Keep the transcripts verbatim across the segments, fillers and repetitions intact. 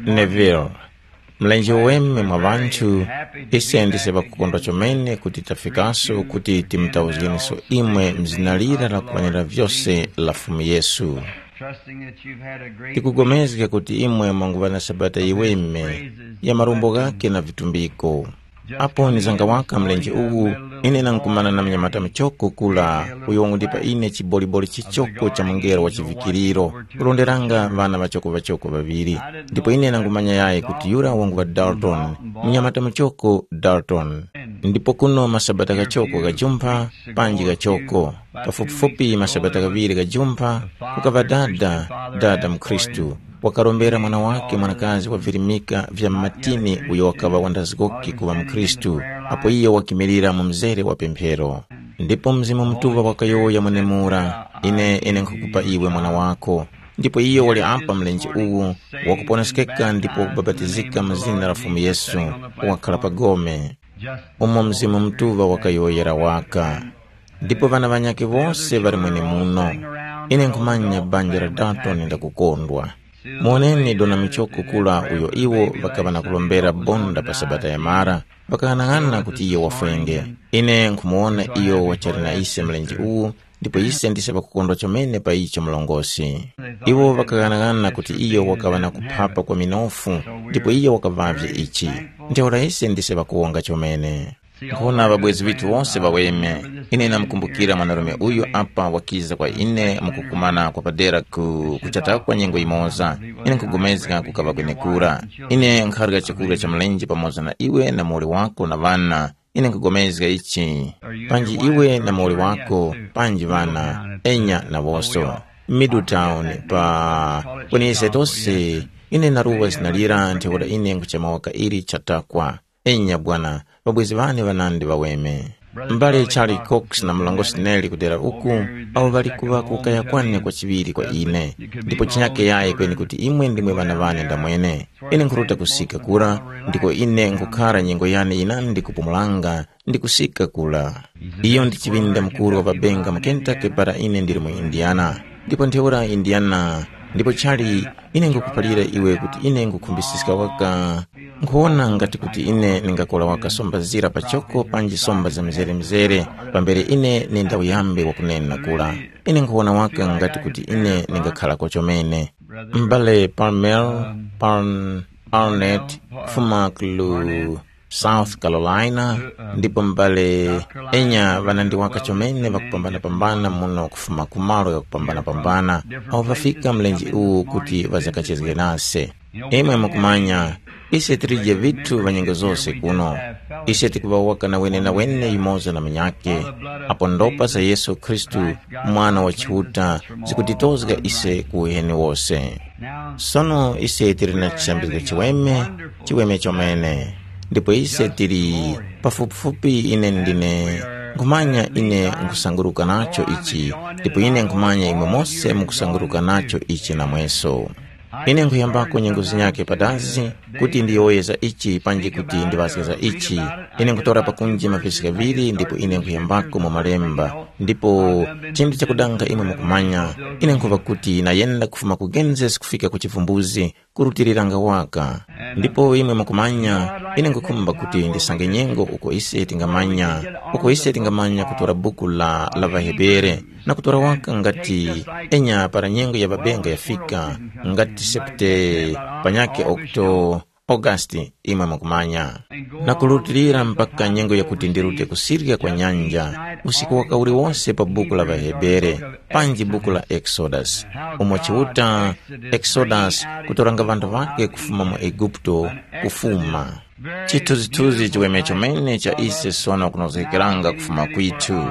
Neville, mlenje weme mwa ŵanthu, ise ndise ŵakukondwa chomene kuti tafikaso kuti timutauzgeneso imwe mzina lira lakukwanira vyose la Fumu Yesu. Tikugomezga kuti imwe mwanguŵa na Sabata yiweme ya marumbo ghakhe na vitumbiko. Apo nizanga waka mlenje uwu, ine nankumana na munyamata muchoko kura uyo wangundipa ine chiboliboli chichoko cha mungelo wa chivikiriro, kulonderanga ŵana ŵachoko-ŵachoko ŵaŵiri. Ndipo ine nangumanya yayi kuti yura wanguŵa Dalton, munyamata muchoko Dalton. Ndipo kuno masabata ghachoko ghajumpha panji ghachoko, pafupifupi masabata ghaŵiri ghajumpha, kukaŵa dada, dada mukhristu, wakarombera mwana wakhe mwanakazi wa virimika vya matini uyo wakaŵa wandazgoki kuŵa mukhristu, apo iyo wakimilira mu mzere wa pemphero. Ndipo Mzimu Mutuŵa wakayowoya mwenemura, ine ine nkhukupa iwe mwana wako. Ndipo iyo wali apa mlenje uwu, wakuponeskeka ndipo wakubapatizika mu zina la Fumu Yesu, wakhala pa gome. Umo Mzimu Mutuŵa wakayowoyera waka. Ndipo ŵana ŵanyakhe wose ŵali mwenemuno. Ine nkhumanya banja la Dalton ndakukondwa. Muwoneni dona michoko kula uyo iwo ŵakaŵa na kulombera bonda pa Sabata ya mara, ŵakaghanaghananga kuti iyo wafwenge. Ine nkhumuwona iyo wachali na ise mlenje uwu, ndipo ise ndise ŵakukondwa chomene pa icho mlongosi. Iwo ŵakaghanaghananga kuti iyo wakaŵa na kuphapa kwa minofu, ndipo iyo wakaŵavye ichi. Ntheura ise ndise ŵakuwonga chomene. Nkhona ŵabwezi ŵithu wose ŵaweme. Ine namkumbukira mwanarume uyu apa wakiza kwa ine mukukumana kwa padera ku kuchatakwa nyengo yimoza. Ine nkhugomezga kukaŵa kwenekura. Ine nkharya chakurya cha mlenje pamoza na iwe na muwoli wako na ŵana. Ine nkhugomezga ichi. Panji iwe na muwoli wako, panji ŵana, enya na woso. Middletown pa kwenise tose. Ine naruwa zina lira ntheura ine nkuchema waka ili chatakwa. Enya bwana, ŵabwezi ŵane ŵanandi ŵaweme. M'bale Charlie Cox na mlongosi Nelly kudera uku, awo ŵali kuŵa kukaya kwane kwachiŵiri kwa ine. Ndipo chinyake yayi kweni kuti imwe ndimwe ŵana ŵane ndamwene. Ine nkhuruta kusika kura, ndiko ine nkhukhara nyengo yane yinandi kupumulanga ndi kusika kura. Iyo ndi chiŵinda mukuru wa ŵabenga mu Kentucky para ine ndili mu Indiana. Ndipo ntheura Indiana, ndipo Charlie, ine ngukuphalira iwe kuti ine ngukhumbisiska waka. Nkhuwona ngati kuti ine ningakora waka somba zira pachoko panji somba za mizere-mizere, pambere ine nindawuyambe wakunena kura. Ine nkhuwona waka ngati kuti ine ningakharako chomene. M'bale Palmer, Palm, Arnett, kufuma ku South Carolina, ndipo m'bale enya ŵanandi waka chomene ŵakupambana-pambana muno kufuma ku malo ghakupambana-pambana, awo ŵafika mlenje uwu kuti ŵazakachezge nase. Imwe mukumanya, ise tilije vithu va nyengo zose kuno. Ise tikuŵa waka na wenenawene yumoza na munyakhe, apo ndopa za Yesu Khristu, Mwana wa Chiuta, zikutitozga ise ku uheni wose. Sono ise tili na chisambizgo chiweme, chiweme chomene. Ndipo ise tili pafupifupi ine ndine nkhumanya ine nkusanguruka nacho ichi, ndipo ine nkhumanya imwe mose mukusanguruka nacho ichi namweso. Ine nkhuyambako nyengo zinyakhe padazi kuti ndiyowoye za ichi panji kuti ndiŵazge za ichi. Ine nkhutora pakunji mavesi ghaŵiri ndipo ine nkhuyambako mu malemba. Ndipo chinthu chakudanga imwe mukumanya, ine nkhuŵa kuti nayenda kufuma ku Genesis kufika ku chivumbuzi, kurutiliranga waka. Ndipo imwe mukumanya, ine nkhukhumba kuti ndisange nyengo uko ise tingamanya, uko ise tingamanya kutora buku la, la ŵaHebere, na kutora waka ngati enya para nyengo ya ŵabenga yafika, ngati septe panyakhe okto, Augasti, imwe mukumanya. Na kurutilira mpaka nyengo yakuti ndirute kusirya kwa nyanja, usiku waka uliwonse pa buku la ŵaHebere, panji buku la Exodus, umo Chiuta Exodus kutoranga ŵanthu ŵakhe kufuma mu Eguputo, kufuma. Chithunzithunzi chiweme chomene cha ise sono kunozgekeranga kufuma kwithu.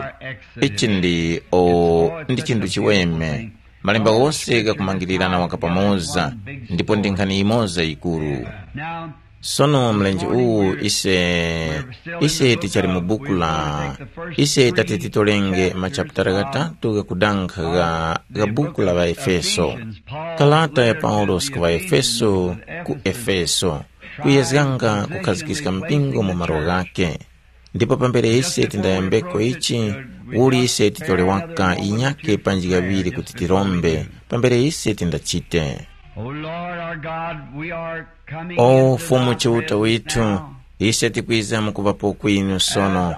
Ichi ndi o ndi chinthu chiweme. Malemba ghose ghakumangirirana waka pamoza, ndipo ndi nkhani yimoza yikuru. Sono mlenje uwu ise ise tichali mu buku la ise tati titolenge machaputala ghatatu ghakudankha gha, gha buku la ŵaefeso. Kalata ya paulosi ku ŵaefeso, ku efeso, kuyezganga kukhazikiska mpingo mu malo ghakhe. Ndipo pambere ise tindayambeko ichi, uli ise titole waka yinyakhe panji ghaŵiri kuti tirombe, pambere ise tindachite. God, we are coming O into Fumu the Chiuta withu, now. Ise tikwiza mukuŵapo kwinu sono,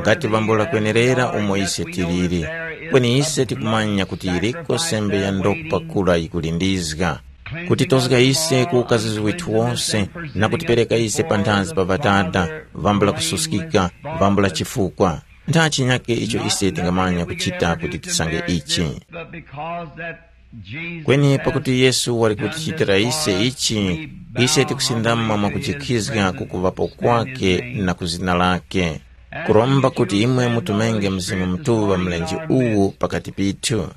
ngati vambula kwenerera umo ise tiliri. Kweni ise tikumanya kuti yiriko sembe ya ndopa kula yikulindizga, kutitozga ise ku ukazizwe withu wose, na kutipereka ise panthazi pa Ŵadada, vambula kususkika, vambula chifukwa. Nda chinyake icho ise tingamanya kuchita kuti tisange ichi? But because that Jesus Kweni has pakuti Yesu wali done this kutichitira for ise us, ichi, we bow ise tikusindama humbly mwa to his kujikhizga presence ku kuŵapo and kwake his name. Na ku zina lake, kuromba kuti imwe mutumenge Mzimu Mutuŵa mlenje uwu pakati pithu.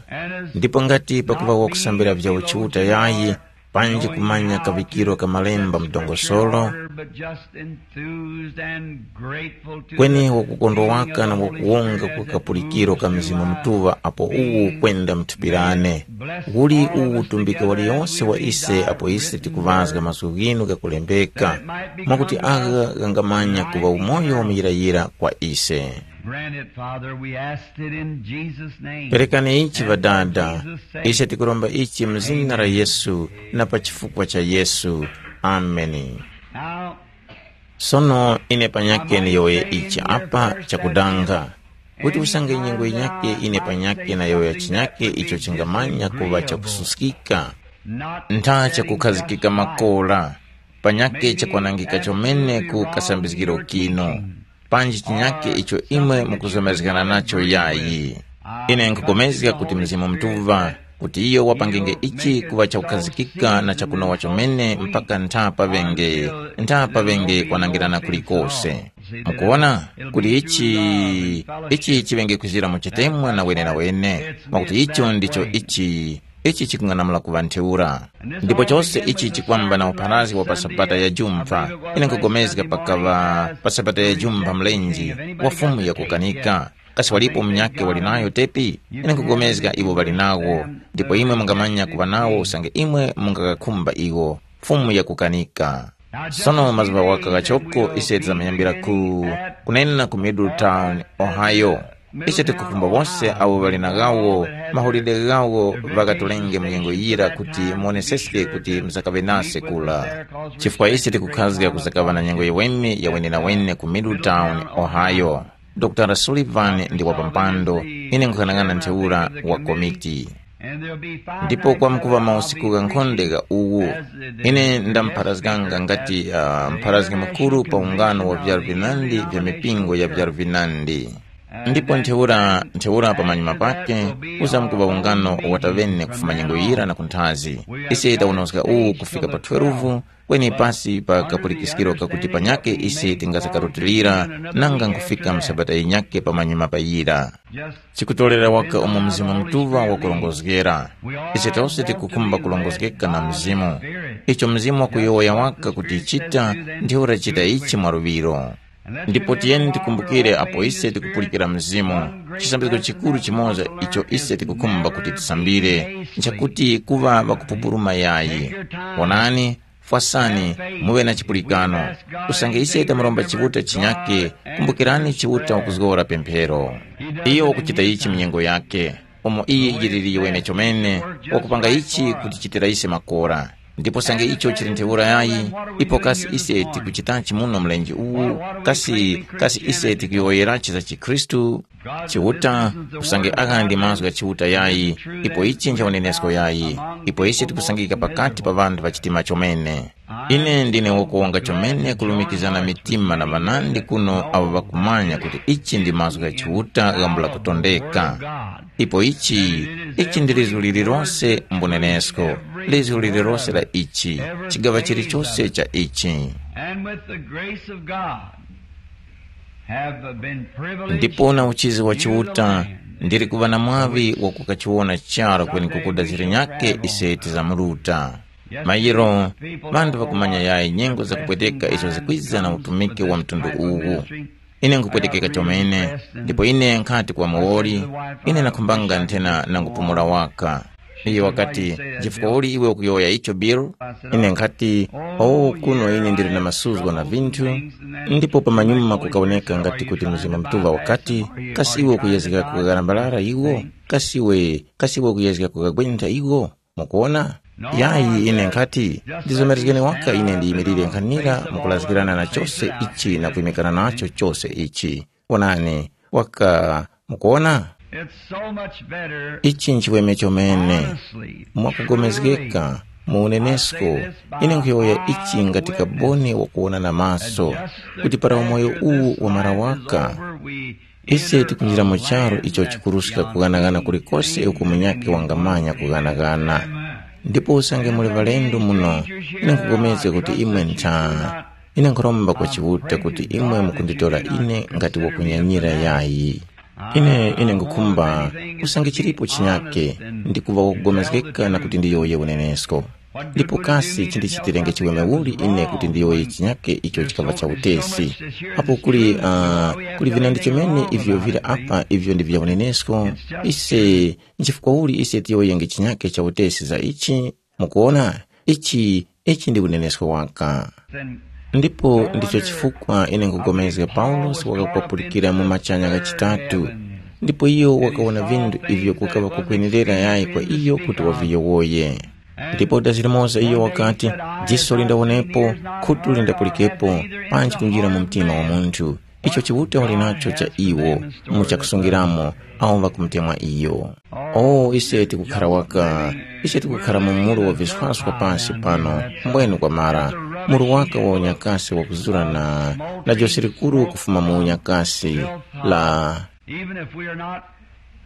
Ndipo ngati pakuŵa wakusambira vya uchiuta yayi, panji kumanya kaŵikiro ka malemba mdongosolo, kweni wakukondwa waka na wakuwonga kwa kapulikiro ka Mzimu Mutuŵa apo uwu kwenda mthupirane. Uli uwu utumbike waliyonse wa ise apo ise tikuŵazga mazgu ghinu ghakulembeka, mwakuti agha ghangamanya kuŵa umoyo wa muyirayira kwa ise. Grant it, Father. We asked it in Jesus' name. Perekani ichi Ŵadada, ise tikuromba ichi mu zina la Yesu na pa chifukwa cha Yesu. Ameni. Now, Sono ine panyake niyowoye ichi apa chakudanga, kuti usange nyengo yinyake ine panyake nayowoya chinyake icho chingamanya kuŵa chakususkika, ntha chakukhazikika makora, panyake chakwanangika chomene ku kasambizgiro kino, panji chinyake icho imwe mukuzomerezgana nacho yayi. Ine nkhupulikana kuti Mzimu Mutuŵa, kuti iyo wapangenge ichi kuŵa chakukhazikika na chakunowa chomene mpaka ntha paŵenge, ntha paŵenge kwanangirana kulikose. Mukuwona kuti ichi, ichi chiŵenge kwizira mu chitemwa na wenenawene, mwakuti icho ndicho ichi, ichi chikung'anamula kuŵa ntheura. Ndipo chose ichi chikwamba na upharazgi wa pa Sabata ya Jumpha. Ine nkhupulikana pakaŵa pa Sabata ya Jumpha mlenje wa Fumu yakukanika. Kasi walipo munyakhe wali nayo tepi? Ine nkhupulikana iwo ŵali nawo, ndipo imwe mungamanya kuŵa nawo usange imwe mungaghakhumba iwo. Fumu yakukanika. Sono mazuŵa waka ghachoko ise tizamuyambira ku, kunena ku Middletown, Ohio. Ise tikukhumba wose awo ŵali na ghawo mahulide ghawo ŵakatolenge mu nyengo yira kuti muwoneseske kuti muzakaŵe nase kura. Chifukwa ise tikukhazga kuzakaŵa na nyengo yiweme ya wenenawene ku Middletown, Ohio. Dr Sullivan ndi wapampando, ine nkhughanaghana ntheura wa komiti. Ndipo kwamkuŵa mausiku ghankhonde gha uwu, ine ndamupharazganga ngati uh, mpharazgi mukuru pa ungano wa vyaro vinandi vya mipingo ya vyaro vinandi. Ndipo ntheura ntheura pamanyuma pake kuzamkuŵa ungano wataŵene kufuma nyengo yira na kunthazi. Ise tawonozga uwu kufika pa twelve, kweni pasi pa kapulikiskiro kakuti panyakhe ise tingasakarutilira nanga nkufika msabata yinyakhe pamanyuma pa yira. Chikutorera waka umo Mzimu Mutuŵa wakurongozgera. Ise tose tikukhumba kurongozgeka na Mzimu. Icho Mzimu wakuyowoya waka kuti chita, ndiwe urachita ichi mwaluŵiro. Ndipo tiyeni tikumbukire apo ise tikupulikira Mzimu, chisambizgo chikuru chimoza icho ise tikukhumba kuti tisambire, nchakuti kuŵa ŵakupupuluma yayi. Wonani, fwasani, muŵe na chipulikano. Usange ise tamuromba Chiuta chinyake, kumbukirani Chiuta wakuzgora pemphero. Iyo wakuchita ichi mu nyengo yake, umo iyi yiliri yiwene chomene, wakupanga ichi kutichitira ise makora. Ndipo sange icho chili ntheura yayi, ipo kasi ise tikuchitachi muno mlenje uwu? Kasi, kasi ise tikuyowoyerachi za chikhristu? Chiuta, usange agha ndi mazgu gha Chiuta yayi, ipo ichi ncha unenesko yayi, ipo ise tikusangika pakati pa ŵanthu ŵa chitima chomene. Ine ndine wokuwonga chomene kulumikizana mitima na ŵanandi kuno abo ŵakumanya kuti ichi ndi mazgu gha Chiuta ghambula kutondeka. Ipo ichi, ichi ndi lizgu lililose mbunenesko, lizgu lililose la ichi, chigaŵa chilichose cha ichi. And with the grace of God, have been privileged Ndipo na uchizi wa to Chiuta, the land ndili kuŵa na mwaŵi wa kukachiwona charo kweni kukuda ziri nyake ise tizamuluta. Mayiro, ŵanthu ŵakumanya yayi nyengo zakupweteka izo zikwiza na utumiki wa mtundu uwu. Ine nkupwetekeka chomene, ndipo ine nkhati kwa muwoli, ine nakhumbanga nthena nangupumula waka. Iyo wakati, chifukwa uli iwe ukuyowoya icho Bill? Ine nkhati, oh, kuno ine ndili na masuzgo na vinthu. Ndipo pamanyuma kukawoneka ngati kuti Mzimu Mutuŵa wakati, kasi iwe ukuyezgeka kughalambalala iwo? Kasi iwe, kasi iwe ukuyezgeka kughagwentha iwo? Mukuwona? Yayi, ine nkhati, ndizomerezgeni waka ine ndiyimirire nkhanira mukulazgirana na chose ichi na kuyimikana nacho chose ichi. Onani, waka mukuona? It's so much better. Ichi nchiweme chomene. Honestly, mwakugomezgeka, mu unenesko, ine nkhuyowoya ichi ngati kaboni wakuwona na maso, kuti para umoyo uwu wamara waka, ise tikunjira mu charu icho chikuruska kughanaghana kulikose uko munyakhe wangamanya kughanaghana. Ndipo usange muli ŵalendo muno, ine nkhupulikana kuti imwe ntha. Ine nkhuromba kwa Chiuta kuti imwe mukunditora ine ngati wakunyanyira yayi. Ine ine nkhukhumba usange chilipo chinyake ndi kuŵa wakupulikana na kuti ndiyowoye unenesko. Ndipo kasi chindichitirenge chiweme uli ine kuti ndiyowoye chinyake icho chikaŵa cha utesi? Apo kuli uh, kuli vinandi chomene ivyo vili apa ivyo ndi vya unenesko. Ise nchifukwa uli ise tiyowoyenge chinyake cha utesi za ichi? Mukuona, ichi ichi ndi unenesko waka. Ndipo ndicho chifukwa ine nkugomezga Paulosi wakakupapulikira mu machanya ghachitatu, ndipo iyo wakawona vinthu ivyo kukaŵa kukwenerera yayi kwa iyo kuti waviyowoye. Ndipo dazi limoza iyo wakati, diso lindawonepo, khutu lindapulikepo, panji kunjira mu mtima wa munthu, icho Chiuta wali nacho cha iwo, mu chakusungiramo, awo ŵakumutemwa iyo. O ise tikukhara waka, ise tikukhara mu mulu wa viswaswa pansi pano, mbwenu kwamara, mulu waka wa unyakasi wakuzurana na jose likuru kufuma mu unyakasi la. Even if we are not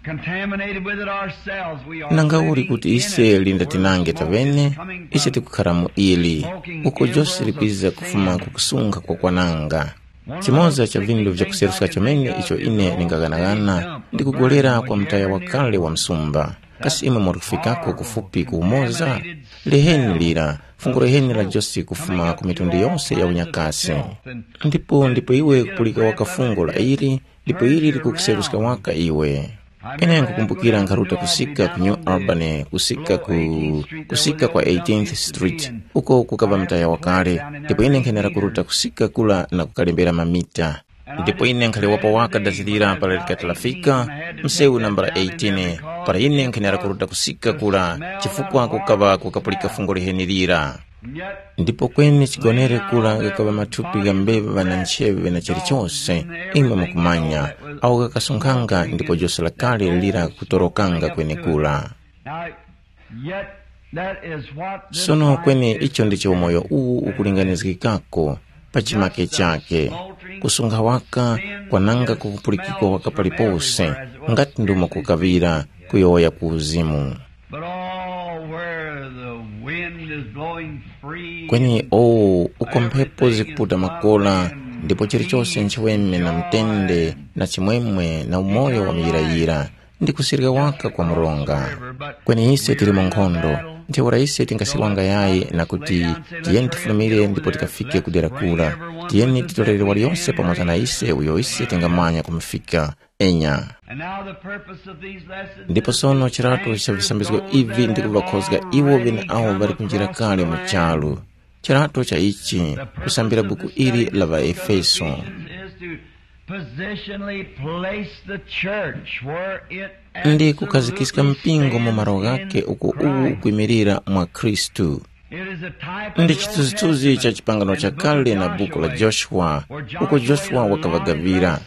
contaminated with it ourselves, we are Nanga uli kuti ise linda tinange tavene, ise tikukhara mu ili, uko jose likwiza kufuma ku kusunkha kwa kwananga. Chimoza cha vindu vyakuseruska chomene icho ine ndingaghanaghana ndi kugolera kwa mtaya wakale wa msumba. Kasi imwe muli kufikako kufupi ku umoza? Leheni lira, fungo leheni la jose kufuma ku mitundu yonse ya unyakasi. Ndipo ndipo iwe kupulika waka fungo la ili, ndipo ili likukuseruska waka iwe. Ine nkukumbukira nkharuta kusika ku New Albany, kusika ku kusika kwa eighteenth Street, uko kukaŵa mtaya wakale, ndipo ine nkhenera kuruta kusika kula na kukalembera mamita. Ndipo ine nkhalewapo waka dazilira para likati lafika msewu nambala eighteen, para ine nkhenera kuruta kusika kula, chifukwa kukaŵa kukapulika fungo liheni lira. Ndipo kweni chigonere kula gakaŵa mathupi ga mbeva na ncheŵe na chilichose, imwe mukumanya, awo ghakasunkhanga ndipo jose lakale lira kutorokanga kwenekura. Now, yet that is what this Sono life kweni is icho ndicho umoyo uwu ukulinganizgikako pa chimake chake, kusunkha waka kwananga kukupulikikwa waka palipose, ngati ndumo kukaŵira kuyowoya ku uzimu. But all where the wind is blowing free, Kweni o uko mphepo zikuputa makola, ndipo chilichose nchiweme na mtende na chimwemwe na umoyo wa muyirayira, ndi kusirika waka kwa mronga. Kweni ise tili mu nkhondo, ntheura ise tingasiwanga yayi na kuti, tiyeni tifulumire ndipo tikafike ku dera kura. Tiyeni titorere waliyonse pamoza na ise uyo ise tingamanya kumufika. Enya. And now the purpose of these lessons Ndipo is sono to chiratu cha visambizgo ivi ndi kuvakhozga iwo vene awo vari kunjira kale mu charu. Chirato cha ichi, kusambira buku ili la ŵaEfeso. Is to positionally place the church where it Ndi kukhazikiska mpingo mu malo ghake uko uwu ukwimirira mwa Khristu. It is a type of Ndi the Old chithunzithunzi cha Testament chipangano cha kale na buku la Joshua, uko Joshua wakavagavira.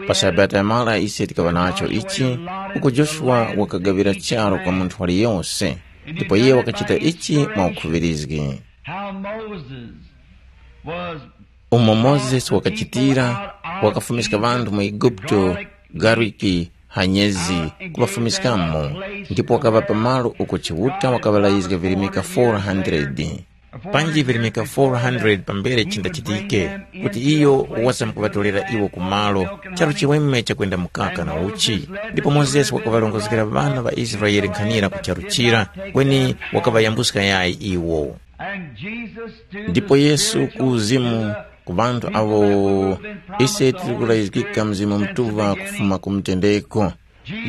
Pa Sabata yamara ise tikaŵa nacho ichi, uko Joshua wakagavira charo kwa munthu waliyonse, ndipo iye wakachita ichi mwa ukhuŵirizgi. How Moses was Umo Mozesi wakachitira, wakafumiska ŵanthu mu Eguputo, gariki, hanyezi, kuŵafumiskamo, ndipo wakaŵapa malo uko Chiuta wakaŵalayizga virimika four hundred. Panji virimika four hundred pambere chindachitike, kuti iyo wazamkuŵatorera iwo ku malo, charu chiweme chakwenda mukaka na uchi. Ndipo Mozesi wakaŵarongozgera ŵana ŵa Israele nkhanira ku charu chira, kweni wakaŵayambuska yayi iwo. Ndipo Yesu ku uzimu, ku ŵanthu awo ise tili kulayizgika Mzimu Mutuŵa kufuma ku mutendeko.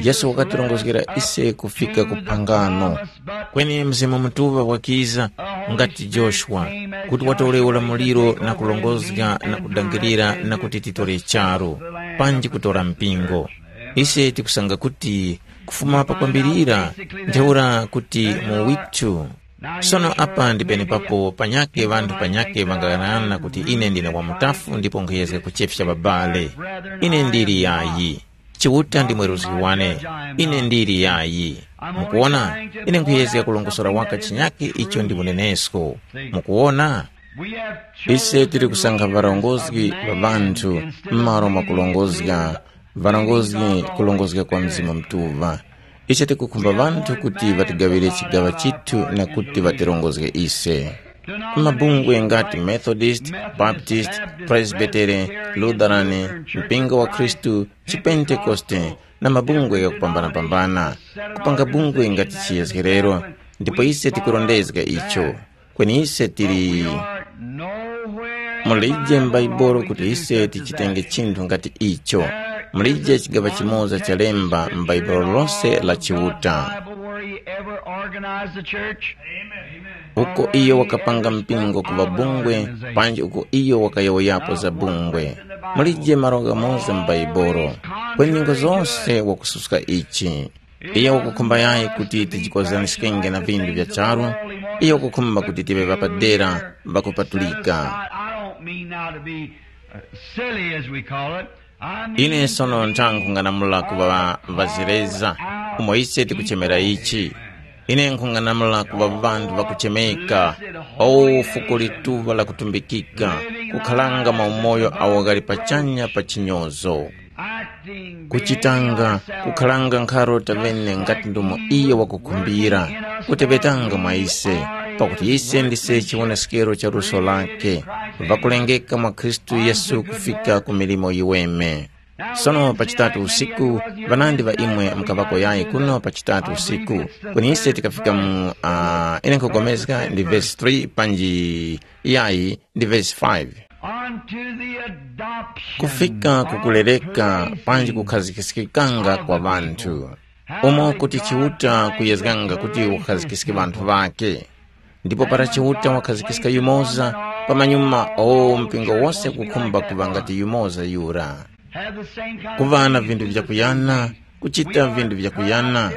Yesu wakatirongozgera ise kufika ku phangano. Kweni Mzimu Mutuŵa wakiza ngati Joshua, kuti watore ulamuliro na kurongozga na kudangirira na kuti titore charu, panji kutora mpingo. Ise tikusanga kuti kufuma pakwambirira, ntheura kuti mu withu, Sono apa ndi penepapo panyakhe ŵanthu panyakhe ŵangaghanaghanana kuti ine ndine wamutafu ndipo nkhuyezga kuchefya ŵabale. Ine ndili yayi. Chiuta ndi mweruzgi wane. Ine ndili yayi. Mukuwona, ine nkhuyezga kulongosora waka chinyakhe icho ndi unenesko. Mukuwona? Ise tili kusankha ŵarongozgi ŵa ŵanthu m'malo mwa kulongozga ŵarongozgi kulongozga kwa Mzimu Mutuŵa. Ise tikukhumba ŵanthu kuti ŵatigaŵire chigaŵa chithu na kuti ŵatirongozge ise. Mabungwe ngati Methodist, Baptist, Presbytery, Lutheran, Mpingo wa Khristu, Chipentekoste na mabungwe ghakupambanapambana, kupanga bungwe ngati chiyezgerero, ndipo ise tikurondezga icho. Kweni ise tili mulije m'Baibulo kuti ise tichitenge chinthu ngati icho. Mulije chigaŵa chimoza chalemba m'Baibulo lose la Chiuta. Uko iyo wakapanga mpingo kuŵa bungwe, panji uko iyo wakayowoyapo za bungwe. Mulije malo ghamoza m'Baibulo. Kweni nyengo zose wakususka ichi. Iyo wakukhumba yayi kuti tijikozaniskenge na vindu vya charu, iyo wakukhumba kuti tive ŵapadera ŵakupatulika. I, I don't mean now to be uh, silly, as we call it. I mean Ine sono nthankhu nganamula kuŵa ŵazireza, umo ise tikuchemera ichi. Ine nkhung'anamula kuŵa ŵanthu ŵakuchemeka, o fuko lituŵa lakutumbikika, kukhalanga maumoyo awo ghali pachanya pa chinyozo. Kuchitanga kukhalanga nkharo tavene ngati ndomo iyo wakukhumbira, kuteŵetanga mwa ise, pakuti ise ndise chiwoneskero cha luso lake, ŵakulengeka mwa Khristu Yesu kufika ku milimo yiweme. Sono pa chitatu usiku, ŵanandi ŵa imwe mukaŵako yayi kuno pa chitatu usiku, kweni ise tikafika mu uh, ine nkhupulikana ndi vesi three panji yayi ndi vesi five. Unto the adoption kufika by kukulereka grace panji in kukhazikikanga kwa Christ ŵanthu, Jesus. Umo kuti Chiuta kuyezganga kuti ukhazikiske ŵanthu ŵake. Ndipo para Chiuta wakhazikiska yumoza, pamanyuma o mpingo wose kukhumba kuŵa ngati yumoza yura. Kuŵa na vinthu vyakuyana, kuchita vinthu vyakuyana.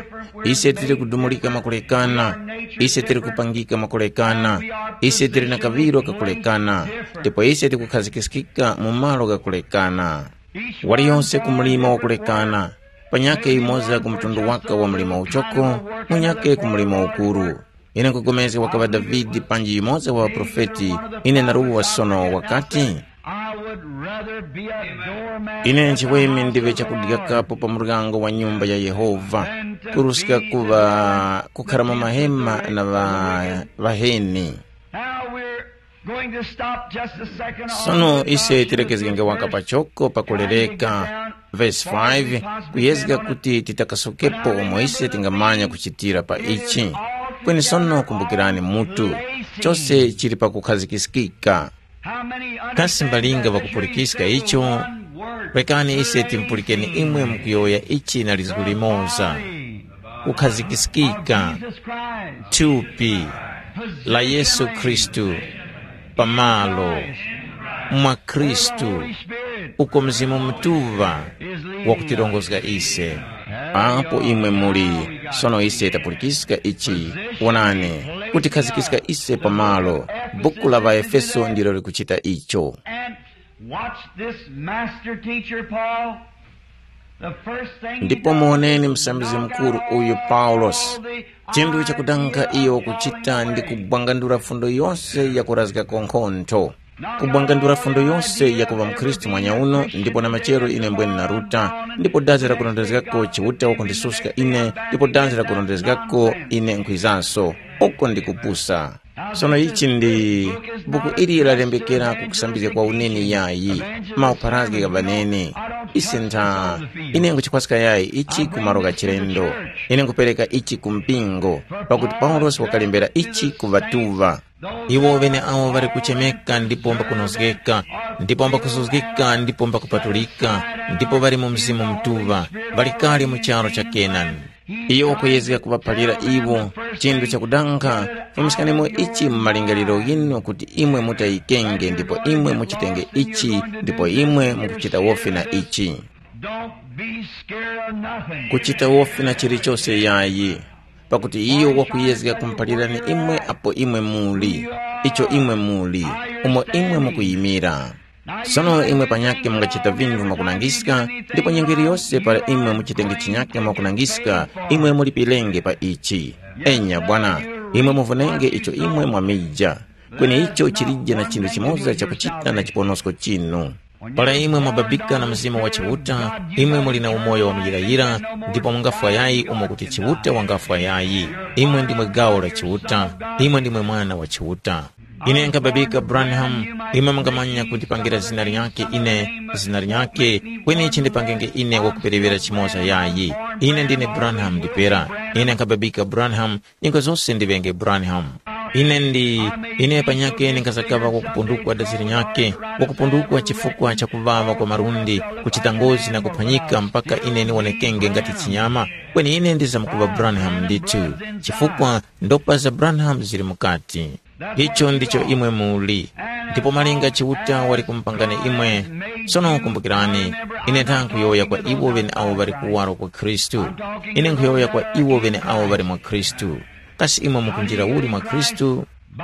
Ise tili kudumulika makulekana, ise tili kupangika makulekana, ise tili na kaŵiro kakulekana, ndipo ise tikukhazikiskika mu malo ghakulekana. Waliyonse ku mlima wakulekana, panyakhe yumoza ku mtundu waka wa mlima uchoko, munyakhe ku mlima ukuru. Ine nkupulikana wakaŵa Davide panji yumoza wa ŵaprofeti, ine naruwa sono wakati, I would rather be a doormat ine at the nchiweme house ndive of the chakudyakapo Lord pa muryango wa nyumba ya Yehova, than to kuruska be kuŵa in the kukhara mu mahema na ŵa- ŵaheni. Now we're going to stop just a second on sono the ise doctrine of tilekezgenge waka verse pachoko pakulereka. Verse five, kuyezga kuti titakasokepo umo ise tingamanya kuchitira pa ichi. Kweni sono kumbukirani mutu, chose chili pakukhazikiskika. Kasi mbalinga ŵakupulikiska icho? Rekani ise timpulikeni imwe mukuyowoya ichi na lizgu limoza. Kukhazikiskika, thupi la Yesu Khristu, pamalo mwa Khristu, uko Mzimu Mutuŵa wakutirongozga ise. Apo imwe muli, sono ise tapulikiska ichi, wonani, kutikhazgiska ise pamalo. Buku la ŵaEfeso ndilo likuchita icho. And watch this master teacher, Paul. The first thing he ndipo does muoneni is msambizgi knock mukuru out uyu all paulosi. The chinthu chakudanga iyo kuchita ndi kubwangandula fundo yose yakurazgako nkhontho, kubwangandula fundo yose yakuva mkhristu mwanyauno. Ndipo na machero ine mbwene naruta, ndipo dazi lakurondezgako Chiuta wakundisuska ine, ndipo dazi lakurondezgako ine nkhwizanso. Uko ndikupusa. Sono ichi ndi buku ili lalembekera kukusambizga kwa uneni yayi, maupharazgi gha ŵaneni. Ise ntha, ine nguchikhwaska yayi ichi ku malo gha chilendo. Ine ngupereka ichi ku mpingo, pakuti Paulosi wakalembera ichi ku ŵatuŵa. Iwo ŵeneawo ŵali kuchemeka ndipo mbakunozgeka, ndipo mbakuzuzgika ndipo mbakupatulika, ndipo ŵali mu Mzimu Mutuŵa, ŵali kale mu charu cha Kenani. Iyo wakuyezga kuŵaphalira iwo chinthu chakudanga. Fumiskanimo ichi mu malingaliro ghinu kuti imwe mutayikenge ndipo imwe muchitenge ichi ndipo imwe mukuchita wofi na ichi. Don't be scared of nothing. Kuchita wofi na chilichose yayi. pakuti iyo wakuyezga kumuphalirani imwe apo imwe muli, icho imwe muli, umo imwe mukuyimira. Sono imwe panyakhe mungachita vinthu mwakunangiska, ndipo nyengo yiliyose para imwe muchitenge chinyakhe mwakunangiska, imwe mulipirenge pa ichi. Enya bwana, imwe muvunenge icho imwe mwamija, kweni icho chilije na chinthu chimoza chakuchita na chiponosko chinu. Para imwe mwababika na Mzimu wa Chiuta, imwe muli na umoyo wa muyirayira, ndipo mungafwa yayi umo kuti Chiuta wangafwa yayi. Imwe ndimwe gawo la Chiuta, imwe ndimwe mwana wa Chiuta. Ine nkhababika Branham, imwe mungamanya kundipangira zina linyakhe ine, zina linyakhe, kweni chindipangenge ine wakuperewera chimoza yayi. Ine ndine Branham ndipera. Ine nkhababika Branham, nyengo zose ndiŵenge Branham. Ine ndi, ine panyakhe ndingazakaŵa wakupundukwa dazi linyakhe, wakupundukwa chifukwa cha kuŵaŵa kwa malundi, kuchita ngozi na kuphwanyika mpaka ine niwonekenge ngati chinyama, kweni ine ndizamkuŵa Branham ndithu, chifukwa ndopa za Branham zili mukati. Icho ndicho imwe muli. Ndipo malinga Chiuta wali kumupangani imwe. Sono kumbukirani, ine ntha nkhuyowoya kwa iwo ŵeneawo ŵali kuwaro kwa Khristu. Ine nkhuyowoya kwa iwo ŵeneawo ŵali mwa Khristu. Kasi imwe mukunjira uli mwa Khristu? By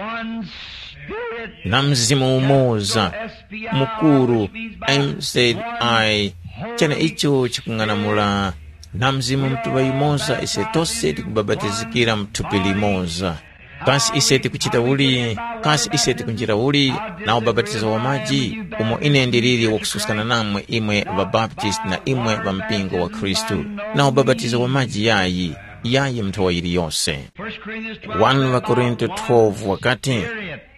one Spirit, na mzimu umoza, mukuru, M Z I, chene icho chikung'anamula, na mzimu mutuŵa yumoza ise tose tikubabatizikira mu thupi limoza. Kasi ise tikuchita uli? Kasi ise tikunjira uli? Na ubapatizo wa maji, umo ine ndiliri wakususkana namwe imwe ŵabaptisti na imwe ŵa mpingo wa Khristu, na ubapatizo wa maji yayi, yayi mu nthowa yiliyose. First Corinthians twelve, one Korinto twelve wakati,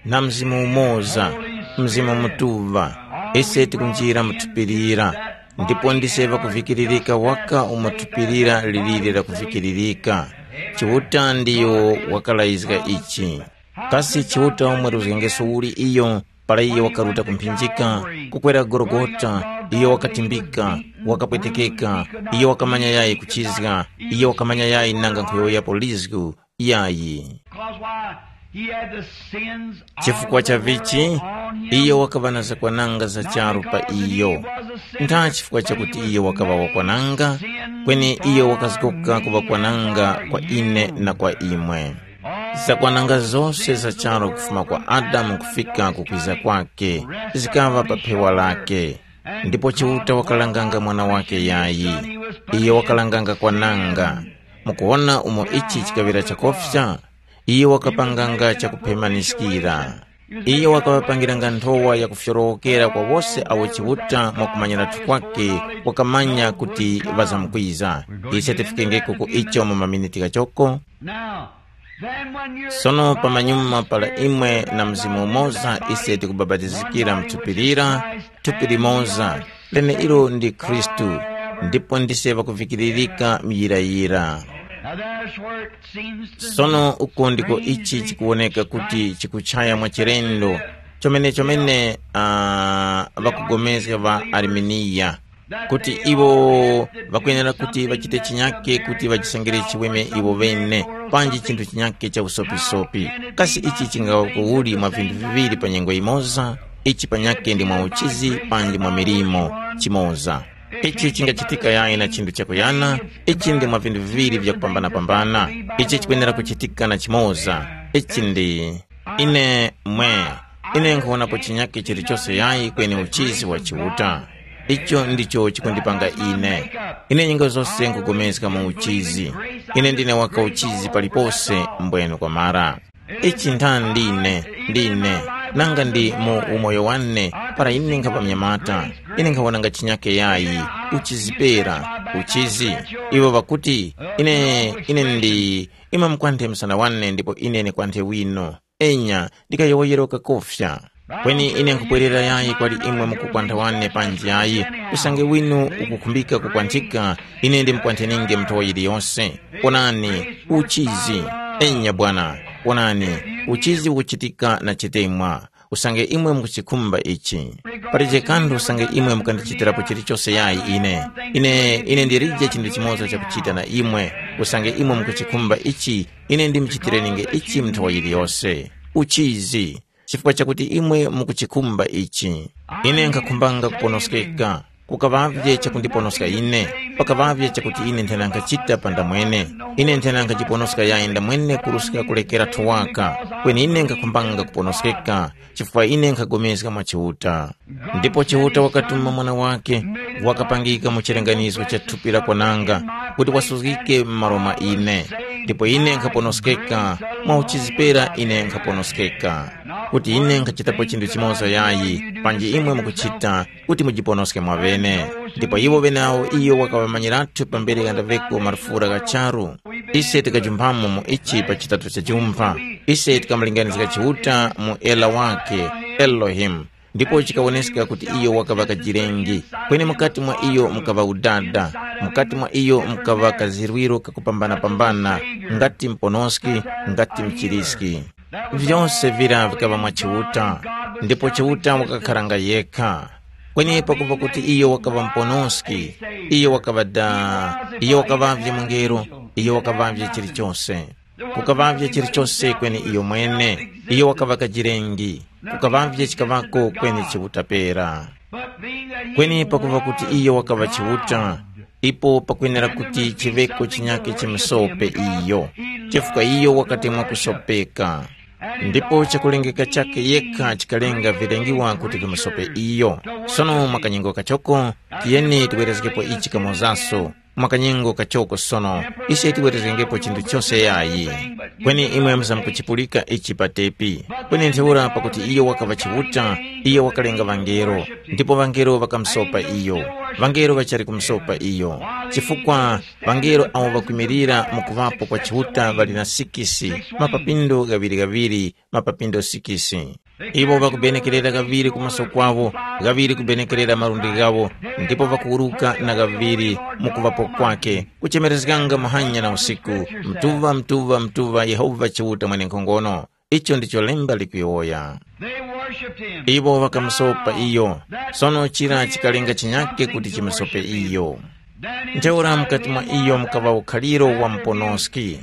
na mzimu umoza, mzimu mutuŵa, ise tikunjira mu thupi lira, ndipo ndise ŵakuvikiririka waka umo thupi lira liliri lakuvikiririka. Chiuta ndiyo wakalayizga ichi. Kasi Chiuta wamweruzgengeso uli iyo, para iyo wakaruta ku mphinjika, kukwera Gologota, iyo wakatimbika, wakapwetekeka, iyo wakamanya yayi kuchizga, iyo wakamanya yayi nanga nkhuyowoyapo lizgu, yayi. Because why? He had the sins of Chifukwa the cha vichi, world on him. Iyo wakaŵa na zakwananga za charu pa iyo. Ntha chifukwa chakuti iyo wakaŵa wakwananga, kweni iyo wakazgoka kuŵa kwananga kwa ine na kwa imwe. Zakwananga zose za charu kufuma kwa Adamu kufika kukwiza kwake, zikaŵa pa phewa lake. Ndipo Chiuta wakalanganga mwana wake yayi. Iyo wakalanganga kwananga. Mukuwona umo ichi chikaŵira chakofya? Iyo wakapanganga chakuphemaniskira. Iyo wakaŵapangiranga nthowa yakufyorowokera kwa wose awo Chiuta mwakumanyiratu kwake wakamanya kuti ŵazamkwiza. Ise tifikengeko ku icho mu maminiti ghachoko. Now, then when you're Sono pamanyuma pala imwe na mzimu umoza ise tikubapatizikira mu thupi lira, thupi limoza, leneilo ndi Khristu, ndipo ndise ŵakuvikiririka muyirayira. Now there's where it seems to Sono uko ndiko ichi chikuwoneka kuti chikuchaya mwa chilendo, chomene chomene uh, ŵakugomezga ŵa Arminiya, kuti iwo ŵakwenera kuti ŵachite chinyake kuti ŵachisengere chiweme iwo ŵene, panji chinthu chinyake cha usopisopi. Kasi ichi chingaŵa kuuli mwa vinthu viŵiri pa nyengo yimoza? Ichi panyake ndi mwa uchizi panji mwa milimo chimoza. Ichi chingachitika yayi na chinthu chakuyana. Ichi ndi mwa vinthu viŵiri vyakupambana-pambana. Ichi chikwenera kuchitika na chimoza. Ichi ndi ine mwe. Ine nkhuwonapo chinyake chilichose yayi kweni uchizi wa Chiuta. Icho ndicho chikundipanga ine. Ine nyengo zose nkugomezga mu uchizi. Ine ndine waka uchizi palipose mbwene kwamara. Ichi ntha ndine, ndine, nanga ndi mu umoyo wane, para ine nkhapa mnyamata, ine nkhawonanga chinyake yayi, uchizipera, uchizi. Iwo ŵakuti, ine, ine ndi, imwe mukwanthe msana wane ndipo ine ndikwanthe wino. Enya, ndikayowoyera kakofya. Kweni ine nkhupwerera yayi kwali imwe mukukwantha wane panji yayi, usange winu ukukhumbika kukwanthika, ine ndimukwantheninge muthowa yiliyose. Onani, uchizi. Enya bwana, onani, uchizi ukuchitika na chitemwa. Usange imwe mukuchikhumba ichi. Palije kanthu usange imwe mukandichitirapo chilichose yayi ine. Ine, ine ndilije chinthu chimoza chakuchita na imwe. Usange imwe mukuchikhumba ichi, ine ndimuchitireninge ichi muthowa yiliyose. Uchizi. Chifukwa chakuti imwe mukuchikhumba ichi. Ine nkhakhumbanga kuponoskeka. Kukaŵavye chakundiponoska ine, pakaŵavye chakuti ine nthena nkhachita pa ndamwene. Ine nthena nkhajiponoska yayi ndamwene kuruska kulekera thuwaka, kweni ine nkhakhumbanga kuponoskeka, chifukwa ine nkhapulikana mwa Chiuta. Ndipo Chiuta wakatuma Mwana wakhe, wakapangika mu chilenganizo cha thupi la kwananga, kuti wasuzgike m'malo mwa ine. Ndipo ine nkhaponoskeka, mwa uchizipera ine nkhaponoskeka. Kuti ine nkhachitapo chinthu chimoza yayi, panji imwe mukuchita, kuti mujiponoske mwaŵene. Ndipo iwo ŵenawo iyo wakaŵamanyirathu pambere ghandaŵeko marufura gha charu. Ise tikajumphamo mu ichi pa chitatu cha jumpha. Ise tikamulinganizga Chiuta mu ela wakhe, Elohimu. Ndipo chikawoneska kuti iyo wakaŵa kajirengi, kweni mukati mwa iyo mukaŵa udada, mukati mwa iyo mukaŵa kazirwiro kakupambana-pambana, ngati mponoski, ngati mchiriski. Vyose vira vikaŵa mwa Chiuta, ndipo Chiuta wakakharanga yekha. Kweni pakupa kuti iyo wakaŵa muponoski, iyo wakaŵa da, iyo wakaŵavye mungelo, iyo wakaŵavye chilichose. Kukaŵavye chilichose kweni iyo mwene, iyo wakaŵa kajirengi, kukaŵavye chikaŵako kweni Chiuta pera. Kweni pakupa kuti iyo wakaŵa Chiuta, ipo pakwenera kuti chiŵeko chinyakhe chimusope iyo, chifukwa iyo wakatemwa kusopeka. Ndipo chakulengeka chakhe yekha chikalenga vilengiwa kuti vimusope iyo. Sono mwa kanyengo kachoko, tiyeni tiwerezgepo ichi kamozaso. Mwa kanyengo kachoko sono, ise tiwerezgengepo chinthu chose yayi. Kweni imwe muzamkuchipulika ichi patepi. Kweni ntheura pakuti iyo wakaŵa Chiuta, iyo wakalenga ŵangelo, ndipo ŵangelo ŵakamusopa iyo. Ŵangelo ŵachali kumusopa iyo, chifukwa ŵangelo awo ŵakwimirira mu kuŵapo kwa Chiuta ŵali na sikisi, mapapindo ghaŵiri-ghaŵiri, mapapindo sikisi. Iwo ŵakubenekerera kaŵiri ku maso kwawo, ghaŵiri kubenekerera malundi ghawo, ndipo ŵakuwuruka na ghaŵiri mu kuŵapo kwakhe, kuchemerezganga muhanya na usiku, mtuŵa, mtuŵa, mtuŵa, Yehova Chiuta Mwenenkhongono. Icho ndicho lemba likuyowoya. They worshipped him. Iwo ŵakamusopa iyo. Sono chira chikalenga chinyake kuti chimusope iyo. Ntheura mukati mwa iyo mukaŵa ukhaliro wa muponoski.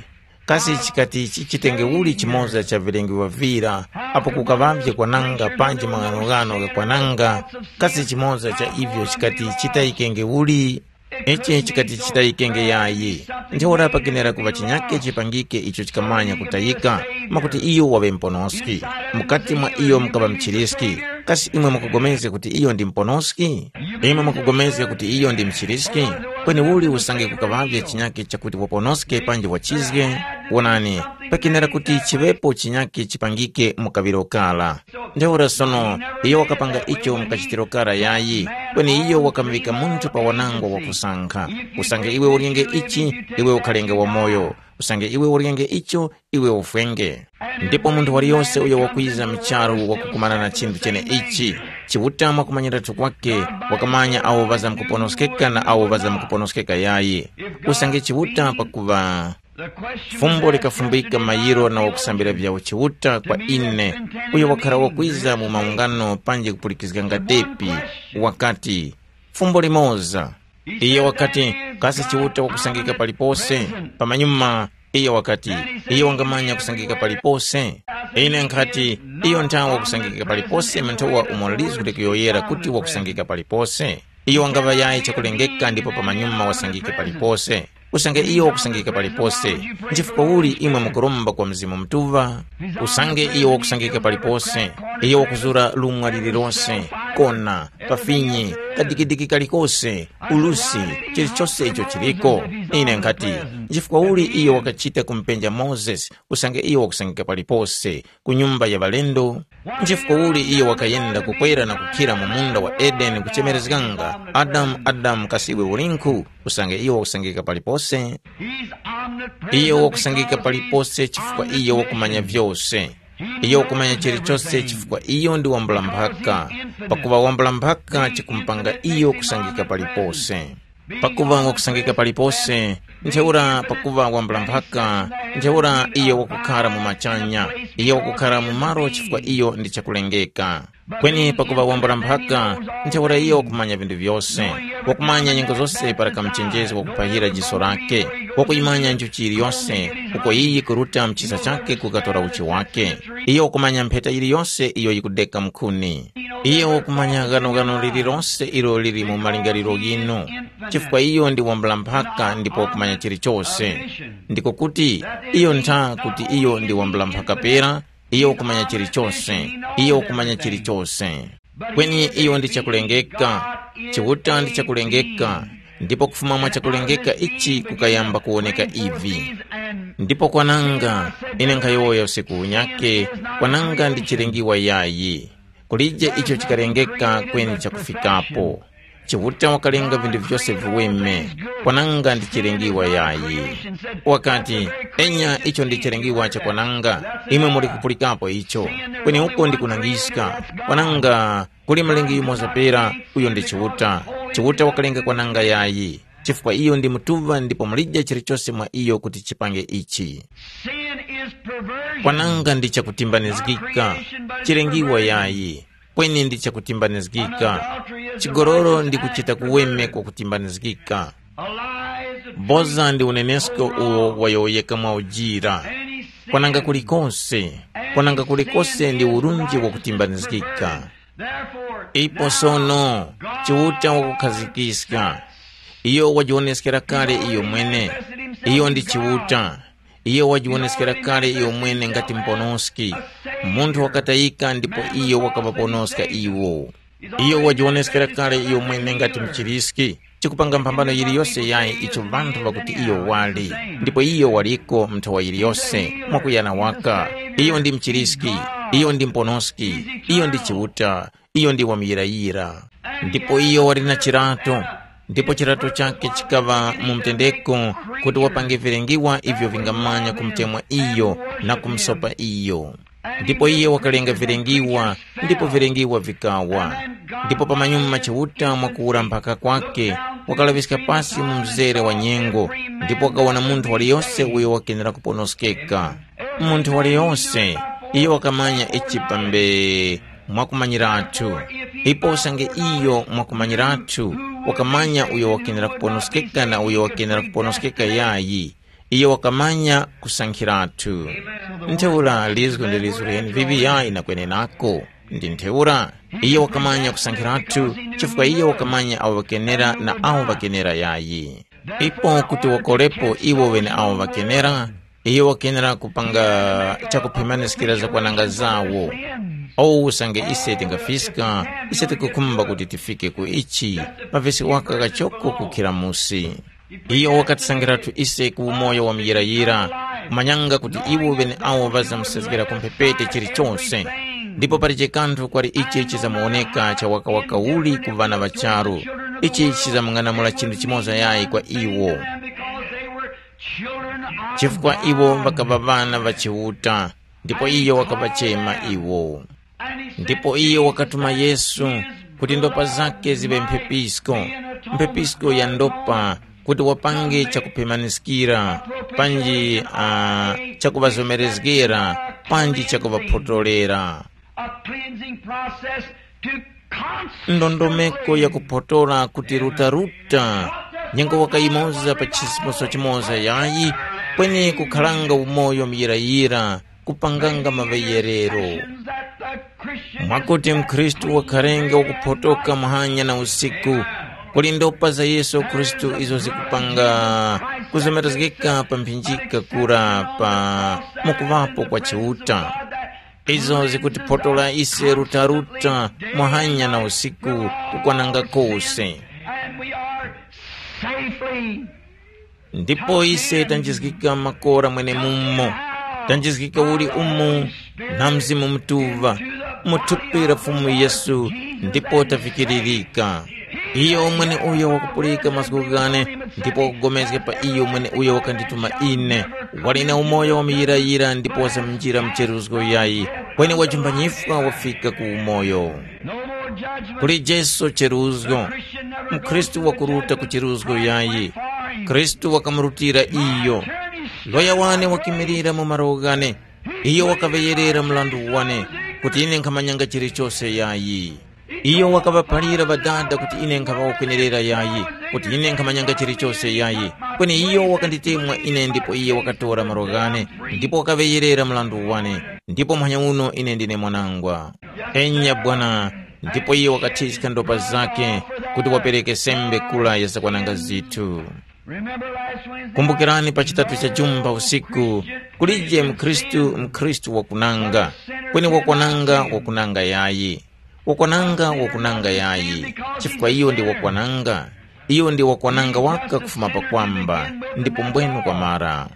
Kasi chikati chichitenge uli chimoza cha vilengiwa vira, apo kukaŵavye kwananga panji maghanoghano gha kwananga? Kasi chimoza cha ivyo chikati chitayikenge uli? Ichi chikati chitayikenge yayi. Ntheura pakenera kuŵa chinyake chipangike icho chikamanya kutayika, mwakuti iyo waŵe muponoski. Mukati mwa iyo mukaŵa mchiriski. Kasi imwe mukugomezga kuti iyo ndi muponoski? Imwe mukugomezga kuti iyo ndi mchiriski? Kweni uli usange kukaŵavye chinyake chakuti waponoske panji wachizge? Wonani, pakenera kuti chiŵepo chinyake chipangike mu kaŵiro kara. Ntheura sono, iyo wakapanga icho mu kachitiro kara yayi, kweni iyo wakamuŵika munthu pa wanangwa wakusankha. Usange iwe uryenge ichi, iwe ukhalenge wamoyo. Usange iwe uryenge icho, iwe ufwenge. Ndipo munthu waliyose uyo wakwiza mu charu wakukumana na chinthu cheneichi, Chiuta mwakumanyiratu kwake, wakamanya awo ŵazamkuponoskeka na awo ŵazamkuponoskeka yayi. Usange Chiuta pakuŵa. Fumbo likafumbika mayiro na wakusambira vyawo Chiuta kwa ine, uyo wakhala wakwiza mu maungano panji kupulikizganga tepi, wakati, fumbo limoza. Iye wakati, kasi Chiuta wakusangika palipose? Pamanyuma, iye wakati, iye wangamanya kusangika palipose? Ine nkhati, iyo nthawe wakusangika palipose, mnthowa umo lizgu likuyoyera kuti wakusangika palipose. Iyo wangaŵa yayi chakulengeka ndipo pamanyuma wasangike palipose. Usange iyo wakusangika palipose, nchifukwa uli imwe mukuromba kwa Mzimu Mutuŵa? Usange iyo wakusangika palipose, iyo wakuzura lung'wa lililose, kona, pafinyi, kadikidiki kalikose, ulusi, chilichose icho chiliko. Ine nkhati, nchifukwa uli iyo wakachita kumupenja Mozesi, usange iyo wakusangika palipose, ku nyumba ya ŵalendo? Nchifukwa uli iyo wakayenda kukwera na kukhira mu munda wa Edeni kuchemerezganga, Adamu, Adamu, kasi iwe ulinkhu? Usange iyo wakusangika palipose. Iyo wakusangika palipose chifukwa iyo wakumanya vyose. Iyo wakumanya chilichose chifukwa iyo ndi wambula mphaka. Pakuŵa wambula mphaka chikumupanga iyo kusangika palipose. Pakuŵa wakusangika palipose, ntheura pakuŵa wambula mphaka, ntheura iyo wakukhara mu machanya, iyo wakukhara mu malo chifukwa iyo ndi chakulengeka. Kweni pakuŵa wambula mphaka, ntheura iyo wakumanya vinthu vyose, wakumanya nyengo zose para kamuchenjezi wakuphahira jiso lake, wakuyimanya nchuchi yiliyose, uko iyi kuruta mchisa chake kukatora uchi wake. Iyo wakumanya mpheta yiliyose iyo yikudeka mkhuni. Iyo wakumanya ghanoghano lililonse ilo lili mu malingaliro ghinu, chifukwa iyo ndi wambula mphaka ndipo wakumanya chilichose. Ndiko kuti, iyo ntha kuti iyo ndi wambula mphaka pera, iyo wakumanya chilichose, iyo wakumanya chilichose. Kweni iyo ndi chakulengeka, Chiuta ndi chakulengeka, ndipo kufuma mwa chakulengeka ichi kukayamba kuwoneka ivi. Ndipo kwananga, ine nkhayowoya usiku unyake, kwananga ndi chilengiwa yayi. Kulije icho chikalengeka kweni chakufikapo. Chiuta wakalenga vinthu vyose viweme, kwananga ndi chilengiwa yayi. Wakati, enya icho ndi chilengiwa cha kwananga, imwe muli kupulikapo icho, kweni uko ndi kunangiska, kwananga kuli mlengi yumoza pera, uyo ndi Chiuta. Chiuta wakalenga kwananga yayi, chifukwa iyo ndi mutuŵa ndipo mulije chilichose mwa iyo kuti chipange ichi. Sin is perversion. Kwananga ndi chakutimbanizgika, chilengiwa yayi, kweni ndi chakutimbanizgika. Chigololo ndi kuchita kuweme kwa kutimbanizgika. A lie is a Boza ndi unenesko uwo wayowoyeka mwa ujira. Kwananga kulikose, kwananga kulikose ndi urunji wakutimbanizgika. Ipo sono, Chiuta wakukhazikiska. Iyo wajiwoneskera kale iyo mwene. Iyo ndi Chiuta. Iyo wajiwoneskera kale iyo mwene ngati muponoski. Munthu wakatayika ndipo iyo wakaŵaponoska iwo. Iyo wajiwoneskera kale iyo mwene ngati mchiriski, chikupanga mphambano yiliyose yayi icho vanthu ŵakuti iyo wali, ndipo iyo waliko nthowa yiliyose, mwakuyana waka. Iyo ndi mchiriski, iyo ndi muponoski, iyo ndi Chiuta, iyo ndi wamuyirayira. Ndipo iyo wali na chirato, ndipo chirato chakhe chikaŵa mu mtendeko kuti wapange vilengiwa ivyo vingamanya kumutemwa iyo na kumusopa iyo. Ndipo iye wakalenga vilengiwa, ndipo vilengiwa vikawa. Ndipo pamanyuma Chiuta mwakuwura mphaka kwake, wakalaŵiska pasi mu mzere wa nyengo, ndipo wakawona munthu waliyose uyo wakenera kuponoskeka. Munthu waliyose, iyo wakamanya ichi pambe mwakumanyirathu. Ipo usange iyo mwakumanyirathu, wakamanya uyo wakenera kuponoskeka na uyo wakenera kuponoskeka yayi. Iyo wakamanya kusankhiratu. Ntheura lizgu ndi lizgu liheni viŵi yayi na kwenenako. Ndi ntheura, iyo wakamanya kusankhiratu, chifukwa iyo wakamanya awo ŵakenera na awo ŵakenera yayi. Ipo kuti wakorepo iwo ŵeneawo ŵakenera, iyo wakenera kupanga chakupemaniskira zakwananga zawo. Owu usange ise tingafiska, ise tikukhumba kuti tifike ku ichi, mavesi waka kachoko kukhira musi. Iyo wakatisangiratu ise ku umoyo wa muyirayira, kumanyanga kuti iwo ŵeneawo ŵazamusezgera ku mphepete chilichose, ndipo palije kanthu kwali ichi chizamuwoneka cha wakawaka uli ku ŵana ŵa charu. Ichi chizamung'anamula chinthu chimoza yayi kwa iwo, chifukwa iwo ŵakaŵa ŵana ŵa Chiuta, ndipo iyo wakaŵachema iwo. Ndipo iyo wakatuma Yesu kuti ndopa zake ziŵe mphepisko, mphepisko ya ndopa, kuti wapange chakupemaniskira, panji uh, chakuŵazomerezgera, panji chakuŵaphotolera. A cleansing process to consecrate. Ndondomeko ya kuphotora kuti rutaruta, nyengo wakayimoza pa chisimuso chimoza yayi, kweni kukhalanga umoyo muyirayira, kupanganga maŵeyerero. Mwakuti mkhristu wakharenga wakuphotoka muhanya na usiku, kuli ndopa za Yesu Khristu izo zikupanga kuzomerezgeka pa mphinjika kura pa mukuŵapo kwa Chiuta. Izo zikutiphotora ise rutaruta muhanya na usiku kukwananga kose. And we are safely. Ndipo ise tanjizgika makora mwenemumo, tanjizgika uli umu na Mzimu Mutuŵa, mu thupi la Fumu Yesu, ndipo tavikiririka. Iyo mwene uyo wakupulika mazgu ghane, ndipo wakugomezga pa iyo mwene uyo wakandituma ine, wali na umoyo wa muyirayira ndipo wasamjira mcheruzgo yayi, kweni wajumbanyifwa wafika ku umoyo. Kuli Jesu cheruzgo, mkhristu wakuruta ku cheruzgo yayi. Khristu wakamurutira iyo. Loya wane wakimirira mu malo ghane. Iyo wakaŵeyerera mrandu wane, kuti ine nkhamanyanga chilichose yayi. Iyo wakaŵaphalira Ŵadada kuti ine nkhaŵa wakwenerera yayi, kuti ine nkhamanyanga chilichose yayi. Kweni iyo wakanditemwa ine ndipo iye wakatora malo ghane, ndipo wakaŵeyerera mrandu wane, ndipo muhanya uno ine ndine mwanangwa. Enya Bwana, Ndipo iye wakathiska ndopa zake kuti wapereke sembe kula ya zakwananga zithu. Kumbukirani pa chitatu cha jumba usiku, kulije mkhristu mkhristu wakunanga, kweni wakwananga wakunanga yayi. Wakwananga wakunanga yayi, chifukwa iyo ndi wakwananga. Iyo ndi wakwananga waka kufuma pakwamba, ndipo mbwenu kwamara.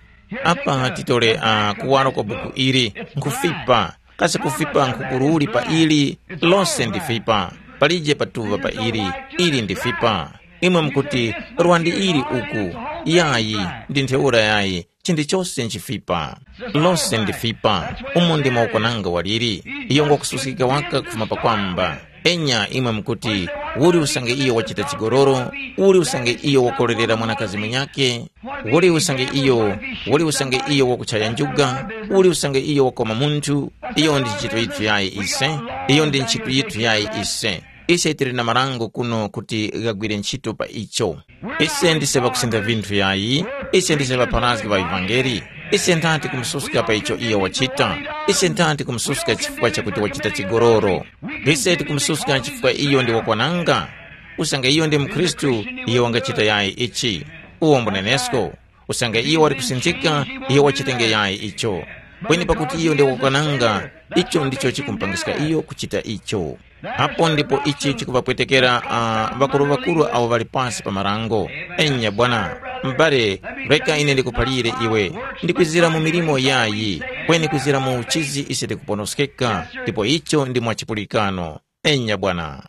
Apa titole uh, kuwaro kwa buku ili, nkhufipa, kasi kufipa nkhukuruli pa ili? Lose ndi fipa. Palije patuva pa ili. Ili ndi fipa. Imwe mukuti, rwandi ili uku? Yayi, ndi ntheura yayi. Chinthu chose nchifipa. Lose ndi fipa. Umo ndimo ukwananga waliri. Iyo ngwakususkika waka kufuma pakwamba. Enya imwe mukuti, uli usange iyo wachita chigororo? Uli usange iyo wakorerera mwanakazi munyake? Uli usange iyo uli usange iyo wakuchaya njuga? Uli usange iyo wakoma munthu? Iyo ndi ntchito yithu yayi ise. Iyo ndi ntchito yithu yayi ise. Ise tili na marango kuno kuti ghagwire ntchito pa icho. Ise ndise ŵakusintha vinthu yayi. Ise ndise ŵapharazgi ŵa ivangeli. Ise ntha tikumususka pa icho iyo wachita. Ise ntha tikumususka chifukwa chakuti wachita chigololo. Ise tikumususka chifukwa iyo ndi wakwananga. Usange iyo ndi mkhristu, iyo wangachita yayi ichi. Uwo mbunenesko. Usange iyo wali kusinthika, iyo wachitenge yayi icho. Kweni pakuti iyo ndi wakwananga, icho ndicho chikumupangiska iyo kuchita icho. Apo ndipo ichi chikuvapwetekera uh, ŵakuru-ŵakuru awo ŵali pasi pa marango. Enya bwana, m'bale, reka ine ndikuphalire iwe, ndikwizira mu milimo yayi, kweni kwizira mu uchizi ise tikuponoskeka, ndipo icho ndi mwa chipulikano. Enya bwana.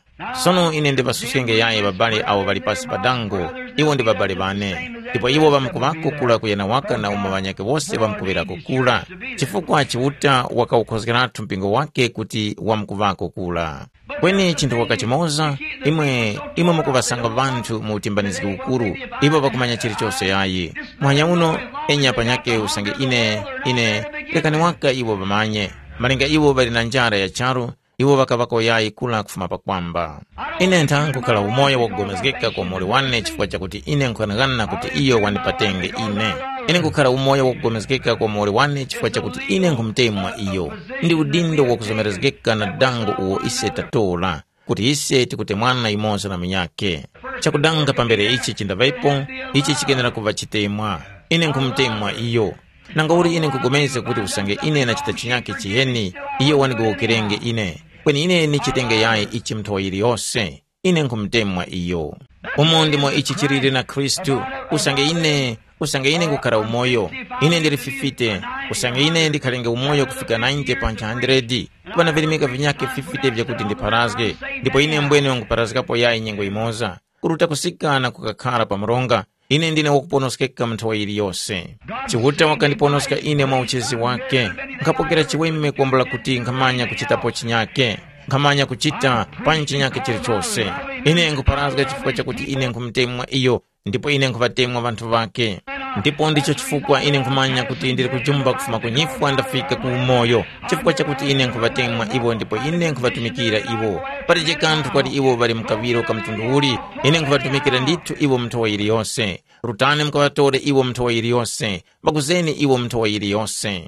Sono ine ndiŵasuskenge yayi ŵabale awo ŵali pasi pa dango, iwo ndi ŵabale ŵane, ndipo iwo ŵamkuŵako kura kuyana waka na umo ŵanyakhe wose ŵamkuŵirako kura, chifukwa Chiuta wakawukhozgeratu mpingo wake kuti wamkuŵako kura. Kweni chinthu waka chimoza, imwe imwe mukuŵasanga ŵanthu mu utimbanizgi ukuru, iwo ŵakumanya chilichose yayi. Muhanya uno, enya panyakhe usange ine, ine, rekani waka iwo ŵamanye, malinga iwo ŵali na njara ya charu, iwo ŵakaŵako yayi kura kufuma pakwamba. Ine ntha nkukhala umoyo wakugomezgeka kwa muwoli wane chifukwa chakuti ine nkughanagana kuti iyo wandipatenge ine. Ine nkukhala umoyo wakugomezgeka kwa muwoli wane chifukwa chakuti ine nkhumutemwa iyo. Ndi udindo wakuzomerezgeka na dango uwo ise tatora, kuti ise tikutemwana yumoza na munyakhe. Chakudanga pambere ichi chindaŵepo, ichi chikenera kuŵa chitemwa. Ine nkhumutemwa iyo. Nanga uli ine nkhupulikana kuti usange ine nachita chinyakhe chiheni, iyo wandigowokerenge ine. Kweni ine ndichitenge yayi ichi munthu yiliyose. Ine nkhumutemwa iyo. Umo ndimo ichi chiliri na Khristu. Usange ine, usange ine nkukhala umoyo, ine ndili fifite. Usange ine ndikhalenge umoyo kufika ninety pa ntha hundred, kuŵa na virimika vinyakhe fifite vyakuti ndipharazge, ndipo ine mbwene nkupharazgapo yayi nyengo yimoza. Kuruta kusika na kukakhara pa mronga, ine ndine wakuponoskeka mu nthawi yiliyose. Chiuta wakandiponoska ine mwa uchezi wake. Nkhapokera chiweme kwambula kuti nkhamanya kuchitapo chinyake. Nkhamanya kuchita panji chinyake chilichose. Ine nkupharazga chifukwa chakuti ine nkhumutemwa iyo, ndipo ine nkhuŵatemwa ŵanthu ŵake. Ndipo ndicho chifukwa ine nkhumanya kuti ndili kujumba kufuma ku nyifwa ndafika ku umoyo, chifukwa chakuti ine nkhuŵatemwa iwo ndipo ine nkhuŵatumikira iwo. Palibe kanthu kwati iwo ŵali mu kaŵiro ka mtundu uli, ine nkhuŵatumikira ndithu iwo mu nthowa yiliyose. Rutani mukaŵatore iwo mu nthowa yiliyose, ŵakuzeni iwo mu nthowa yiliyose.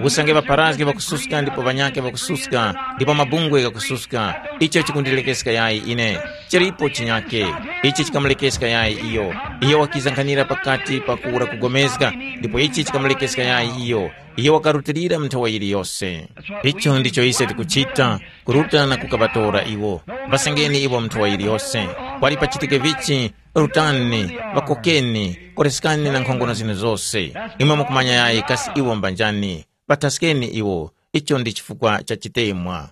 Usange ŵapharazgi ŵakususka ndipo ŵanyakhe ŵakususka, ndipo mabungwe ghakususka, icho chikundilekeska yayi ine. Chilipo chinyakhe, ichi chikamulekeska yayi iyo. Iyo wakiza nkhanira pakati pa kuwura kugomezga, ndipo ichi chikamulekeska yayi iyo. Iyo wakarutilira mu nthowa yiliyose. Icho ndicho ise tikuchita, kuruta na kukaŵatora iwo. Ŵasengeni iwo mu nthowa yiliyose. Kwali pachitike vichi, rutani, ŵakokeni, koreskani na nkhongono zinu zose. Imwe mukumanya yayi kasi iwo mbanjani. Ŵathaskeni iwo, icho ndi chifukwa cha chitemwa.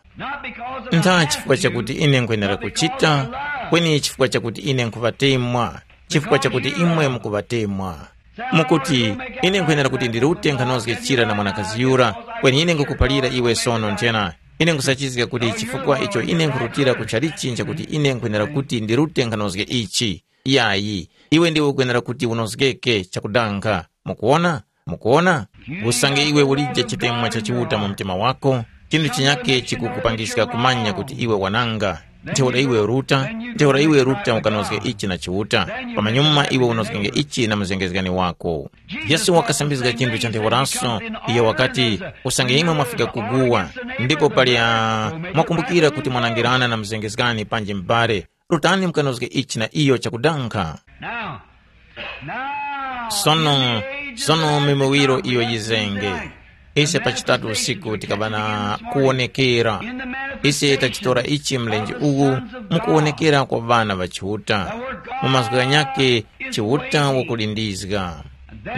Ntha chifukwa chakuti ine nkwenera kuchita, kweni chifukwa chakuti ine nkhuŵatemwa, chifukwa chakuti imwe mukuŵatemwa. Mukuti, ine nkwenera kuti ndirute nkhanozge chira na mwanakazi yura, kweni ine nkukuphalira iwe sono nthena, ine nkusachizga kuti chifukwa icho ine nkhurutira ku chalichi nchakuti ine nkwenera kuti ndirute nkhanozge ichi. Yayi, iwe ndiwe ukwenera kuti unozgeke chakudanga. Mukuwona? Mukuwona? Usange iwe ulije chitemwa cha Chiuta mu mtima wako, chinthu chinyake chikukupangiska kumanya kuti iwe wananga. Ntheura iwe ruta, ntheura iwe ruta ukanozge ichi na Chiuta, pamanyuma iwe unozgenge ichi na muzengezgani wako. Yesu wakasambizga chinthu cha ntheuraso, iyo wakati, usange imwe mwafika kuguwa, ndipo pali a mwakumbukira kuti mwanangirana na muzengezgani panji m'bale, rutani mukanozge ichi na iyo chakudankha. Now, now, sono, sono mimiwiro iyo yizenge. Ise pa chitatu usiku tikaba na kuwonekera. Ise tachitora ichi mlenje uwu mukuwonekera kwa ŵana ŵa Chiuta. Mu mazgu ghanyakhe Chiuta wakulindizga.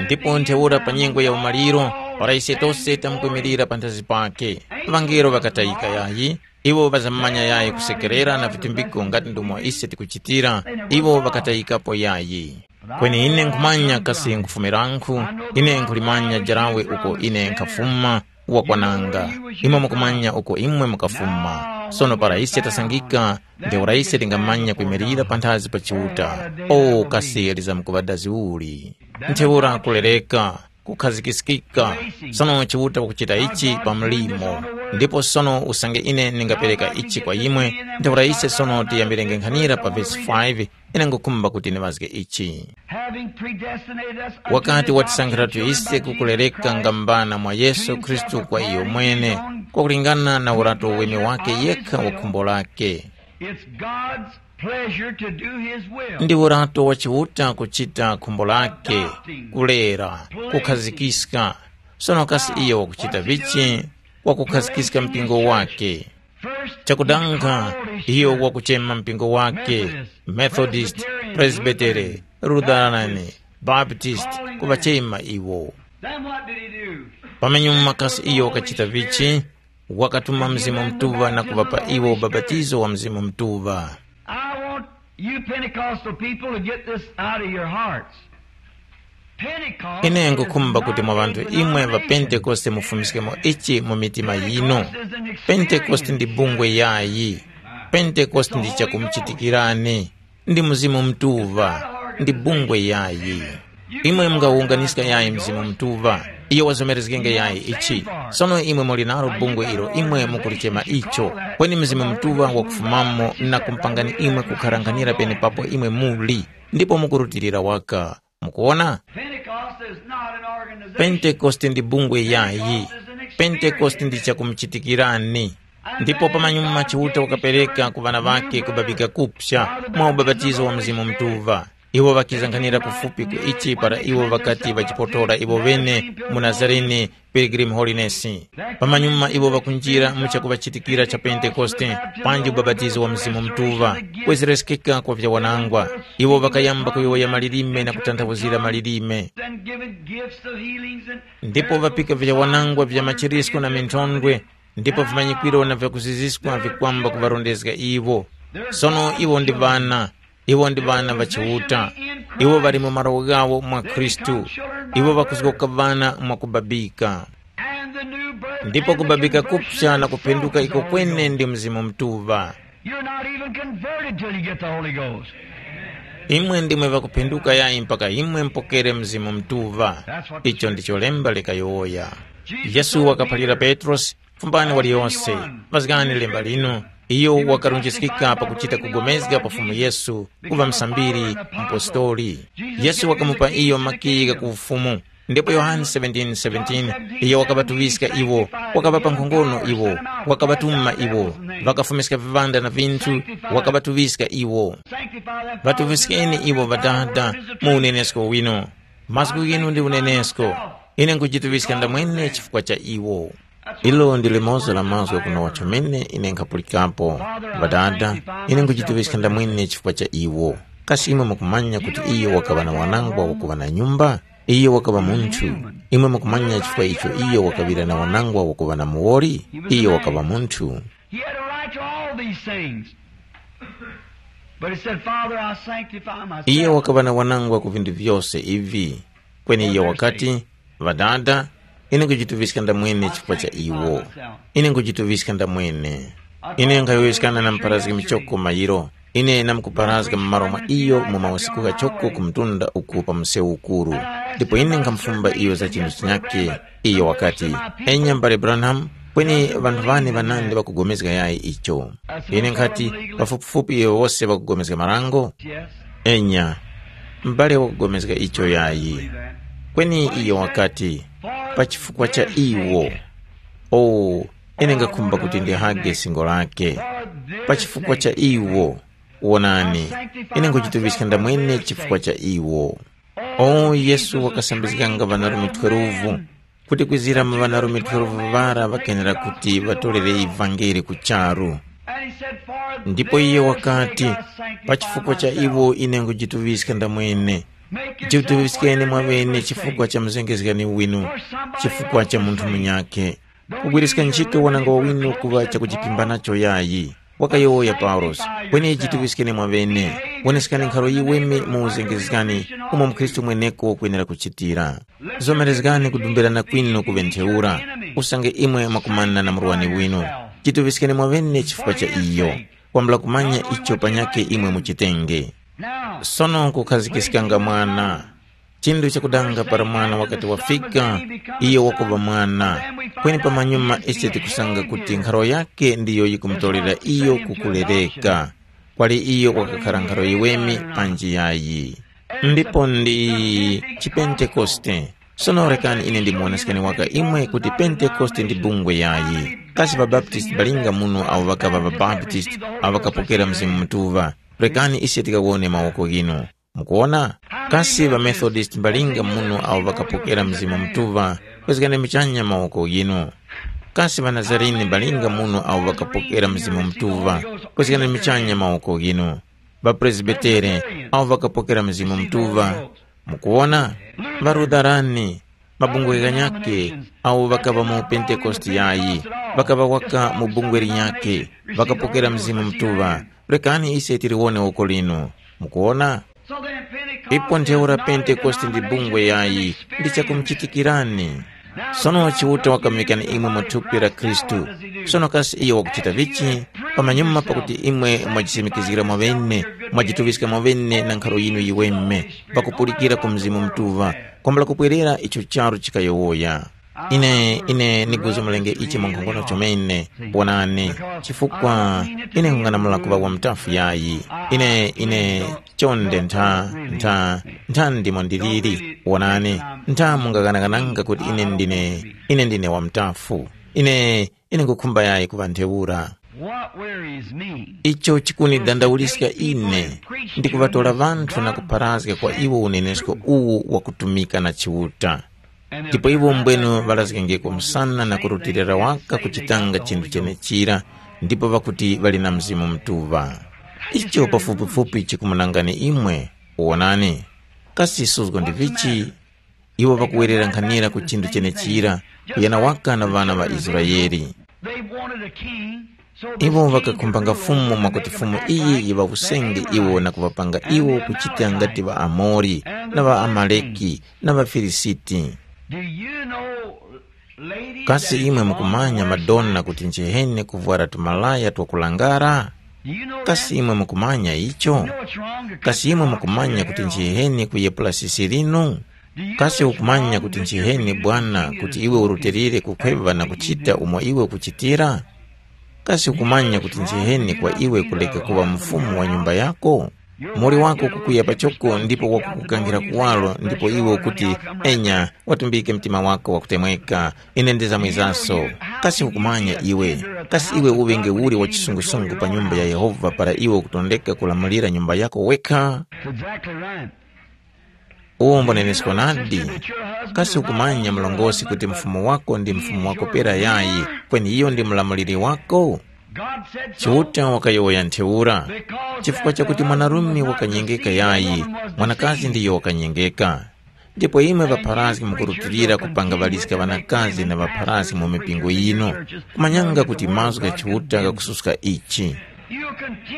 Ndipo ntheura pa nyengo ya umaliro, para ise tose tamkwimirira panthazi pake, ŵangelo ŵakatayika yayi, iwo ŵazamanya yayi kusekerera na vitumbiko ngati ndomwe ise tikuchitira, iwo ŵakatayikapo yayi. Kweni ine nkhumanya kasi nkhufumirankhu, ine nkhulimanya jarawe uko ine nkhafuma, wakwananga. Imwe mukumanya uko imwe mukafuma. Sono para ise tasangika, ntheura ise tingamanya kwimirira panthazi pa Chiuta. O kasi lizamkuŵa dazi uli! Ntheura kulereka, kukhazikiskika. Sono Chiuta wakuchita ichi pa mlimo. Ndipo sono usange ine ndingapereka ichi kwa imwe, ntheura ise sono tiyambirenge nkhanira pa vesi five, ine ngukhumba kuti ndiŵazge ichi. Having predestinated us unto wakati this watisankhiratu salvation ise by Jesus kukulereka Christ, ngambana mwa Yesu Khristu kwa iyo mwene, kwakulingana na urato weme wake yekha wa khumbo lake. It's God's pleasure to do his will. Ndi urato wa Chiuta kuchita khumbo lake, kulera, kukhazikiska. Sono kasi iyo wakuchita vichi? Wakukhazikiska mpingo wake. Chakudankha, iyo wakuchema mpingo wake, Methodist, Presbytery, Lutheran, Baptist, kuŵachema iwo. Then what did he do? Pamenyuma kasi iyo wakachita vichi? Wakatuma Mzimu Mutuŵa na kuŵapa iwo ubapatizo wa Mzimu Mutuŵa. I want you Pentecostal people to get this out of your hearts. Pentecost ine is nkukhumba kuti mwa ŵanthu imwe ŵa Pentekoste mufumiskemo ichi mu mitima yinu. Pentekoste ndi bungwe yayi. Pentekoste ndi chakumuchitikirani. Ndi Mzimu Mutuŵa. Ndi bungwe yayi. Imwe mungawunganiska yayi Mzimu Mutuŵa. Iyo wazomerezgenge yayi ichi. Sono imwe muli nalo bungwe ilo imwe mukulichema icho. Kweni Mzimu Mutuŵa wakufumamo na kumpangani imwe kukharanghanira penepapo imwe muli. Ndipo mukurutilira waka. Mukuwona? Pentekoste is not an organization. Pentekoste ndi bungwe yayi. Pentekoste ndi chakumuchitikirani. Ndipo pamanyuma Chiuta wakapereka ku ŵana ŵake kubabika kupsa mwa ubapatizo wa Mzimu Mutuŵa. Iwo ŵakizanganira kufupi ku ichi para iwo ŵakati ŵachipotora iwo ŵene mu Nazarene, Pilgrim Holiness. Pamanyuma iwo ŵakunjira mu chakuŵachitikira cha Pentekoste, panji ubapatizo wa Mzimu Mutuŵa, kwezerekeskeka kwa vyawanangwa. Iwo ŵakayamba kuyowoya malilime na kutanthauzira malilime. Ndipo ŵapika vyawanangwa vya machirisko na minthondwe, ndipo vimanyikwiro na vyakuziziska vikwamba kuŵarondezga iwo. Sono iwo ndi ŵana, iwo ndi ŵana ŵa Chiuta. Iwo ŵali mu malo ghawo mwa Khristu. Iwo ŵakuzgoka ŵana mwakubabika. Ndipo kubabika kupsa na kupenduka iko kwene ndi Mzimu Mutuŵa. You're not even converted till you get the Holy Ghost. Imwe ndimwe ŵakupenduka yayi mpaka imwe mpokere Mzimu Mutuŵa. Icho ndicho lemba likayowoya. Yesu wakaphalira Petrosi, fumbani waliyose, mazgani lemba linu. Iyo wakarunjiskika pakuchita kugomezga pa Fumu Yesu, kuŵa msambiri, mpostoli. Yesu wakamupa iyo makiyi gha ku ufumu. Ndipo Yohane seventeen seventeen, iyo wakaŵatuŵiska iwo, wakaŵapa nkhongono iwo, wakaŵatuma iwo, ŵakafumiska viŵanda na vinthu, wakaŵatuŵiska iwo. Ŵatuŵiskeni iwo Ŵadada mu unenesko winu. Mazgu ghinu ndi unenesko. Ine nkujituŵiska ndamwene chifukwa cha iwo. Ilo ndi limoza la mazgu kuno chomene ine nkhapulikapo. Ŵadada, ine nkujituŵiska ndamwene chifukwa cha iwo. Kasi imwe mukumanya kuti iyo wakaŵa na wanangwa wakuŵa na nyumba? Iyo wakaŵa munthu. Imwe mukumanya chifukwa icho iyo wakaŵira na wanangwa wakuŵa na muwoli? Iyo wakaŵa munthu. He had a right to all these things. But he said, Father, I sanctify myself. Iye wakaŵa na wanangwa ku vinthu vyose ivi. Kweni iye wakati, Ŵadada, ine nkujituŵiska ndamwene chifukwa cha iwo. Ine nkujituŵiska ndamwene. Ine nkhayowoyeskana na muparazgi michoko mayiro. Ine namkuparazga mu malo mwa iyo mu mausiku ghachoko ku mtunda uku pa msewu ukuru. Ndipo ine nkhamufumba iyo za chinthu chinyakhe. Iyo wakati, enya mbale Branham, Kweni ŵanthu ŵane ŵanandi ŵakugomezga yayi icho? Ine nkhati, pafupifupi iwo wose ŵakugomezga marango? Enya, m'bale wakugomezga icho yayi. Kweni iyo wakati, pa chifukwa cha iwo. Oh, ine ngakhumba kuti ndihage singo lake. Pa chifukwa cha iwo. Wonani, ine nkuchituŵiska ndamwene chifukwa cha iwo. O Yesu wakasambizganga ŵanarume twelve, kuti kwizira mu ŵanarume twelve ŵara ŵakenera kuti ŵatorere ivangeli ku charu. Ndipo iye wakati, pa chifukwa cha iwo ine nkujituŵiska ndamwene. Jituŵiskeni mwaŵene chifukwa cha mzengezgani winu, chifukwa cha munthu munyakhe. Kugwiriska ntchito wananga wawinu kuŵa chakujiphimba nacho yayi. Wakayowoya Paulosi, kweni jituŵiskeni mwaŵene, woneskani nkharo yiweme mu uzengezgani umo mukhristu mweneko wakwenera kuchitira. Zomerezgani kudumbirana kwinu kuŵe ntheura, usange imwe mwakumana na murwani winu. Jituŵiskeni mwaŵene chifukwa cha iyo, kwambula kumanya icho panyakhe imwe muchitenge. Sono kukhazikiskanga mwana. Chinthu chakudanga para mwana wakati wafika, iyo wakuŵa mwana. Kweni pamanyuma ise tikusanga kuti nkharo yakhe ndiyo yikumutorera iyo kukulereka. Kwali iyo wakakhara nkharo yiweme panji yayi. Ndipo ndi chipentekoste. Sono rekani ine ndimuwoneskeni waka imwe kuti Pentekoste ndi bungwe yayi. Kasi ŵaBaptisti balinga muno awo ŵakaŵa ŵaBaptisti awo ŵakapokera Mzimu Mutuŵa? Rekani ise tikawone mawoko ghinu. Mukuwona? Kasi ŵaMethodist mbalinga muno awo ŵakapokera Mzimu Mutuŵa, kwezgani muchanya mawoko ghinu. Kasi ŵaNazarini mbalinga muno awo ŵakapokera Mzimu Mutuŵa, kwezgani muchanya mawoko ghinu. །Ŵapresbitere awo ŵakapokera Mzimu Mutuŵa, mukuwona? །Ŵarutharani, mabungwe ghanyakhe awo ŵakaŵa mu Pentekoste yayi, ŵakaŵa waka mu bungwe linyakhe, ŵakapokera Mzimu Mutuŵa. Rekani ise tiliwone woko linu. Mukuwona? Ipo ntheura Pentekoste ndi bungwe yayi, ndi chakumuchitikirani. Sono Chiuta wakamuŵikani imwe mu thupi la Khristu. Sono kasi iyo wakuchita vichi? Pamanyuma pakuti imwe mwajisimikizgira mwaŵene, mwajituŵiska mwaŵene na nkharo yinu yiweme, pakupulikira ku Mzimu Mutuŵa, kwambula kupwerera icho charu chikayowoya. Ine, ine niguzumulenge ichi mwankhongono chomene, wonani, chifukwa ine nkung'anamula kuŵa wa mutafu yayi. Ine, ine, chonde ntha, ntha, ntha ndimo ndiliri, wonani, ntha mungaghanaghananga kuti ine ndine, ine ndine wa mutafu. Ine, ine ngukhumba yayi kuŵa ntheura. What worries me Icho chikunidandauliska ine ndi kuŵatora ŵanthu na kupharazga kwa iwo unenesko uwu wakutumika na Chiuta. Ndipo iwo mbwenu ŵalazgengeko msana na kurutilira waka kuchitanga chinthu chenechira, ndipo ŵakuti ŵali na Mzimu Mutuŵa. Icho pafupifupi chikumunangani imwe, wonani. Kasi suzgo ndi vichi? Iwo ŵakuwerera nkhanira ku chinthu chenechira, kuyana waka na ŵana ŵa Israele. They wanted a king, so the Iwo king ŵakakhumbanga could rule fumu over mwakuti them fumu and iyi yiŵa that they usenge were iwo na kuŵapanga iwo kuchita ngati ŵaAmori na ŵaAmaleki na ŵaFilisiti. Do you know, ladies, Kasi that imwe mukumanya madona kuti nchiheni kuvwara tumalaya twakulangara? Do you know Kasi that? Imwe mukumanya icho? You know what's wrong? Kasi imwe mukumanya kuti nchiheni kuyepula sisi linu? Kasi ukumanya kuti nchiheni bwana kuti iwe urutilire kukhweva na kuchita umo iwe ukuchitira? Kasi ukumanya kuti nchiheni kwa iwe kuleka kuŵa mufumu wa nyumba yako? Muli wako kukuya pachoko ndipo wakukukangira kuwaro ndipo iwe ukuti, enya, watumbike mtima wako wakutemweka, ine ndizamwizaso. Kasi ukumanya iwe? Kasi iwe uŵenge uli wa chisungusungu pa nyumba ya Yehova para iwe ukutondeka kulamulira nyumba yako wekha? That's exactly right. Uwo mbonenesko nadi. Kasi ukumanya mlongosi kuti mfumu wako ndi mfumu wako pera yayi, kweni iyo ndi mlamuliri wako? Chiuta wakayowoya ntheura. Chifukwa chakuti mwanarume wakanyengeka yayi, mwanakazi ndiyo wakanyengeka. Ndipo imwe ŵapharazgi mukurutilira kupanga ŵaliska ŵanakazi na ŵapharazgi mu mipingo yino, kumanyanga kuti mazgu gha Chiuta ghakususka ichi.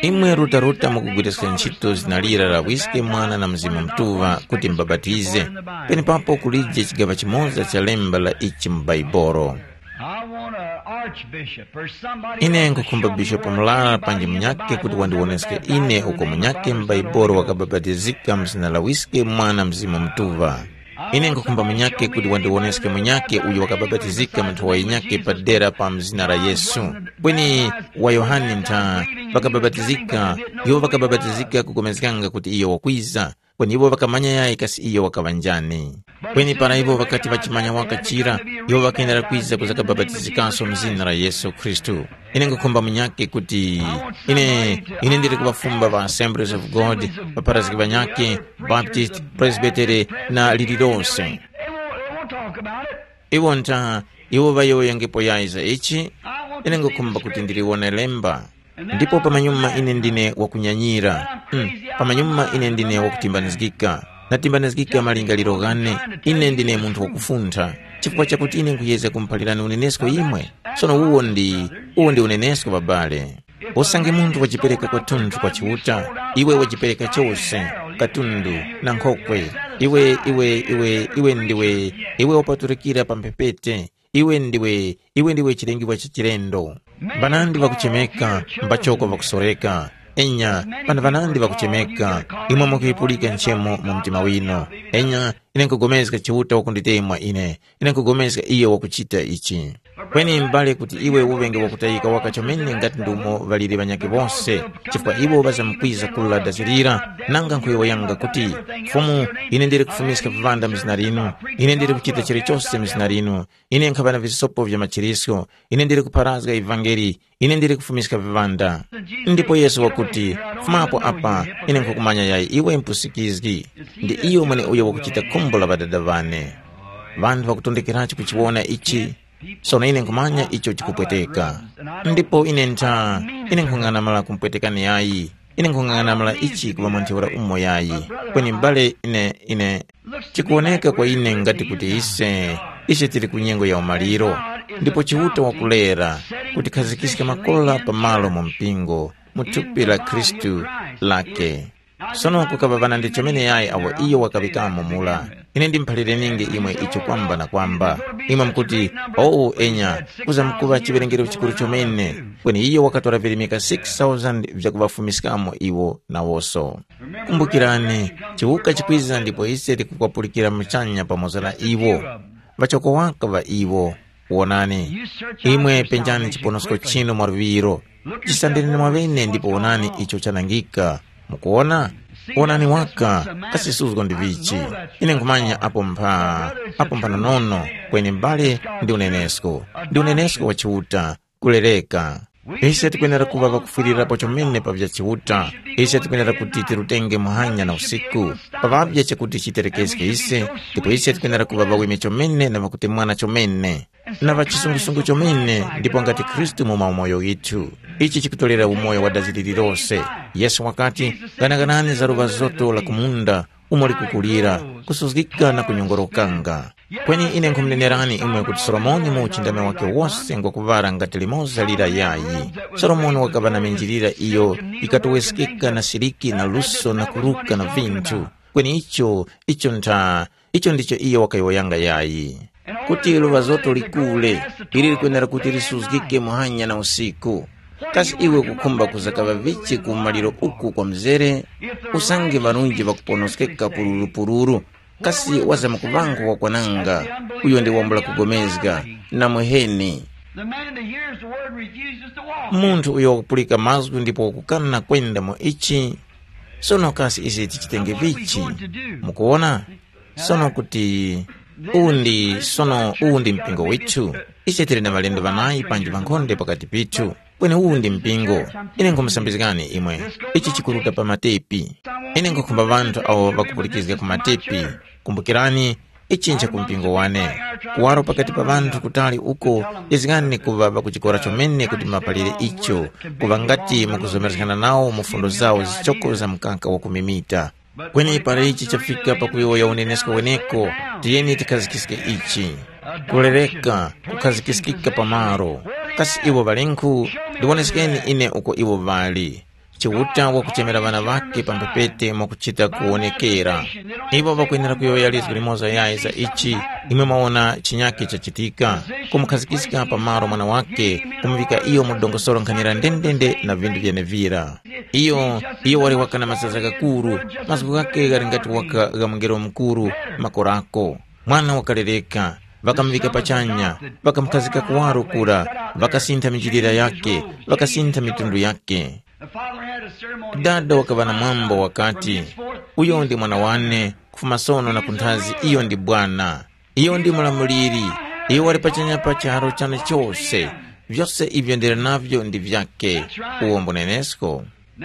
Imwe rutaruta mukugwiriska ntchito zina lira la Wiske, Mwana na Mzimu Mutuŵa kuti mubapatize, penepapo kulije chigaŵa chimoza cha lemba la ichi mu Baibolo. I want an archbishop or somebody Ine else to nkukhumba show me bishopu where mulala anybody panji in the munyakhe kuti Bible wandiwoneske said ine uko baptized munyakhe in the name of the Holy m'Baibolo Ghost. Wakabapatizika mu zina la Wiske, Mwana, Mzimu Mutuŵa. Ine nkhukhumba munyakhe kuti wandiwoneske munyakhe uyo wakabapatizika mu nthowa yinyakhe padera pa mzina la Yesu. Kweni wa Yohane ntha ŵakabapatizika, iwo ŵakabapatizika kupulikana kuti iyo wakwiza, kweni iwo ŵakamanya yayi kasi iyo wakaŵa njani. Kweni para iwo ŵakati ŵachimanya waka chira, iwo ŵakayendera kwiza kuzakabapatizikanso mu zina la Yesu Khristu. Ine nkhukhumba munyakhe kuti ine ine ndili kuŵafumba pa Assemblies of God, pa Pharazgi ŵanyakhe, Baptist, Presbytery na lililose. They won't, they won't talk about it. Iwo nta iwo ŵayowoyangepo yayi za ichi. Ine nkhukhumba kuti ndiliwone lemba. Ndipo pamanyuma ine ndine wakunyanyira. Mm, pamanyuma ine ndine wakutimbanizgika. Natimbanizgika malingaliro ghane. Ine ndine munthu wakufuntha. Chifukwa chakuti ine nkhuyezga kumuphalirani unenesko imwe. Sono uwo ndi uwo ndi unenesko babale. Usange munthu wajipereka kwathunthu kwa Chiuta, iwe wajipereka chose, katundu na nkhokwe. Iwe iwe iwe iwe ndiwe iwe wapatulikira pa mphepete. Iwe ndiwe iwe ndiwe chilengiwa cha chilendo. Mbanandi ŵakuchemeka, mbachoko ŵakusoreka. Enya pana ŵanandi ŵakuchemeka, imwe mukuyipulika nchemo mu mtima winu. Enya ine nkugomezga Chiuta wakunditemwa ine. Ine nkugomezga iyo wakuchita ichi. Kweni m'bale kuti iwe uŵenge wakutayika waka chomene ngati ndi umo ŵaliri ŵanyakhe wose, chifukwa iwo ŵazamkwiza kula dazirira, nanga nkhuyowoyanga kuti, Fumu, ine ndili kufumiska viŵanda mu zina linu, ine ndili kuchita chilichose mu zina linu, ine nkhaŵa na visopo vya machirisko, ine ndili kupharazga ivangeli, ine ndili kufumiska viŵanda. Ndipo Yesu wakuti, fumapo apa, ine nkhukumanya yayi iwe mpusikizgi. Ndi iyo mweneuyo wakuchita khumbo la Ŵadada ŵane. Ŵanthu ŵakutondekerachi kuchiwona ichi, sono ine nkhumanya icho chikupweteka. Ndipo ine ntha, ine nkhung'anamala kumpwetekani yayi. Ine nkhung'anamala ichi kuŵa mwa ntheura umo yayi. Kweni m'bale ine, ine, chikuwoneka kwa ine ngati kuti ise, ise tili ku nyengo ya umaliro, ndipo Chiuta wakulera kuti khazikiske makola pamalo mu mpingo, mu thupi la Khristu lake. Sono kukaŵa ŵanandi chomene yayi awo iyo wakaŵikamo mula. Ine ndimuphalirenienge imwe icho kwamba na kwamba. Imwe mukuti, “Owu enya, kuzamkuŵa chiwerengero chikuru chomene.” Kweni iyo wakatora virimika six thousand vyakuŵafumiskamo iwo nawonso. Kumbukirani, chiwuka chikwiza ndipo ise tikukwapulika muchanya pamoza na iwo. Ŵachoko waka ŵa iwo. Wonani, imwe penjani chiponosko chinu mwaluŵiro. Chisambireni mwaŵene ndipo wonani icho chanangika. Mukuwona? Wonani waka, kasi suzgo ndi vichi. Ine nkhumanya apo mpha, apo mphanonono, kweni m'bale ndi unenesko. Ndi unenesko wa Chiuta, kulereka. Ise tikwenera kuŵa ŵakufwirirapo chomene pa vya Chiuta. Ise tikwenera kuti tirutenge muhanya na usiku. Paŵavye chakuti chiterekeske ise, ndipo ise tikwenera kuŵa ŵaweme chomene na ŵakutemwana chomene. Na ŵa chisungusungu chomene ndipo ngati Khristu mu maumoyo ghithu. Ichi chikutorera umoyo wa dazi lililose. Yesu wakati, “Ghanaganani za luŵa zoto la ku munda, umo likukulira, kusuzgika na kunyongorokanga.” Kweni ine nkhumunenerani imwe kuti Solomoni mu uchindami wakhe wose ngwakuŵara ngati limoza lira yayi. Solomoni wakaŵa na minjilira iyo yikatoweskeka na siliki na luso na kuruka na vinthu. Kweni icho, icho ntha, icho ndicho iyo wakayowoyanga yayi. Kuti luŵa zoto likule, ili likwenera kuti lisuzgike muhanya na usiku. Kasi iwe ukukhumba kuzakaŵa vichi ku maliro uku kwa mzere? Usange ŵarunji ŵakuponoskeka pulurupuluru, kasi wazamkuŵangu wakwananga, uyo ndi wambula kugomezga, na muheni. The man that hears the word refuses to walk. Munthu uyo wakupulika mazgu ndipo wakukana kwenda mu ichi. Sono kasi ise tichitenge vichi? Mukuwona? Sono kuti uwu ndi sono uwu ndi mpingo withu. Ise tili na ŵalendo ŵanayi panji ŵankhonde pakati pithu. Kweni uwu ndi mpingo. Ine nkhumusambizgani imwe. Ichi chikuruta pa matepi. Ine nkhukhumba ŵanthu awo ŵakupulikizga ku matepi. Kumbukirani, ichi ncha ku mpingo wane. Kuwaro pakati pa ŵanthu kutali uko, izgani kuŵa ŵakuchikora chomene kuti mapalire icho, kuŵa ngati mukuzomerezgana nawo mu fundo zawo zichoko za mkaka wakumimita. Kweni para ichi chafika pakuyowoya unenesko weneko, tiyeni tikhazikiske ichi. Kulereka, kukhazikiskika pamaro. Kasi iwo ŵalenkhu? Ndiwoneskeni ine uko iwo ŵali. Chiuta wakuchemera ŵana ŵakhe pa mphepete mwakuchita kuwonekera. Iwo ŵakwenera kuyowoya lizgu limoza yayi za ichi, imwe mwaona chinyakhe chachitika, kumukhazikiska pa malo mwana wakhe, kumuvika iyo mu dongosolo nkhanira ndendende na vindu vyenevira. Iyo, iyo wali waka na mazaza ghakuru, mazgu ghakhe ghali ngati waka gha mungelo mukuru, makorako. Mwana wakalereka, ŵakamuŵika pachanya, ŵakamukhazika kuwaro kura, ŵakasintha minjilira yakhe, ŵakasintha mitundu yakhe. Dada wakaŵa na mwambo wakati, uyo ndi mwana wane, kufuma sono na kunthazi iyo ndi bwana. Iyo ndi mulamuliri, iyo wali pachanya pa charo chane chose. Vyose ivyo ndili navyo ndi vyake. Uwo mbunenesko.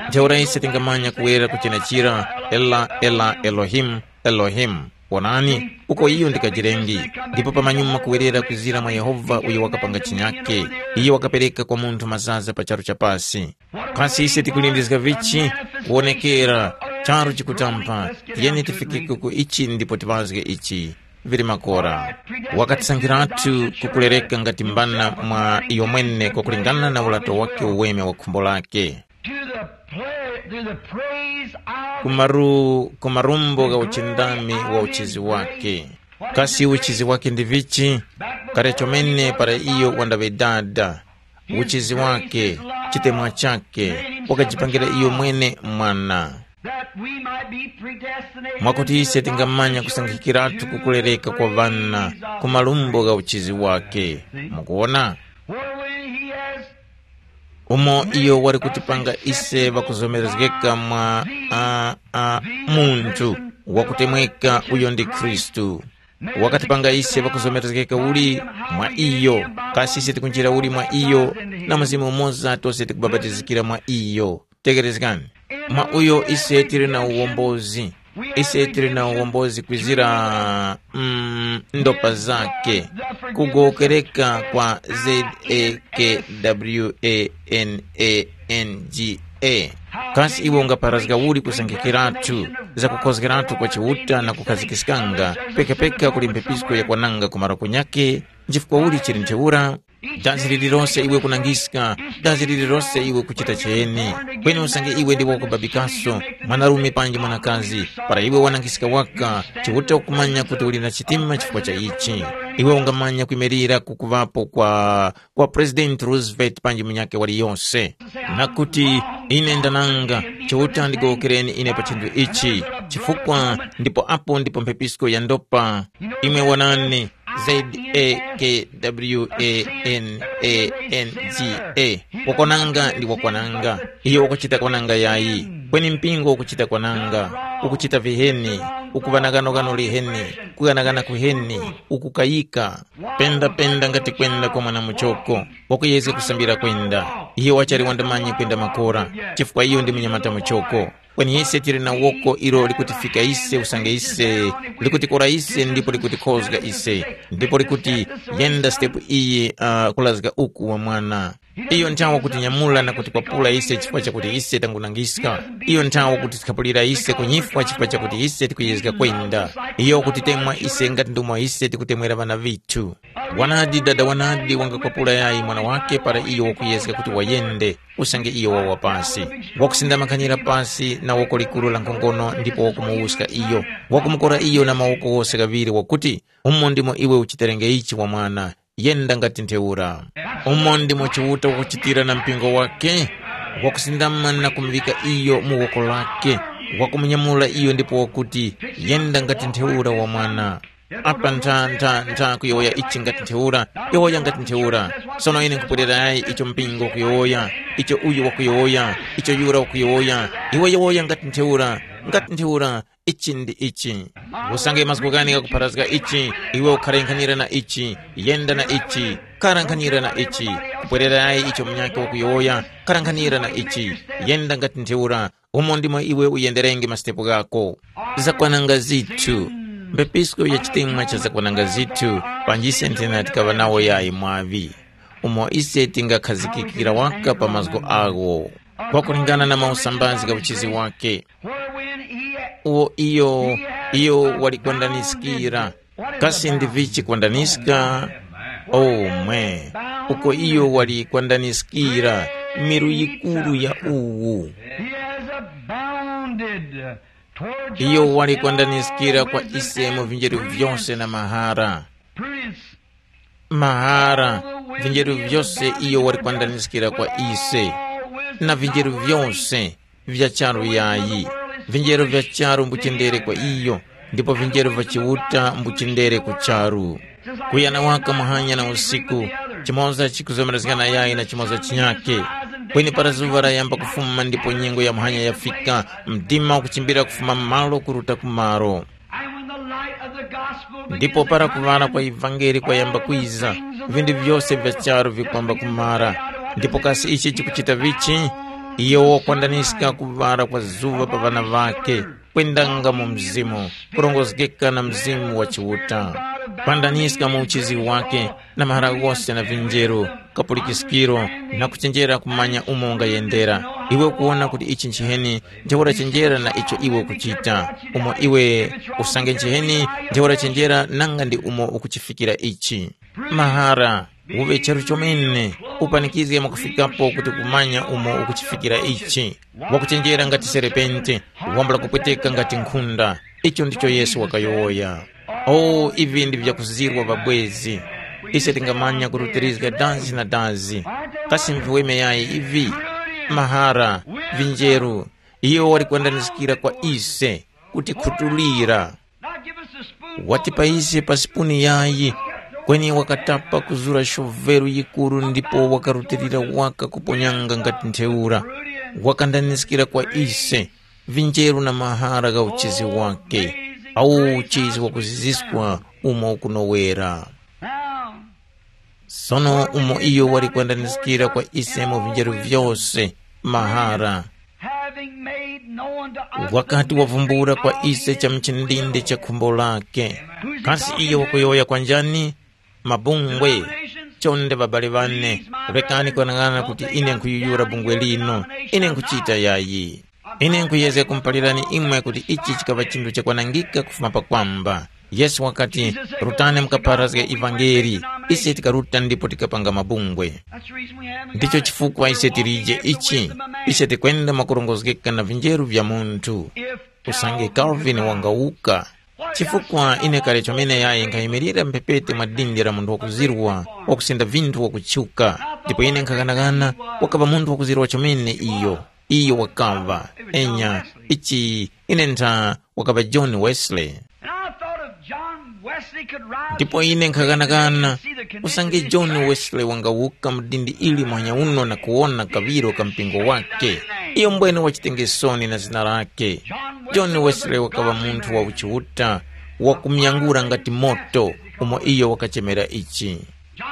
Ntheura ise tingamanya kuwerera ku chenechira, ela ela Elohimu, Elohimu. Wonani, uko iyo ndi kajirengi. Ndipo pamanyuma kuwerera kwizira mwa Yehova uyo wakapanga chinyake, iyo wakapereka kwa munthu mazaza pa charu cha pasi. Kasi ise tikulindizga vichi? Kuwonekera, charu chikutampa. Tiyeni tifikike ku ichi ndipo tiŵazge ichi. Vili makora. Wakatisankhiratu kukulereka ngati mbana mwa iyo mwene kwakulingana na ulato wake uweme wa khumbo lake. To the play, to the praise of Kumaru, kumarumbo ga uchindami wa uchizi wake. Kasi uchizi wake ndi vichi? Kale chomene para iyo wandaŵe dada, uchizi wake, chitemwa chake, wakajipangira iyo mwene mwana. That we might be predestinated mwakuti ise tingamanya kusankhikiratu kukulereka kwa ŵana ku malumbo gha uchizi wake. Mukuona? Where when he has umo iyo wali kutipanga ise ŵakuzomerezgeka mwa a, a, munthu wakutemweka uyo ndi Khristu. Wakatipanga ise ŵakuzomerezgeka uli mwa iyo, kasi ise tikunjira uli mwa iyo? Na mzimu umoza tose tikubapatizikira mwa iyo. Tekerezgani, mwa uyo ise tili na uwombozi. Ise tili na uwombozi kwizira mm, ndopa zake, kugowokereka kwa Z A K W A N A N G A. Kasi iwe ungapharazga uli kusankhikiratu, zakukhozgeratu kwa Chiuta na kukhazikiskanga pekapeka kuli mphepisko yakwananga ku maroko nyake? Nchifukwa uli chili ntheura? Dazi lililose iwe kunangiska, dazi lililose iwe kuchita cheni. Kweni usange iwe ndiwe wakubabikaso, mwanarume panji mwanakazi, para iwe wanangiska waka, Chiuta ukumanya kuti uli na chitima chifukwa cha ichi. Iwe ungamanya kwimirira kukuŵapo kwa kwa President Roosevelt panji munyakhe waliyose. Na kuti, ine ndananga, Chiuta ndigowokereni ine pa chinthu ichi, chifukwa ndipo apo ndipo mphepisko yandopa. Imwe wonani, Z A K W A N A N G A. Wakwananga ndi wakwananga. Iyo wakuchita kwananga yayi. Kweni mpingo ukuchita kwananga, ukuchita viheni, ukuŵa na ghanoghano liheni, kughanagana kuheni, ukukayika. Pendapenda ngati kwenda kwa mwana muchoko, wakuyezga kusambira kwenda. Iyo wachali wandamanyi kwenda makora, chifukwa iyo ndi munyamata muchoko. Kweni ise tili na woko ilo likutifika ise usange ise, likutikora ise ndipo likutikhozga ise, ndipo likuti, yenda sitepu iyi uh, kulazga uku wa mwana. Iyo nthawa kutinyamula na kutikwapula ise chifukwa chakuti ise tangunangiska. Iyo nthawa kutikhapulira ise kunyifwa chifukwa chakuti ise tikuyezga kwenda. Iyo kutitemwa ise ngati ndomwe ise tikutemwera ŵana vithu. Wanadi dada wanadi wangakwapula yayi mwana wake para iyo wakuyezga kuti wayende, usange iyo wawa pasi. Wakusindamakanira pasi na woko likuru la nkhongono ndipo wakumuwuska iyo. Wakumukora iyo na mawoko wose ghaŵiri wakuti, umo ndimo iwe uchiterenge ichi wa mwana. Yenda ngati ntheura. Umo ndimo Chiuta wakuchitira na mpingo wake, wakusindama na kumuŵika iyo mu woko lake, wakumunyamula iyo ndipo wakuti, yenda ngati ntheura wa mwana. Apa ntha ntha ntha kuyowoya ichi ngati ntheura, yowoya ngati ntheura. Sono ine nkupwererayi icho mpingo ukuyowoya, icho uyu wakuyowoya, icho yura wakuyowoya. Iwe yowoya ngati ntheura, ngati ntheura. Ichi ndi ichi. Usange mazgu ghani ghakupharazga ichi, iwe ukhara nkhanira na ichi, yenda na ichi, khara nkhanira na ichi. Kupwererayi icho munyakhe wakuyowoya, khara nkhanira na ichi, yenda ngati ntheura. Umo ndimo iwe uyenderenge masitepo ghako. Zakwananga zithu. Mbepisko ya chitemwa cha zakwananga zithu, panjise nthena tikaŵa nawo yayi mwaŵi. Umo ise tingakhazikikira waka pa mazgu agho, kwakulingana na mausambazi gha uchizi wake. Uwo iyo, iyo wali kwandaniskira. Kasi ndi vichi kwandaniska? Omwe, uko iyo wali kwandaniskira. miru yikuru ya uwu. He has abounded toward iyo wali kwandanizikira kwa ise mu vinjeru vyose na mahara. Prince, mahara, vinjeru vyose iyo wali kwandanizikira kwa ise, na vinjeru vyose vya charu yayi. Vinjeru vya charu mbuchindere kwa iyo, ndipo vinjeru vya Chiuta mbuchindere ku charu. Kuyana waka muhanya na usiku, chimoza chikuzomerezgana yayi na chimoza chinyake. Kweni para zuŵa layamba kufuma ndipo nyengo ya muhanya yafika, mdima ukuchimbira kufuma malo kuruta ku malo. And when the light of the gospel ndipo begins para to kuŵala kwa shine, ivangeli kwayamba all the kwiza, things of the vindu world vyose vya charu vikwamba kumara. Ndipo kasi ichi chikuchita vichi? Iyo wakwandaniska kuŵala kwa zuŵa pa ŵana ŵake, kwendanga mu mzimu, kurongozgeka na mzimu wa Chiuta, kwandaniska mu uchizi wake, na mahara ghose na vinjeru, kapulikiskiro, na kuchenjera kumanya umo ungayendera. Iwe ukuwona kuti ichi nchiheni, ntheura chenjera na icho iwe ukuchita. Umo iwe usange nchiheni, ntheura chenjera nanga ndi umo ukuchifikira ichi. Mahara, uŵe charu chomene, upanikizge mwakufikapo kuti kumanya umo ukuchifikira ichi. Wakuchenjera ngati serepente, wambula kupweteka ngati nkhunda. Icho ndicho Yesu wakayowoya. O, ivi ndi vyakuzirwa vabwezi. Ise tingamanya kurutirizga dazi na dazi. Kasi mviweme yayi ivi? Mahara, vinjeru, iyo wali kwandaniskira kwa ise, kutikhutulira. Watipa ise pa sipuni yayi, kweni wakatapa kuzura shoveru yikuru ndipo wakarutilira waka kuponyanga ngati ntheura. Wakandaniskira kwa ise, vinjeru na mahara gha uchizi wake, awo uchizi wakuziziswa umo ukunowera. Sono umo iyo wali kwandaniskira kwa ise mu vinjeru vyose, mahara, having made known to us wakati the wavumbula kwa mystery ise cha mchindinde cha khumbo lake. Kasi iyo wakuyowoya kwa njani? Mabungwe. Chonde babale bane, rekani kwanang'ana kuti ine nkhuyuyura bungwe lino. Ine nkhuchita yayi. Ine nkhuyezga kumupalirani imwe kuti ichi chikaŵa chinthu chakwanangika kufuma pakwamba. Yesu wakati, rutani mukapharazge ivangeli. Ise tikaruta ndipo tikapanga mabungwe. Ndicho chifukwa ise tilije ichi. Ise tikwenda mwakurongozgeka na vinjeru vya munthu. Usange Calvin wangawuka. Chifukwa ine kale chomene yayi nkhayimirira mphepete mwa dindi la munthu wakuzirwa, wakusenda vinthu wakutchuka. Ndipo ine nkhaghanaghana, wakaŵa munthu wakuzirwa chomene iyo. Iyo wakaŵa, enya, ichi ine ntha, wakaŵa John Wesley. And I thought if John Wesley could rise ndipo from ine the grave nkhakanakana, today and see the condition usange of his John track, Wesley wangawuka mu dindi ili mwanya uno na kuwona kaŵiro ka mpingo wake, iyo mbwene wachitengesoni na zina lake. John Wesley wakaŵa munthu wa uchiuta, wakumyangura ngati moto, umo iyo wakachemera ichi.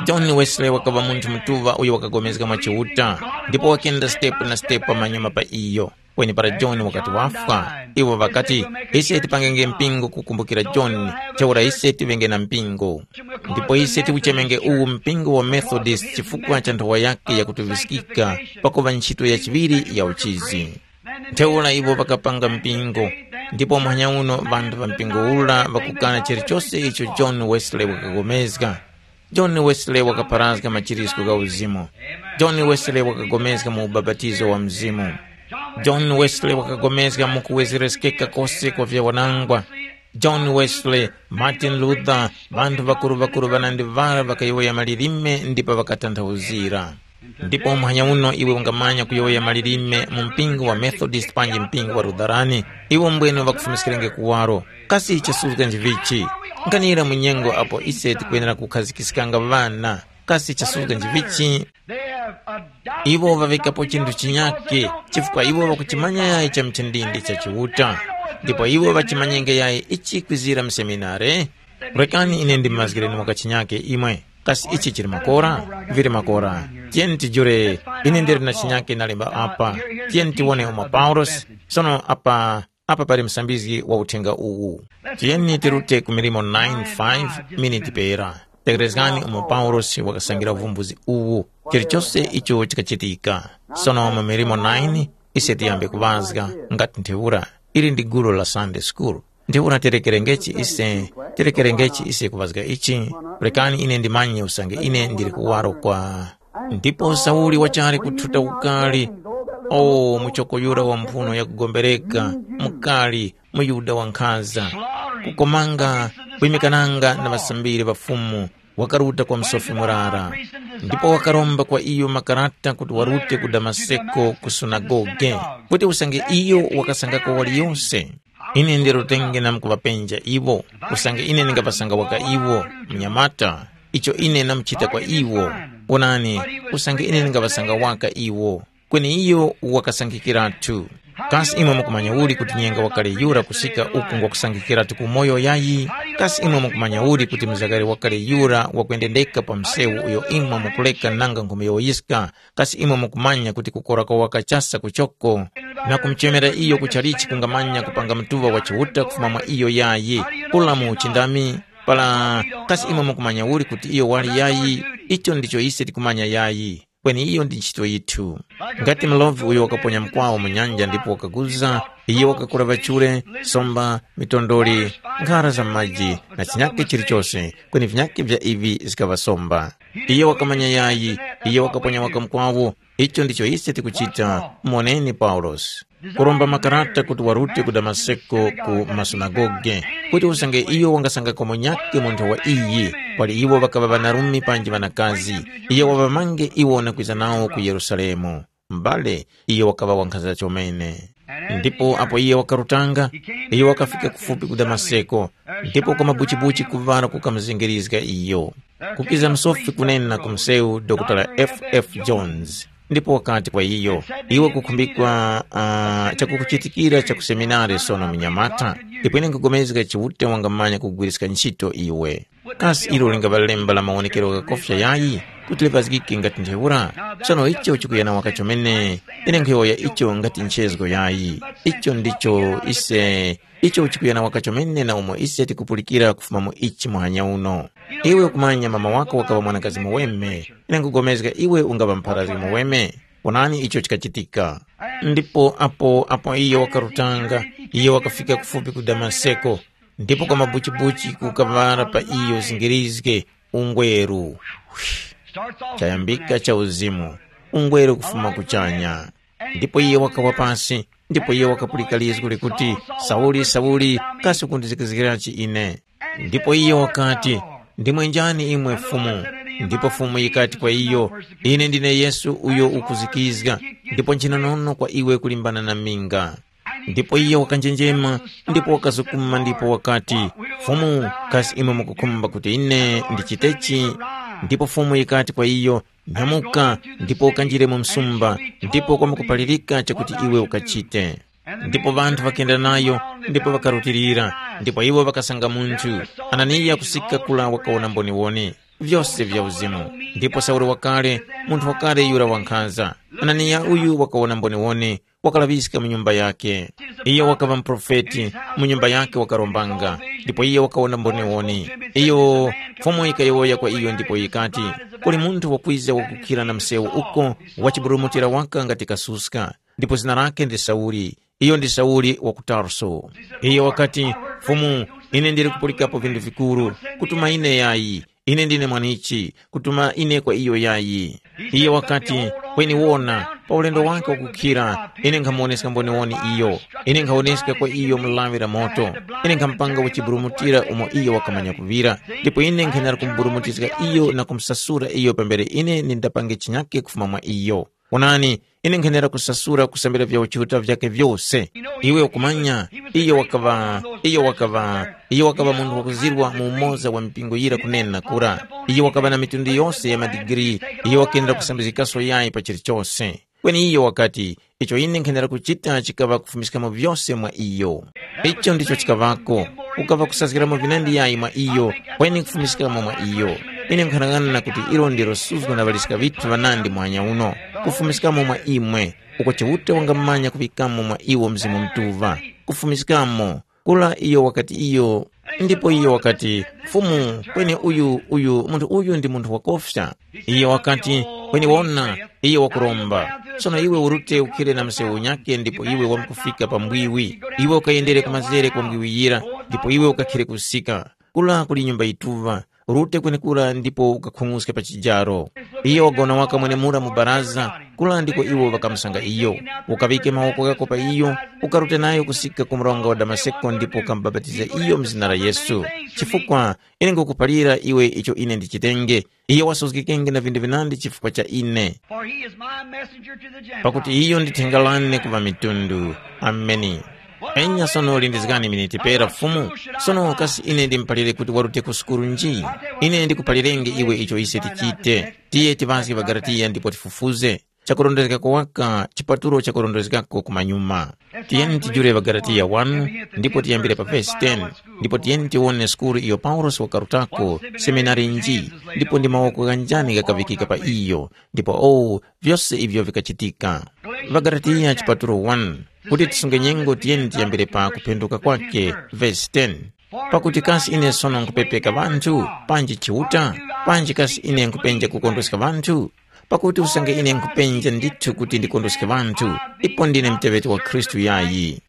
John Wesley wakaŵa munthu mutuŵa uyo wakagomezga mwa Chiuta, ndipo wakenda step na step pamanyuma pa iyo. Kweni para John wakati wafwa, iwo ŵakati, ise tipangenge mpingo kukumbukira John, ntheura ise tiŵenge na mpingo. Ndipo ise tiwuchemenge uwu mpingo wa Methodist chifukwa cha nthowa yake yakutuŵiskika pakuŵa ntchito ya chiŵiri ya uchizi. Ntheura iwo ŵakapanga mpingo, ndipo muhanya uno ŵanthu ŵa mpingo ura ŵakukana chilichose icho John Wesley wakapulikana. John Wesley wakapharazga machiritiko gha uzimu. John Wesley wakagomezga mu ubapatizo wa Mzimu. John Wesley wakagomezga mu kuwezereskeka kose kwa vyawanangwa. John Wesley, Martin Luther, ŵanthu ŵakuru-ŵakuru ŵanandi ŵara ŵakayowoya malilime ndipo ŵakatanthauzira. Ndipo muhanya uno iwe ungamanya kuyowoya malilime mu mpingo wa Methodist panji mpingo wa Lutherani, iwo mbwene ŵakufumiskirenge kuwaro. Kasi chasuzga nchivichi? Nkhanira mu nyengo apo ise tikwenera kukhazikiskanga ŵana. Kasi chasuzga nchivichi? Iwo ŵaŵikapo chinthu chinyake, chifukwa iwo ŵakuchimanya yayi cha mchindindi cha Chiuta. Ndipo iwo ŵachimanyenge yayi ichi kwizira mu seminare. Rekani ine ndimazgireni waka chinyake imwe. Kasi ichi chili makora? Vili makora. Tiyeni tijure, ine ndili na chinyake nalemba apa. Tiyeni tiwone umo Paulosi. Sono apa, apa pali msambizgi wa uthenga uwu. Tiyeni tirute ku milimo nine five miniti pera. Tekerezgani umo Paulosi wakasangira uvumbuzi uwu. Chilichose icho chikachitika. Sono mu milimo nine, ise tiyambe kuŵazga, ngati ntheura. Ili ndi gulu la Sunday school. Ntheura terekerengechi ise, terekerengechi ise kuŵazga ichi, rekani ine ndimanye usange ine ndili kuwaro kwa Ndipo Sauli wachali kuthuta ukali, o muchoko yura wa mphuno yakugombereka, mukali, muYuda wankhanza, kukomanga kwimikananga na ŵasambiri ŵa Fumu, wakaruta kwa msofi murara. Ndipo wakaromba kwa iyo makarata kuti warute ku Damaseko ku sunagoge, kuti usange iyo wakasangako waliyose. Ine ndirutenge namkuŵapenja iwo, usange ine ndingaŵasanga waka iwo, mnyamata, icho ine namuchita kwa iwo. Onani, usange ine ndingaŵasanga waka iwo. Kweni iyo wakasankhikiratu. Kasi imwe mukumanya uli kuti nyenga wakale yura kusika uku ngwakusankhikiratu ku moyo yayi? Kasi imwe mukumanya uli kuti mzakare wakale yura wakuyendendeka pa msewu uyo imwe mukuleka nanga nkhumiyowoyiska? Kasi imwe mukumanya kuti kukora kwa wakachasa kuchoko na kumuchemera iyo kuchalichi kungamanya kupanga mtuŵa wa Chiuta kufuma mwa iyo yayi? Kula mu uchindami? Para kasi imwe mukumanya uli kuti iyo wali yayi? Icho ndicho ise tikumanya yayi. Kweni iyo ndi ntchito yithu. Ngati mlovi uyo wakaponya mkwawo mu nyanja ndipo wakaguza, iyo wakakula ŵachure, somba, mitondoli, nkhara za maji na chinyake chilichose, kweni vinyake vya ivi zikaŵa somba. Iyo wakamanya yayi, iyo wakaponya waka mkwawo. Icho ndicho ise tikuchita. Moneni Paulosi. Kuromba makarata kuti warute ku Damaseko ku masunagoge, kuti usange iyo wangasangako munyakhe munthu wa iyi, pali iwo ŵakaŵa ŵanarume panji ŵanakazi, iyo waŵamange iwo na kwiza nawo ku Yerusalemu. M'bale, iyo wakaŵa wankhanza chomene. Ndipo apo iye wakarutanga, iyo wakafika kufupi ku Damaseko, ndipo kwa mabuchibuchi kuŵala kukamuzengerizga iyo. Kukiza msofi kunena ku msewu Dr. F F Jones, ndipo wakati kwa iyo, iwe kukhumbikwa uh, chakukuchitikira cha ku seminari sono mnyamata, ndipo ine nkugomezga Chiuta wangamanya kugwiriska ntchito iwe. Kasi ilo lingaŵa lemba la mawonekero ghakofya yayi, kuti lipazgike ngati ntheura? Sono icho chikuyana waka chomene, ine nkhuyowoya icho ngati nchezgo yayi. Icho ndicho ise icho chikuyana waka chomene na umo ise tikupulikira kufuma mu ichi muhanya uno. Iwe ukumanya mama wako wakaŵa mwanakazi muweme, ine nkugomezga iwe ungaŵa mpharazgi muweme. Onani icho chikachitika. Ndipo apo apo iyo wakarutanga, iyo wakafika kufupi ku Damaseko, ndipo kwa mabuchibuchi kukaŵala pa iyo zingirizge ungweru. Chayambika cha uzimu, ungweru kufuma kuchanya. Ndipo iye wakawa pasi, ndipo iye wakapulika lizgu likuti, sauli sauli, kasi ukundizikizgirachi ine? Ndipo iye wakati, ndimwe njani imwe Fumu? Ndipo Fumu yikati kwa iyo, ine ndine Yesu uyo ukuzikizga, ndipo nchinonono kwa iwe kulimbana na minga. Ndipo iyo wakanjenjema, ndipo wakazukuma ndipo wakati, Fumu, kasi imwe mukukhumba kuti ine ndichitechi? Ndipo Fumu yikati kwa iyo, nyamuka, ndipo ukanjire mu msumba, ndipo kwamkuphalirika chakuti iwe ukachite. Ndipo ŵanthu ŵakenda nayo, ndipo ŵakarutilira, ndipo iwo ŵakasanga munthu, Ananiya kusika kula wakawona mboniwoni, vyose vya uzimu. Ndipo Sauli wakale, munthu wakale yura wankhanza, Ananiya uyu wakawona mboniwoni, wakalaŵiska mu nyumba yakhe. Iyo wakaŵa muprofeti, mu nyumba yakhe wakarombanga, ndipo iyo wakawona mboniwoni. Iyo Fumu yikayowoya kwa iyo ndipo yikati, kuli munthu wakwiza wakukhira na msewu uko, wachiburumutira waka ngati kasuska, ndipo zina lakhe ndi Sauli. Iyo ndi Sauli wa ku Tarso. Iyo wakati, Fumu, ine ndili kupulikapo vinthu vikuru, kutuma ine yayi, ine ndine mwanichi, kutuma ine kwa iyo yayi. Iye wakati, kweni wona, pa ulendo wake wakukhira, ine nkhamuwoneska mboniwoni iyo. Ine nkhawoneska kwa iyo mulawi la moto. Ine nkhamupanga wachiburumutira umo iyo wakamanya kuŵira, ndipo ine nkhenera kumuburumutizga iyo na kumusasura iyo pambere ine nindapange chinyake kufuma mwa iyo. Onani, ine nkhenera kusasura kusambira vya uchiuta vyake vyose. Iwe ukumanya, iyo wakaŵa iyo wakaŵa iyo wakaŵa munthu wakuzirwa mu umoza wa mipingo yira kunena kura. Iyo wakaŵa na mitundu yose ya madigiri. Iyo wakendera kusambizgikaso yayi pa chilichose. Kweni iyo wakati, icho ine nkhenera kuchita chikaŵa kufumiskamo vyose mwa iyo. Icho ndicho chikaŵako. Kukaŵa kusazgiramo vinandi yayi mwa iyo, kweni kufumiskamo mwa iyo. Ine nkhanang'ana kuti ilo ndilo suzgo na ŵaliska ŵithu ŵanandi muhanya uno, kufumiskamo mwa imwe, uko Chiuta wangamanya kuŵikamo mwa iwo Mzimu Mutuŵa, kufumiskamo. Kula iyo wakati iyo, ndipo iyo wakati, Fumu, kweni uyu uyu munthu uyu ndi munthu wakofya. Iyo wakati, kweni wona, iyo wakuromba. Sono iwe urute ukhire na msewu unyake ndipo iwe wamkufika pa mbwiwi. Iwe ukayendere kumazere kwa mbwiwi yira, ndipo iwe ukakhire kusika. Kula kuli nyumba yituŵa, Rute kwenekura ndipo ukakhung'uske pa chijaro. Iyo wagona waka mwenemura mu baraza, kura ndiko iwo ŵakamusanga iyo. Ukaŵike mawoko ghako pa iyo, ukarute nayo kusika ku mronga wa Damaseko ndipo ukamubapatiza iyo mu zina la Yesu. Chifukwa ine ngukuphalira iwe icho ine ndichitenge. Iyo wasuzgikenge na vinthu vinandi chifukwa cha ine. For he is my messenger to the Gentiles. Pakuti iyo ndi thenga lane ku ŵamitundu. Ameni. Enya sono lindizgani miniti pera Fumu. Sono kasi ine ndimuphalire kuti warute ku sukulu nji? Ine ndikuphalirenge iwe icho ise tichite. Tiye tiŵazge ŵaGalatiya ndipo tifufuze. Chakurondezgako waka chipatulo chakurondezgako kumanyuma. Tiyeni tijule ŵaGalatiya wanu ndipo tiyambire pa vesi ten. Ndipo tiyeni tiwone sukulu iyo Paulosi wakarutako, seminari nji, ndipo ndi mawoko ghanjani ghakavikika pa iyo, ndipo owu vyose ivyo vikachitika. ВaGalatiya chipatulo one. Kuti tisunge nyengo tiyeni tiyambire pa kuphenduka kwake, vesi ten. Pakuti kasi ine sono nkhupepeka ŵanthu, panji Chiuta? Panji kasi ine nkhupenja kukondweska ŵanthu? Pakuti usange ine nkhupenja ndithu kuti ndikondweske ŵanthu, ipo ndine muteŵeti wa Khristu yayi.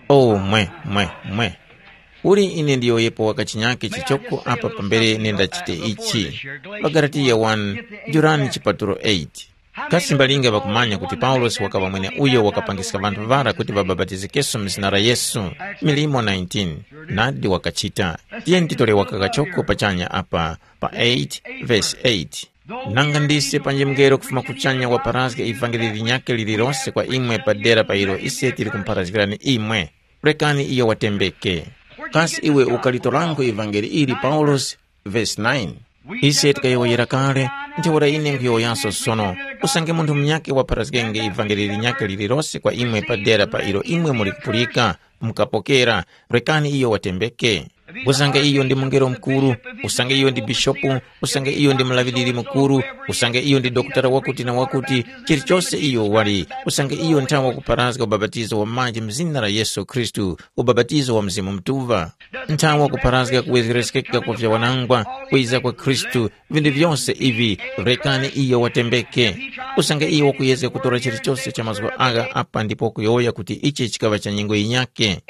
O mwe, mwe, mwe! Uli ine ndiyowoyepo waka chinyake chichoko apa pambere nendachite ichi. ВaGalatiya one, jurani chipatulo eight. Kasi mbalinga ŵakumanya kuti Paulosi wakaŵa mweneuyo wakapangiska ŵanthu ŵara kuti ŵabapatizikenso mu zina la Yesu? Milimo nineteen. Nadi wakachita. Tiyeni titore waka kachoko pachanya apa pa eight, vesi eight. Nanga ndise panji mungelo kufuma kuchanya wapharazga ivangeli linyakhe lililose kwa imwe pa dera pa ilo ise tili kumupharazgirani imwe? Rekani iyo watembeke. Kasi iwe ukalitorango ivangeli ili Paulosi? Vesi nine. Ise tikayowoyera kale, ntheura ine nkhuyowoyanso sono. Usange munthu munyakhe wapharazgenge ivangeli linyakhe lililose kwa imwe pa dera pa ilo imwe muli kupulika, mukapokera, rekani iyo watembeke. Usange iyo ndi mungelo mukuru, usange iyo ndi bishopu, usange iyo ndi mulaŵiriri mukuru, usange iyo ndi dokotala wakuti na wakuti, chilichose iyo wali, usange iyo nthawa wakupharazga ubapatizo wa maji mu zina la Yesu Khristu, ubapatizo wa Mzimu Mutuŵa. Nthawa wakupharazga kuwezgereskeka kwa vyawanangwa, kwiza kwa Khristu, vinthu vyose ivi, rekani iyo watembeke. Usange iyo wakuyezga kutora chilichose cha mazgu agha apa ndipo kuyowoya kuti ichi chikaŵa cha nyengo yinyakhe,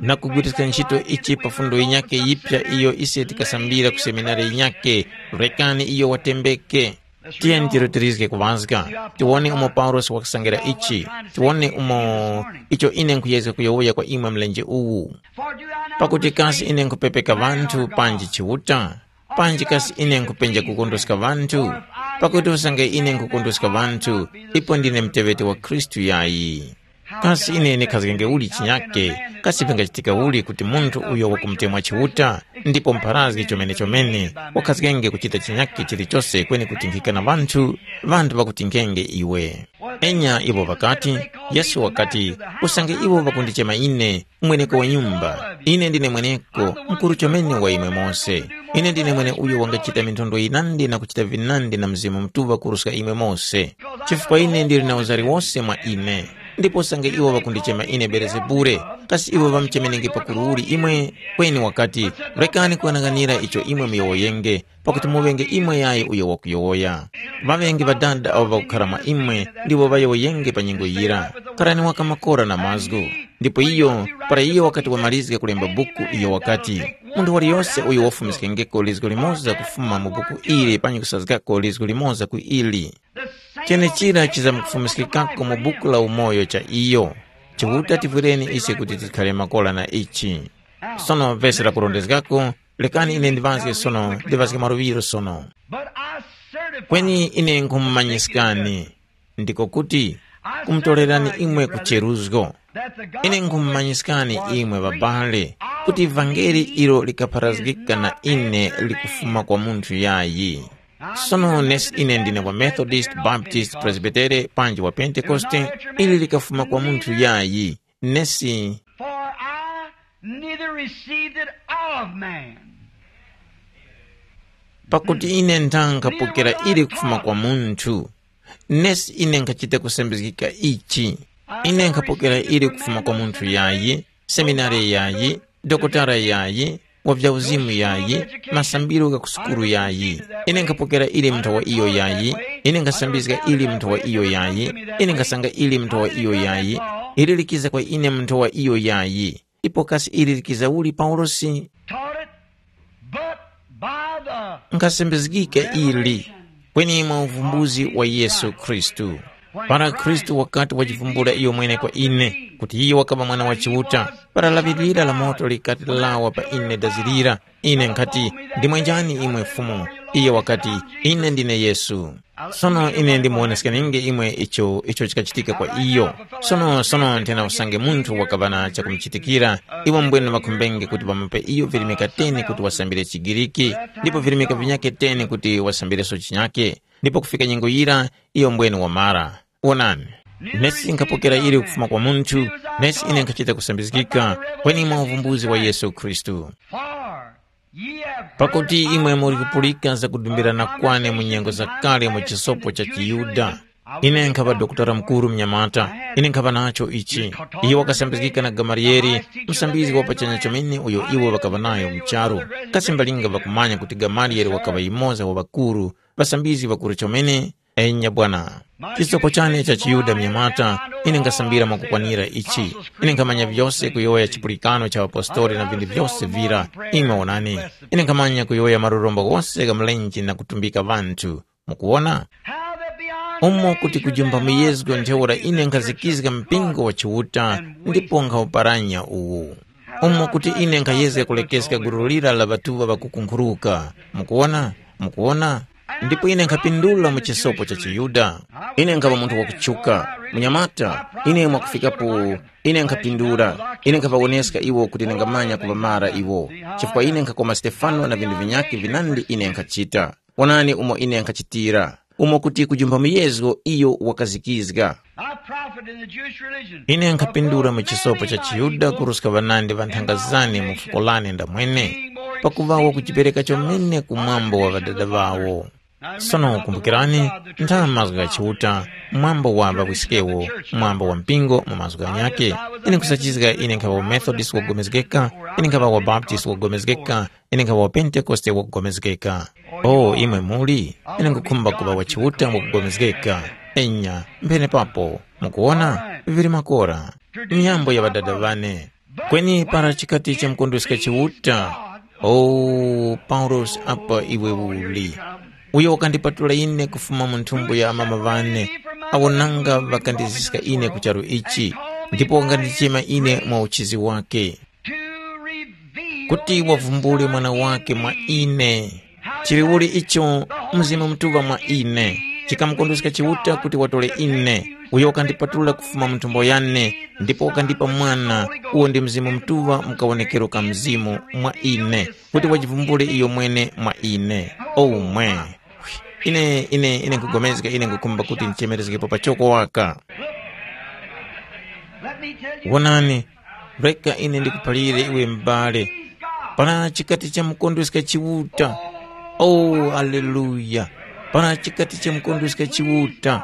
na kugwiriska ntchito ichi pa fundo yinyakhe yipya iyo ise tikasambira ku seminari yinyakhe, rekani iyo watembeke. Tiyeni tirutilizge kuŵazga, tiwone umo Paulosi wakasangira ichi, tiwone umo icho ine nkhuyezga kuyowoya kwa imwe mlenje uwu. Pakuti kasi ine nkhupepeka ŵanthu panji Chiuta? Panji kasi ine nkhupenja kukondweska ŵanthu? Pakuti usange ine nkhukondweska ŵanthu, ipo ndine muteŵeti wa Khristu yayi. Kasi ine ndikhazgenge uli chinyake? Kasi vingachitika uli kuti munthu uyo wakumutemwa Chiuta, ndipo mpharazgi chomene-chomene, wakhazgenge kuchita chinyake chilichose kweni kutinkhika na ŵanthu, ŵanthu ŵakutinkhenge iwe? Enya iwo ŵakati, Yesu wakati, usange iwo ŵakundichema ine, mweneko wa nyumba, ine ndine mweneko, mukuru chomene wa imwe mose. Ine ndine mwene uyo wangachita minthondwe yinandi na kuchita vinandi na Mzimu Mutuŵa kuruska imwe mose. Chifukwa ine ndili na uzari wose mwa ine. Ndipo usange iwo ŵakundichema ine Belezebule, kasi iwo ŵamuchemenenge pakuru uli imwe? Kweni wakati, rekani kughanaghanira icho imwe muyowoyenge, pakuti muŵenge imwe yayi uyo wakuyowoya. Ŵaŵenge Ŵadada awo ŵakukhara mwa imwe ndiwo ŵayowoyenge pa nyengo yira. Kharani waka makora na mazgu. Ndipo iyo, para iyo wakati wamalizga kulemba buku, iyo wakati, munthu waliyose uyo wafumiskengeko lizgu limoza kufuma mu buku ili panyi kusazgako lizgu limoza ku ili, chenechira chizamkufumiskikako mu buku la umoyo cha iyo. Chiuta tivwireni ise kuti tikhare makora na ichi. Sono vesi lakurondezgako, lekani ine ndiŵazge sono, ndiŵazge mwaluŵiro sono. But I certify Kweni ine nkhumumanyiskani, ndiko kuti, kumutorerani imwe kucheruzgo. Ine nkhumumanyiskani imwe ŵabale, kuti ivangeli ilo likapharazgika na ine likufuma kwa munthu yayi. Sono nesi ine ndine wa Methodist, Baptist, Presbytere, panji wa Pentekoste, ili likafuma kwa munthu yayi. Nesi For I neither received it of man. Pakuti ine ndangapokera ili kufuma kwa munthu, nesi ine nkhachita kusambizgika ichi. Ine nkhapokera ili kufuma kwa munthu yayi, seminari yayi, dokotala yayi, wa vyauzimu yayi, masambiro gha kusukulu yayi. Ine nkhapokera ili munthu wa iyo yayi, ine nkhasambizga ili munthu wa iyo yayi, ine nkhasanga ili munthu wa iyo yayi, ili likiza kwa ine munthu wa iyo yayi. Ipo kasi ili likiza uli Paulosi? Taught it, but Nkasembezgika ili, kweni mwa uvumbuzi wa Yesu Khristu. Para Khristu wakati wajivumbula iyo mwene kwa ine, kuti iyo wakaŵa Mwana wa Chiuta, para laŵi lira la moto likati lawa pa ine dazi lira, ine nkhati, “Ndimwe njani imwe Fumu?” Iyo wakati, “Ine ndine Yesu.” Sono ine ndimuwoneskeninge imwe icho icho chikachitika kwa iyo. Sono sono nthena usange munthu wakaŵa na chakumuchitikira, iwo mbwene ŵakhumbenge kuti ŵamupe iyo virimika teni kuti wasambire chiGiriki, ndipo virimika vinyakhe teni kuti wasambireso chinyakhe, ndipo kufika nyengo yira iyo mbwene wamara. Wonani, nesi nkhapokera ili kufuma kwa munthu, nesi ine nkhachita kusambizgika, kweni mwa uvumbuzi wa Yesu Khristu. Pakuti imwe muli kupulika zakudumbirana kwane mu nyengo zakale mu chisopo cha chiYuda. Ine nkhaŵa dokotala mukuru mnyamata, ine nkhaŵa nacho ichi. Iyo wakasambizgika na Gamaliyeli, msambizgi wa pachanya chomene uyo iwo ŵakaŵa nayo mu charu. Kasi mbalinga ŵakumanya kuti Gamaliyeli wakaŵa yumoza wa ŵakuru, ŵasambizgi ŵakuru chomene? Enya bwana. Chisopo chane cha chiYuda mnyamata, ine nkasambira mwakukwanira ichi. Ine nkhamanya vyose kuyowoya chipulikano cha ŵapostoli na vinthu vyose vira. Imwe wonani, ine nkhamanya kuyowoya marorombo ghose gha mlenje na kutumbika ŵanthu. Mukuwona? Umo kuti kujumba muyezgo ntheura ine nkhazikizga mpingo wa Chiuta ndipo nkhawuparanya uwu. Umo kuti ine nkhayezga kulekeska gulu lira la ŵatuŵa ŵakukunkhuruka. Mukuwona? Mukuwona? Ndipo ine nkhapindula mu chisopo cha chiYuda. Ine nkhaŵa munthu wakutchuka, munyamata, ine mwakufikapo, ine nkhapindula, ine nkhaŵawoneska iwo kuti ndingamanya kuŵamara iwo, chifukwa ine nkhakoma Stefano na vinthu vinyakhe vinandi ine nkhachita. Wonani umo ine nkhachitira, umo kuti kujumba muyezo iyo wakazikizga. I profit in the Jewish religion. Ine nkhapindula mu chisopo cha chiYuda kuruska ŵanandi ŵa nthanga zane mu fuko lane ndamwene, pakuŵa wakujipereka chomene ku mwambo wa ŵadada ŵawo. Sono kumbukirani, ntha mazgu gha Chiuta, mwambo wa ŵawiskewo, mwambo wa mpingo mu mazgu ghanyakhe. Ine nkhusachizga ine nkhaŵa wa Methodist wogomezgeka, ine nkhaŵa wa Baptist wogomezgeka, ine nkhaŵa wa Pentekoste wakugomezgeka. O imwe muli, ine nkhukhumba kuŵa wa Chiuta wakugomezgeka. Enya, mphene papo, mukuwona, vili makora. Miyambo ya ŵadada ŵane. Kweni para chikati chamkondweska Chiuta, o Paulosi apa iwe uli. Uyo wakandipatula ine kufuma mu nthumbo ya amama ŵane, awo nanga ŵakandiziska ine ku charu ichi, ndipo wakandichema ine mwa uchizi wake. Kuti wavumbule mwana wake mwa ine. Chiliuli icho Mzimu Mutuŵa mwa ine, chikamukondweska Chiuta kuti watore ine, uyo wakandipatula kufuma mu nthumbo yane, ndipo wakandipa Mwana, uwo ndi Mzimu Mutuŵa mu kawonekero ka Mzimu mwa ine, kuti wajivumbule iyo mwene mwa ine. Omwe. Ine, ine, ine nkugomezga, ine nkukhumba kuti ndichemerezgepo pachoko waka. Let me tell you, wonani, reka ine ndikuphalire iwe m'bale. Para chikati chamukondweska Chiuta. Oh, aleluya! Para chikati chamukondweska Chiuta.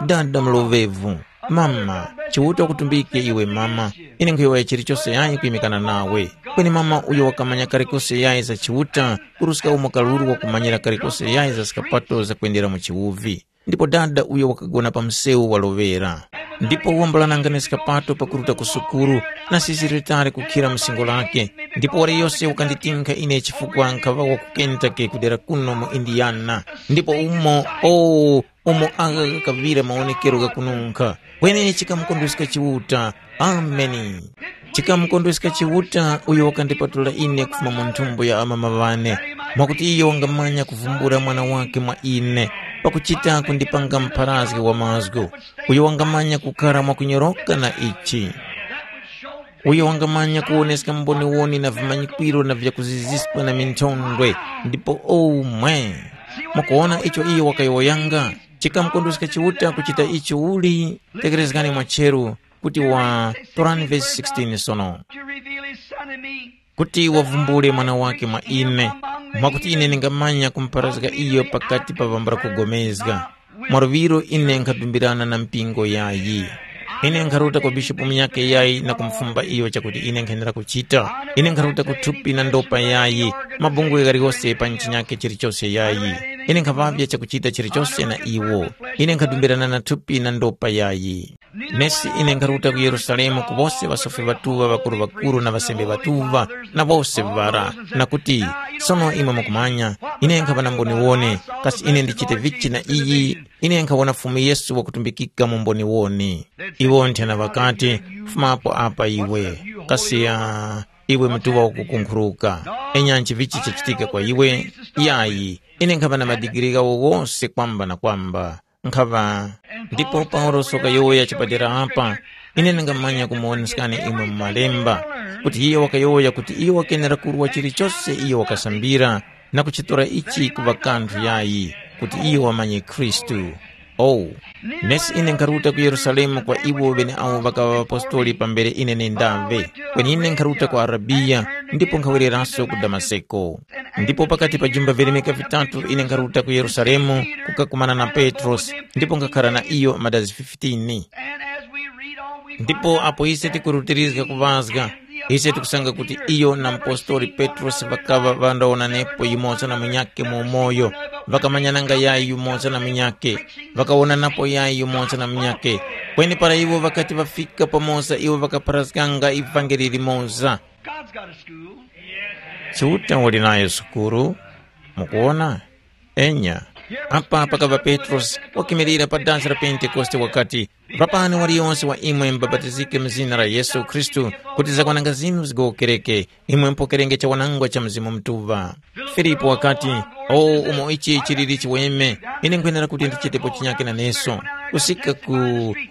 Dada mlovevu. Mama, Chiuta wakutumbike iwe mama. Ine nkhuyowoya chilichose yayi kuyimikana nawe. Kweni mama uyo wakamanya kalikose yayi za Chiuta, kuruska umo kaluru wakumanyira kalikose yayi za skapato zakwendera mu chiwuvi. Ndipo dada uyo wakagona pa msewu waloŵera. Ndipo wambulanangani skapato pakuruta ku sukulu, na sisiritari kukhira mu singo lake. Ndipo waliyose wakanditinkha ine chifukwa nkhaŵa wa ku Kentucky kudera kuno mu Indiana. Ndipo umo, oh, umo agha ghakaŵira mawonekero ghakununkha. Kweni chikamukondweska Chiuta. Ameni. Chikamukondweska Chiuta uyo wakandipatula ine kufuma mu nthumbo ya amama ŵane, mwakuti iyo wangamanya kuvumbula mwana wake mwa ine, pakuchita kundipanga mpharazgi wa mazgu, uyo wangamanya kukara mwakunyoroka na ichi, uyo wangamanya kuwoneska mboniwoni na vimanyikwiro na vyakuziziska na minthondwe, ndipo omwe. Mukuwona icho iyo wakayowoyanga? Chikamukondweska Chiuta kuchita icho uli? Tekerezgani mwacheru, kuti wa, torani vesi sixteen sono, to reveal his son in me. Kuti wavumbule mwana wake mwa ine, mwakuti ine ndingamanya kumparazga iyo pakati pa ŵambula kugomezga. Mwaluŵiro ine nkhadumbirana na mpingo yayi. Ine nkharuta kwa bishopu munyakhe yayi na kumufumba iyo chakuti ine nkhenera kuchita. Ine nkharuta ku thupi na ndopa yayi, mabungwe ghaliwose pa chinyakhe chilichose yayi. Ine nkhaŵavya chakuchita chilichose na iwo. Ine nkhadumbirana na thupi na ndopa yayi. Nesi ine nkharuta ku Yerusalemu ku wose ŵasofi ŵatuŵa ŵakuru-ŵakuru na ŵasembe ŵatuŵa na wose ŵara, na kuti, sono imwe mukumanya, ine nkhaŵa na mboniwone, kasi ine ndichite vichi na iyi? Ine nkhawona Fumu Yesu wakutumbikika mu mboniwone. Iwo nthena ŵakati, fumapo apa iwe, kasi ya iwe mutuŵa wakukunkhuruka, enya nchivichi chachitika kwa iwe? Yayi, ine nkhaŵa na madigiri ghawo ghose kwamba na kwamba. Nkhaŵa ndipo Paulosi wakayowoya chapadera apa, ine ndingamanya kumuwoneskani imwe mu malemba, kuti iye wakayowoya kuti iyo wakenera kurwa chilichose iyo wakasambira, na kuchitora ichi kuŵa kanthu yayi, kuti iyo wamanye Khristu. Oh, nesi ine nkharuta ku Yerusalemu kwa iwo ŵeneawo ŵakaŵa ŵapostoli pambere ine nendave, kweni ine nkharuta ku Arabiya, ndipo nkhawereranso ku Damaseko. Ndipo pakati pa jumba virimika vitatu ine nkharuta ku Yerusalemu kukakumana na Petrosi, ndipo nkhakhala na iyo madazi fifteen. Ndipo apo ise tikurutirizga kuŵazga, ise tikusanga kuti iyo na mpostori Petrosi ŵakaŵa ŵandawonanepo yumoza na munyakhe mu umoyo, ŵakamanyananga yayi yumoza na munyakhe, ŵakawonanapo yayi yumoza na munyakhe. Kweni para iwo ŵakati ŵafika pamoza, iwo ŵakapharazganga ivangeli limoza. God's got a school. Chiuta wali nayo sukuru. Mukuwona? Enya. Apa pakaŵa Petrosi wakimirira pa dansi la Pentekoste wakati, ŵapani waliyonse wa imwe mubapatizike mu zina la Yesu Khristu, kuti zakwananga zinu zigowokereke, imwe mupokerenge chawanangwa cha Mzimu Mutuŵa. Filipu wakati, o umo ichi chiliri chiweme, ine nkhwenera kuti ndichitepo chinyake naneso. Kusika ku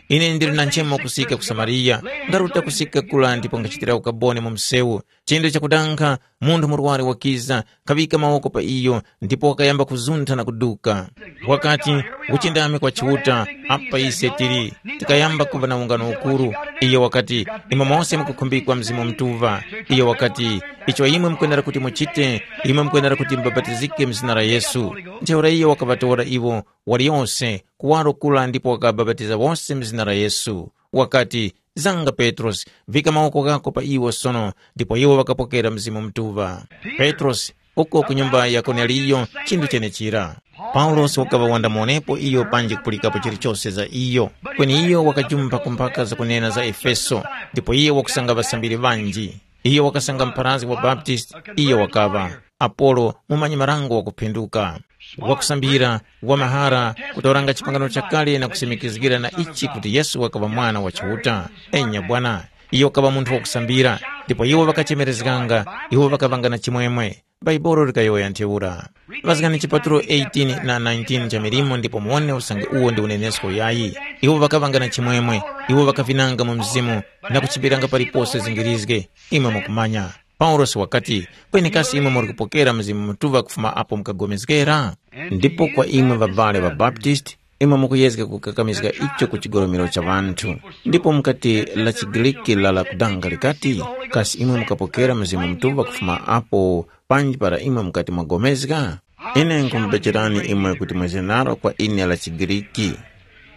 ine ndili na nchemo kusika ku Samariya, ndaruta kusika kula ndipo ngachitira ukaboni mu msewu. Chinthu chakudankha, munthu murwari wakiza, kaŵika mawoko pa iyo, ndipo wakayamba kuzuntha na kuduka. Wakati, uchindami kwa Chiuta, apa ise tili. Tikayamba kuva na ungano ukuru. Iyo wakati, imwe mose mukukhumbikwa Mzimu Mutuŵa. Iyo wakati, icho imwe mukwenera kuti muchite, imwe mukwenera kuti mubapatizike mu zina la Yesu. Ntheura iyo wakaŵatora iwo, waliyose, kuwaro kula ndipo wakabapatiza wose mu zina la Yesu. Wakati, zanga Petrosi, vika mawoko ghako pa iwo sono, ndipo iwo ŵakapokera Mzimu Mutuŵa. Petrosi, uko ku nyumba ya Korneliyo, chinthu chenechira. Paulosi wakaŵa wandamuwonepo iyo panji kupulikapo chilichose za iyo. Kweni iyo wakajumba kumpaka zakunena za Efeso, ndipo iyo wakusanga ŵasambiri ŵanji. Iyo wakasanga mpharazgi wa Baptisti, iyo wakaŵa. Apolo, mumanyi-marango wakuphinduka, wakusambira, wamahara, kutoranga chipangano chakale na kusimikizgira na ichi kuti Yesu wakaŵa Mwana wa Chiuta. Enya bwana, iyo wakaŵa munthu wakusambira, ndipo iwo ŵakachemerezganga, iwo ŵakaŵanga na chimwemwe. Bhaibuli likayowoya ntheura. Ŵazgani chipatulo eighteen na nineteen cha Milimo ndipo muwone usange uwo ndi unenesko yayi. Iwo ŵakaŵanga na chimwemwe, iwo ŵakavinanga mu Mzimu na kuchimbiranga palipose zingirizge. Imwe mukumanya. Paulosi wakati, kweni kasi imwe muli kupokera Mzimu Mutuŵa kufuma apo mukagomezgera? Ndipo kwa imwe ŵabale ŵaBaptisti, imwe mukuyezga kukakamizga icho ku chigolomero cha ŵanthu. Ndipo mukati la chiGriki la la kudanga likati, kasi imwe mukapokera Mzimu Mutuŵa kufuma apo panji para imwe mukati mwagomezga? Ine nkumubecherani imwe kuti mweze nalo kwa ine la chiGriki.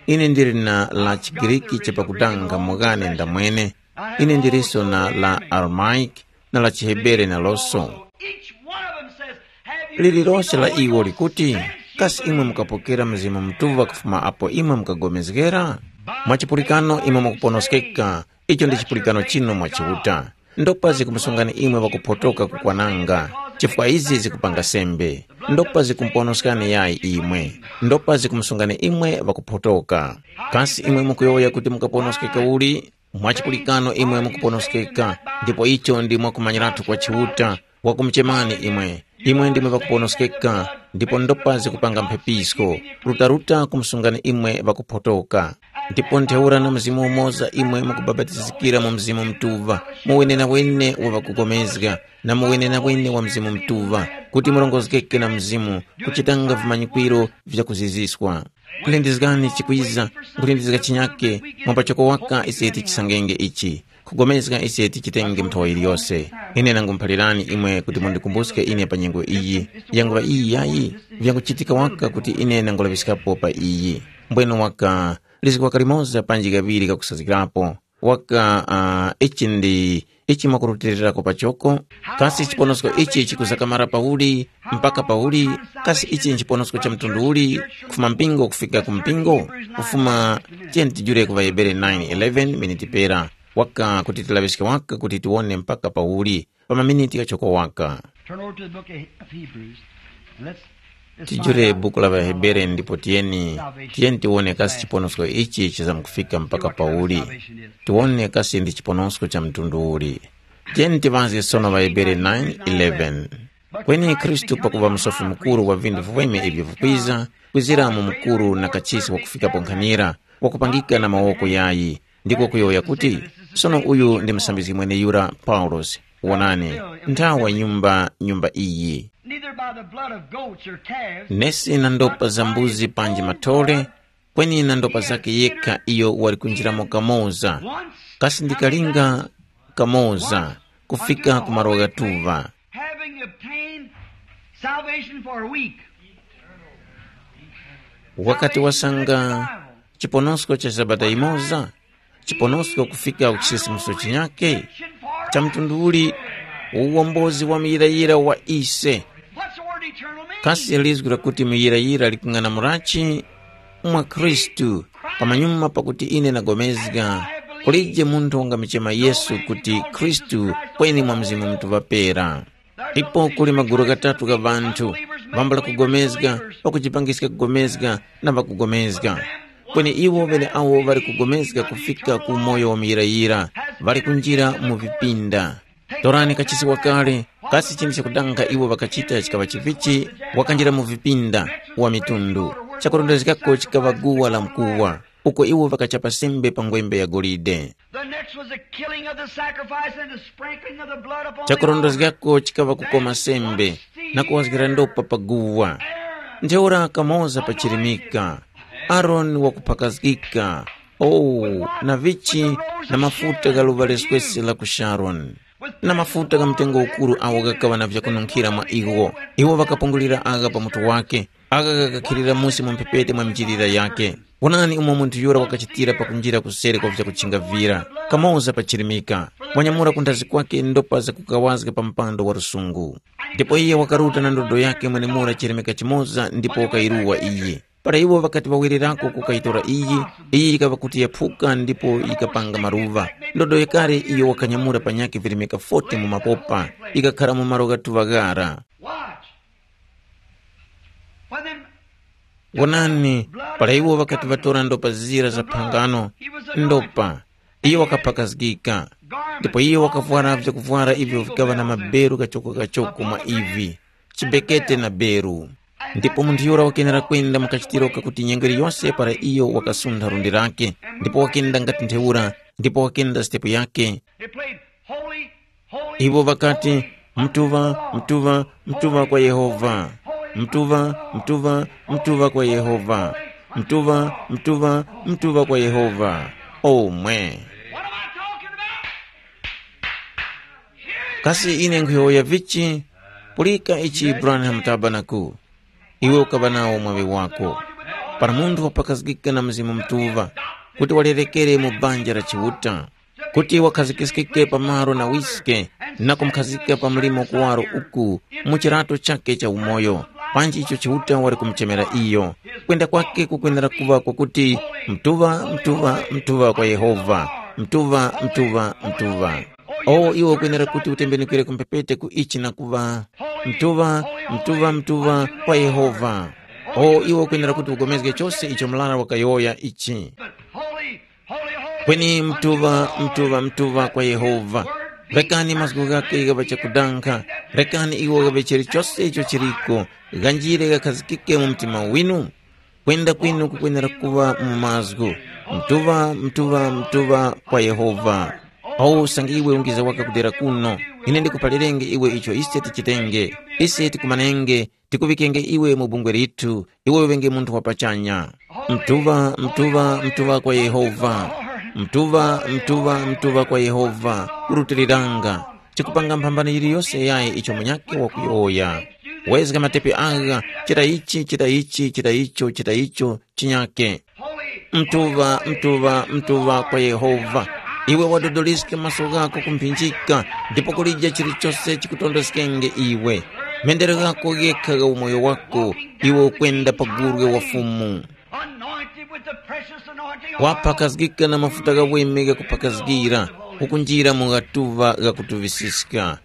Ine ndili na la chiGriki chapakudanga mughane ndamwene. Ine ndilinso na la Aramaic, na la chiHebere naloso. Each one of them says, have you Lililonse la iwo likuti, kasi imwe mukapokera Mzimu Mutuŵa kufuma apo imwe mukagomezgera? Mwa chipulikano imwe mukuponoskeka, icho ndi chipulikano chinu mwa Chiuta. Ndopazi kumusungani imwe ŵakuphotoka kukwananga, chifukwa izi zikupanga sembe. Ndopazi kumuponoskani yayi imwe. Ndopazi kumusungani imwe ŵakuphotoka. Kasi imwe mukuyowoya kuti mukaponoskeka uli? Mwa chipulikano imwe mukuponoskeka, ndipo icho ndi mwakumanyiratu kwa Chiuta, wakumuchemani imwe. Imwe ndimwe ŵakuponoskeka, ndipo ndopazi kupanga mphepisko, rutaruta kumusungani imwe ŵakuphotoka. Ndipo ntheura na mzimu umoza imwe mukubapatizikira mu Mzimu Mutuŵa, mu wenenawene wa ŵakupulikana, na mu wenenawene wa Mzimu Mutuŵa, kuti murongozgeke na Mzimu, kuchitanga vimanyikwiro vyakuziziswa. Kulindizgani chikwiza, nkulindizga chinyake, mwa pachoko waka ise tichisangenge ichi, kugomezga ise tichitenge nthowa yiliyose. Ine nangumuphalirani imwe kuti mundikumbuske ine pa nyengo iyi. Yanguŵa iyi yayi, vyanguchitika waka kuti ine nangulaŵiskapo pa iyi. Mbwene waka, lizgi waka limoza panji ghaŵiri ghakusazgikapo. Waka, uh, ichi ndi ichi mwakurutirirako pachoko. Kasi chiponosko ichi chikuzakamara pauli? Mpaka pauli? Kasi ichi nchiponosko cha mtundu uli? Kufuma mpingo kufika ku mpingo? Kufuma, tiyeni tijure ku ŵahebere nine eleven miniti pera, waka kuti tilaŵiske waka kuti tiwone mpaka pauli pa maminiti ghachoko waka. Turn over to the book of of Hebrews. And let's, let's find tijure out buku la ŵahebere ndipo tiyeni, salvation tiyeni tiwone kasi is chiponosko ichi chizamkufika mpaka pauli. Salvation is. Tiwone kasi ndi chiponosko cha mtundu uli. Tiyeni tiŵazge sono ŵahebere nine eleven. Kweni khristu pakuva msofi mukuru wa vinthu viweme ivyo vikwiza, kwizira mu mukuru na kachisi wakufikapo nkhanira, wakupangika na mawoko yayi, ndiko kuyowoya kuti, sono uyu ndi musambizgi mweneyura paulosi. Wonani, nthawa nyumba nyumba iyi. Neither by the blood of goats or calves, nesi na ndopa za mbuzi panji mathole, kweni na ndopa zake yekha iyo wali kunjiramo kamoza, kasi ndikalinga kamoza, kufika ku malo ghatuŵa. Having obtained salvation for a week. Wakati wasanga chiponosko cha sabata imoza, chiponosko kufika ku chisisimuso chinyake, cha mtundu uli uwombozi wa muyirayira wa ise. What's the word eternal mean? Kasi lizgu lakuti muyirayira likung'anamulachi? Mwa Khristu, pamanyuma pakuti ine ndagomezga, kulije munthu wangamichema Yesu kuti Khristu kweni mwa Mzimu Mutuŵa pera. Ipo kuli magulu ghatatu gha ŵanthu, vambula kugomezga, pakujipangiska kugomezga, na ŵakugomezga. Kweni iwo ŵeneawo ŵali kugomezga kufika ku umoyo wa muyirayira, ŵali kunjira mu vipinda. Torani kachisi wakale, kasi chinthu chakudanga iwo ŵakachita chikaŵa chivichi, wakanjira mu vipinda wa mitundu. Chakurondezgako chikaŵa guwa la mkuwa, uko iwo ŵakachapa sembe pa ngwembe ya golide. The next was the killing of the sacrifice and the sprinkling of the blood upon the altar. Chakurondezgako chikaŵa kukoma sembe na kuwazgira ndopa pa guwa. Ntheura kamoza pachirimika, Aroni wakuphakazgika, oh, na vichi na mafuta gha luŵa leswese la ku Sharoni, na mafuta gha mtengo ukuru agho ghakaŵa na vyakununkhira mwa iwo. Iwo ŵakapungulira agha pa mutu wake, agha ghakakhilira musi mu mphepete mwa minjilira yake. Wonani umo munthu yura wakachitira pakunjira kuseri kwa vyakuchinga vira, kamoza pachirimika, wanyamula ku nthazi kwake ndopa zakukawazga pa mpando wa lusungu. Ndipo iye wakaruta na ndodo yake mwenemura chirimika chimoza ndipo wakayiruwa iye. Para iwo ŵakati ŵawererako kukayitora iyi, iyi yikaŵa kuti yaphuka ndipo yikapanga maluŵa. Ndodo yakale iyo wakanyamula panyakhe virimika forty mu mapopa, yikakhara mu malo ghatuŵa ghara. Watch. When them Wonani, para iwo ŵakati ŵatora ndopa zira za phangano, ndopa, iyo wakaphakazgika, ndipo iyo wakavwara vyakuvwara ivyo vikaŵa na maberu kachoko-kachoko mwa ivi, chibekete na beru. Ndipo munthu yura wakenera kwenda mu kachitiro kakuti nyengo yiliyose para iyo wakasuntha lundi lake, ndipo wakenda ngati ntheura, ndipo wakenda sitepu yake. They played holy, holy, iwo ŵakati, holy, mtuva, mtuva, mtuva kwa Yehova, mtuva, mtuva, mtuva kwa Yehova, mtuva, mtuva, mtuva kwa Yehova. Omwe. What am I talking about? Kasi ine nkhuyowoya vichi? Pulika ichi Branham Tabernacle. Iwe ukaŵa nawo mwaŵi wako. Para munthu wapakazgika na Mzimu Mutuŵa, kuti walerekere mu banja la Chiuta, kuti wakhazikiskike pa malo na wiske, na kumukhazika pa mlimo kuwaro uku mu chirato chakhe cha umoyo, panji icho Chiuta wali kumuchemera iyo. Kwenda kwakhe kukwenera kuŵa kwakuti, mtuŵa, mtuŵa, mtuŵa kwa Yehova, mtuŵa, mtuŵa, mtuŵa. O iwe ukwenera kuti utembenukire ku mphepete ku ichi na kuŵa, mtuŵa, mtuŵa, mtuŵa kwa Yehova. O iwe ukwenera kuti ugomezge chose icho murara wakayowoya ichi. Kweni mtuŵa, mtuŵa, mtuŵa kwa Yehova. Rekani mazgu ghakhe ghaŵe chakudankha, rekani iwo ghaŵe chilichose icho chiliko, ghanjire ghakhazikike mu mtima winu. Kwenda kwinu kukwenera kuŵa mu mazgu, mtuŵa, mtuŵa, mtuŵa kwa Yehova. Awu usange iwe ungiza waka kudera kuno, ine ndikuphalirenge iwe icho ise tichitenge. Ise tikumanenge, tikuŵikenge iwe mu bungwe lithu, iwe uŵenge munthu wa pachanya. Mtuŵa, mtuŵa, mtuŵa kwa Yehova. Mtuŵa, mtuŵa, mtuŵa kwa Yehova. Kurutiliranga. Chikupanga mphambano yiliyose yayi icho munyakhe wakuyowoya. Wezga matepi agha, chita ichi, chita ichi, chita icho, chita icho, chinyakhe. Mtuŵa, mtuŵa, mtuŵa kwa Yehova. Iwe wadodoliske maso ghako ku mphinjika, ndipo kulija chilichose chikutondeskenge iwe. Mendero ghako ghekha gha umoyo wako, iwe ukwenda pa gurwe wa Fumu. Anointed with the precious anointing of oil. Waphakazgika na mafuta ghaweme ghakupakazgira, ukunjira mu ghatuŵa ghakutuvisiska.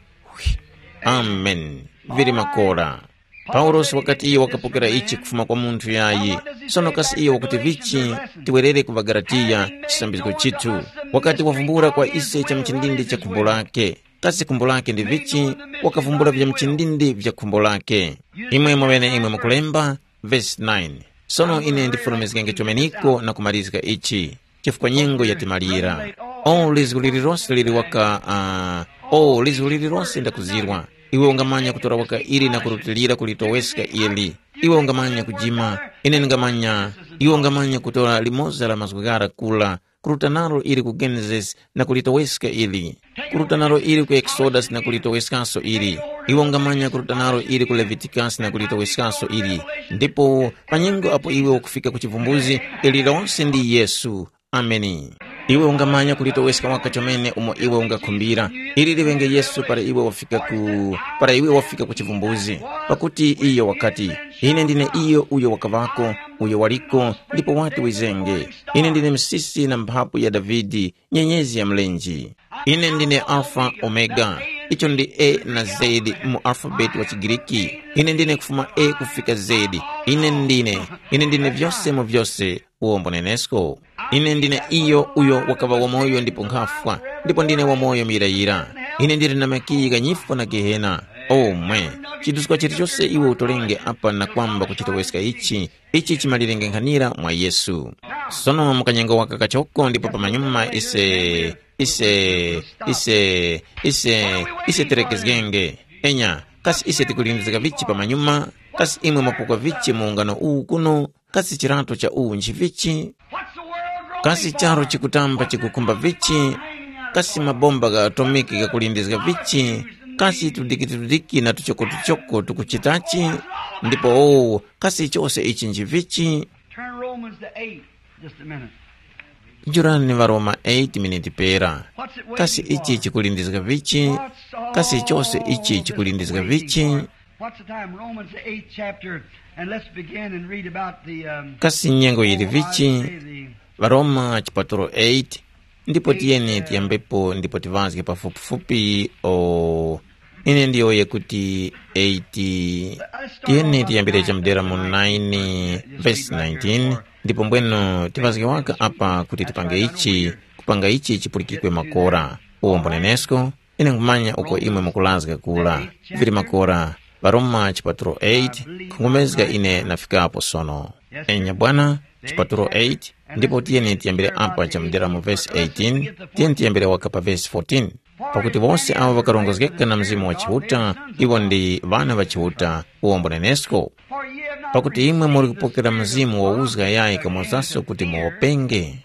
Amen. Vili makora. Paulosi wakati iyo wakapokera ichi kufuma kwa munthu yayi. Sono kasi iyo wakuti vichi? Tiwerere ku ŵaGalatiya, chisambizgo chithu. Wakati wavumbula kwa ise cha mchindindi cha khumbo lake. Kasi khumbo lake ndi vichi? Wakavumbula vya mchindindi vya khumbo lake. Imwe mwaŵene imwe mukulemba, vesi nine. Sono ine ndifulumizgenge chomeniko na kumalizga ichi, chifukwa nyengo yatimalira. O lizgu lililose lili waka, uh, o lizgu lililose ndakuzirwa. Iwe ungamanya kutora waka ili na kurutilira kulitoweska ili. Iwe ungamanya kujima, ine ndingamanya. Iwe ungamanya kutora limoza la mazgu ghara kula, kuruta nalo ili ku Genesis na kulitoweska ili. Kuruta nalo ili ku Exodus na kulitoweskaso ili. Iwe ungamanya kuruta nalo ili ku Leviticus na kulitoweskaso ili. Ndipo pa nyengo apo iwe ukufika ku chivumbuzi, ili lose ndi Yesu. Ameni. Iwe ungamanya kulitoweska waka chomene umo iwe ungakhumbira. Ili liŵenge Yesu para iwe wafika ku, para iwe wafika ku chivumbuzi. Pakuti iyo wakati, ine ndine iyo uyo wakavako, uyo waliko, ndipo wati wizenge. Ine ndine msisi na mphapu ya Davide, nyenyezi ya mlenje. Ine ndine Alfa Omega. Icho ndi A na Z mu alfabeti wa Chigiriki. Ine ndine kufuma A kufika Z. Ine ndine, ine ndine vyose mu vyose. Uwombo nenesko. Ine ndine iyo uyo wakaŵa wamoyo ndipo nkhafwa, ndipo ndine wamoyo muyirayira. Ine ndili na makiyi gha nyifwa na Gehena. Omwe, chiduska chilichose iwe utolenge apa na kwamba kuchitoweska ichi, ichi chimalirenge nkhanira mwa Yesu. Sono mukanyengo waka kachoko ndipo pamanyuma ise, ise, ise, ise, ise terekezgenge. Enya, kasi ise tikulindizika vichi pamanyuma? Kasi imwe mwapukwa vichi mu ungano uwu kuno? Kasi chirato cha uwu nchivichi? Kasi charo chikutamba chikukhumba vichi? Kasi mabomba gha atomiki ghakulindizga vichi? Kasi tudikitudiki na tuchokotuchoko tukuchitachi? Ndipo owo, kasi chose ichi nchivichi? Turn Romans to eight, just a minute. Jurani Varoma eight miniti pera. What's it waiting Kasi ichi for? Chikulindizga vichi? What's Kasi chose all ichi this chikulindizga waiting vichi? For? What's the time? Romans the eighth chapter, and let's begin and read about the, um, Kasi nyengo yili oh, I vichi? Say the Varoma chipatulo eight, ndipo tiyeni tiyambepo ndipo tiŵazge pafupifupi o ine ndiyowoye kuti eight. Tiyeni tiyambire chamudera mu nine vesi nineteen, ndipo mbweno tiŵazge waka apa kuti tipange ichi, kupanga ichi chipulikikwe makora. Uwo mbunenesko, ine nkhumanya uko imwe mukulazga kula. Vili makora, Varoma chipatulo eight, nkhungomezga ine nafikapo sono. Enya bwana, chipatulo eight, ndipo tiyeni tiyambire apa chamudera mu vesi eighteen, tiyeni tiyambire waka pa vesi fourteen. Pakuti wose awo ŵakarongozgeka na Mzimu wa Chiuta, iwo ndi ŵana ŵa Chiuta, uwombo nenesko. Pakuti imwe muli kupokera Mzimu wa uzga yayi kamozaso kuti muwopenge.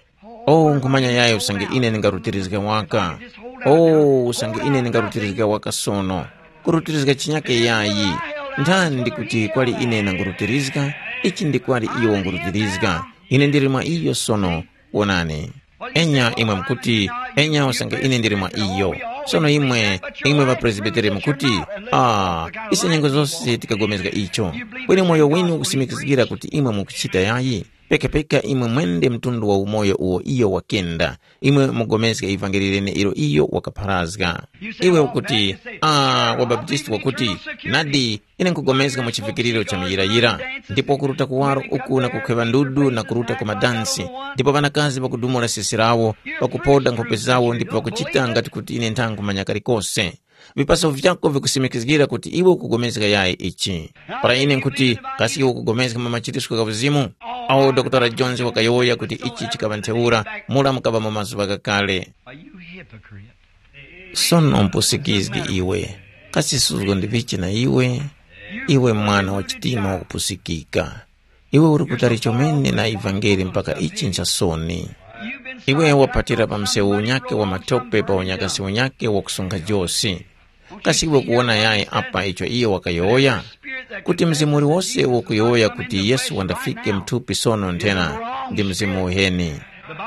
O nkhumanya yayi usange ine ndingarutirizga waka. O usange ine ndingarutirizga waka sono. Kurutirizga chinyake yayi. Nthani ndi kuti kwali ine nangurutirizga, ichi ndi kwali iyo wangurutirizga. Ine ndili mwa iyo sono. Wonani. Enya imwe mukuti, enya usange ine ndili mwa iyo. Sono imwe, imwe ŵapresbiteri mukuti, ah, ise nyengo zose tikagomezga icho. Kweni moyo winu ukusimikizgira kuti imwe mukuchita yayi. Pekapeka imwe mwende mtundu wa umoyo uwo iyo wakenda, imwe mugomeske ivangeli lene ilo iyo wakapharazga. Iwe ukuti, ah, wabaptisti wakuti, nadi, ine nkugomeska mu chivikiriro cha muyirayira, ndipo kuruta kuwaro uku na kukhweŵa ndudu na kuruta ku madansi, ndipo ŵanakazi ŵakudumula sesi lawo, ŵakupoda nkhope zawo ndipo ŵakuchita ngati kuti ine nthankhumanya kalikose. Vipaso vyako vikusimikizgira kuti iwe ukupulikana yayi ichi. Para ine nkhuti, kasi iwe ukupulikana mwa machitisiko gha Uzimu? Awo Dokotala Jones wakayowoya kuti ichi chikaŵa ntheura, mura mukaŵa mu mazuŵa ghakale. A you hypocrite. Sono mpusikizgi iwe, kasi suzgo ndi vichi na iwe? Iwe mwana wa chitima wakupusikika. Iwe uli kutali chomene na ivangeli mpaka ichi nchasoni. Iwe waphatira pa msewu unyakhe wa matope pa unyakasi unyakhe wakusunkha josi. Kasi iwe ukuwona yayi apa icho iyo wakayowoya? Kuti mzimu uliwose ukuyowoya kuti Yesu wandafike mthupi sono nthena ndi mzimu uheni.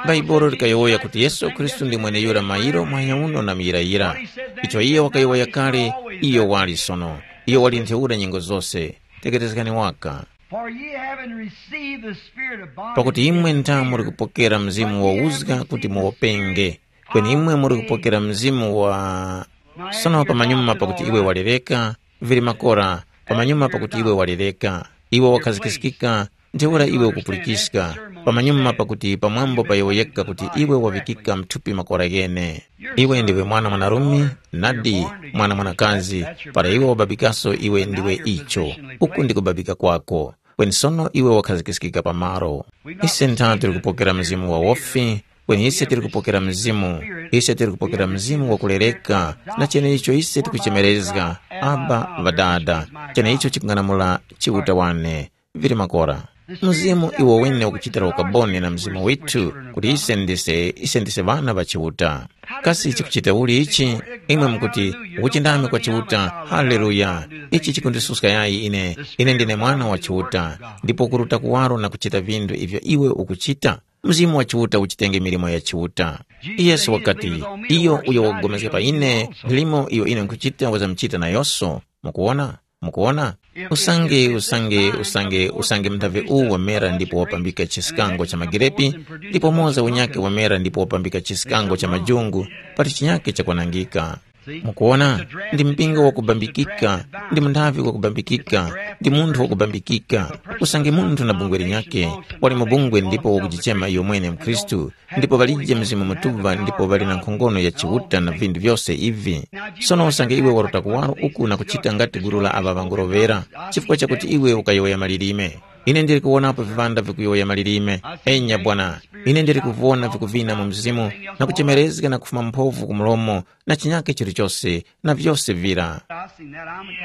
Bhaibuli likayowoya kuti Yesu Khristu ndi mweneyura mairo, muhanya uno na muyirayira. Icho iye wakayowoya kale, iyo wali sono. Iyo wali ntheura nyengo zose. Tegherezgani waka. For ye having received the spirit of bondage, pakuti imwe ntha muri kupokera mzimu wa uzga kuti muwopenge, kweni imwe muri kupokera mzimu wa sono pamanyuma pakuti iwe walereka, vili makora, pamanyuma pakuti iwe walereka, iwe wakhazikiskika, ntheura iwe ukupulikiska, pamanyuma pakuti pamwambo payowoyeka kuti iwe waŵikika mthupi makora ghene. Iwe ndiwe mwana mwanarume, nadi, mwana mwanakazi, para iwe wababikaso iwe ndiwe icho. Uku ndi kubabika kwako. Kweni sono iwe wakhazikiskika pamaro. Ise ntha tili kupokera mzimu wa wofi, kweni ise tili kupokera mzimu, ise tili kupokera mzimu wa kulereka, na cheneicho ise tikuchemerezga, Aba, Ŵadada, cheneicho chikung'anamula Chiuta wane. Vili makora. Mzimu iwo wene ukuchitira ukaboni na mzimu withu, kuti ise ndise, ise ndise ŵana ŵa Chiuta. Kasi chikuchita uli ichi? Imwe mukuti, ukuchindami kwa Chiuta, haleluya! Ichi chikundisuska yayi ine, ine ndine mwana wa Chiuta, ndipo kuruta kuwaro na kuchita vinthu ivyo iwe ukuchita? Mzimu wa Chiuta uchitenge milimo ya Chiuta. Yesu wakati, iyo uyo wakupulikana pa ine, milimo iyo ine nkhuchita wazamuchita nayonso. Mukuwona? Mukuwona? Usange, usange, usange, usange mnthavi uwu wamera ndipo wapambika chiskango cha magirepi, ndipo moza unyake wamera ndipo wapambika chiskango cha majungu, pali chinyake chakwanangika. Mukuwona, ndi mpingo wakubambikika, ndi munthavi wakubambikika, ndi munthu wakubambikika. Usange munthu na bungwe linyakhe, wali mu bungwe ndipo wakujichema iyo mwene mkhristu, ndipo ŵalije Mzimu Mutuŵa ndipo ŵali na nkhongono ya Chiuta na vinthu vyose ivi. Sono usange iwe waruta kuwaro uku na kuchita ngati gulu la aŵa ŵanguroŵera, chifukwa chakuti iwe ukayowoya malilime. Ine ndili kuwonapo viŵanda vikuyowoya malilime. Enya bwana, ine ndili kuvona vikuvina mu mzimu, na kuchemerezga na kufuma mphovu ku mlomo, na chinyakhe chilichose, na vyose vira.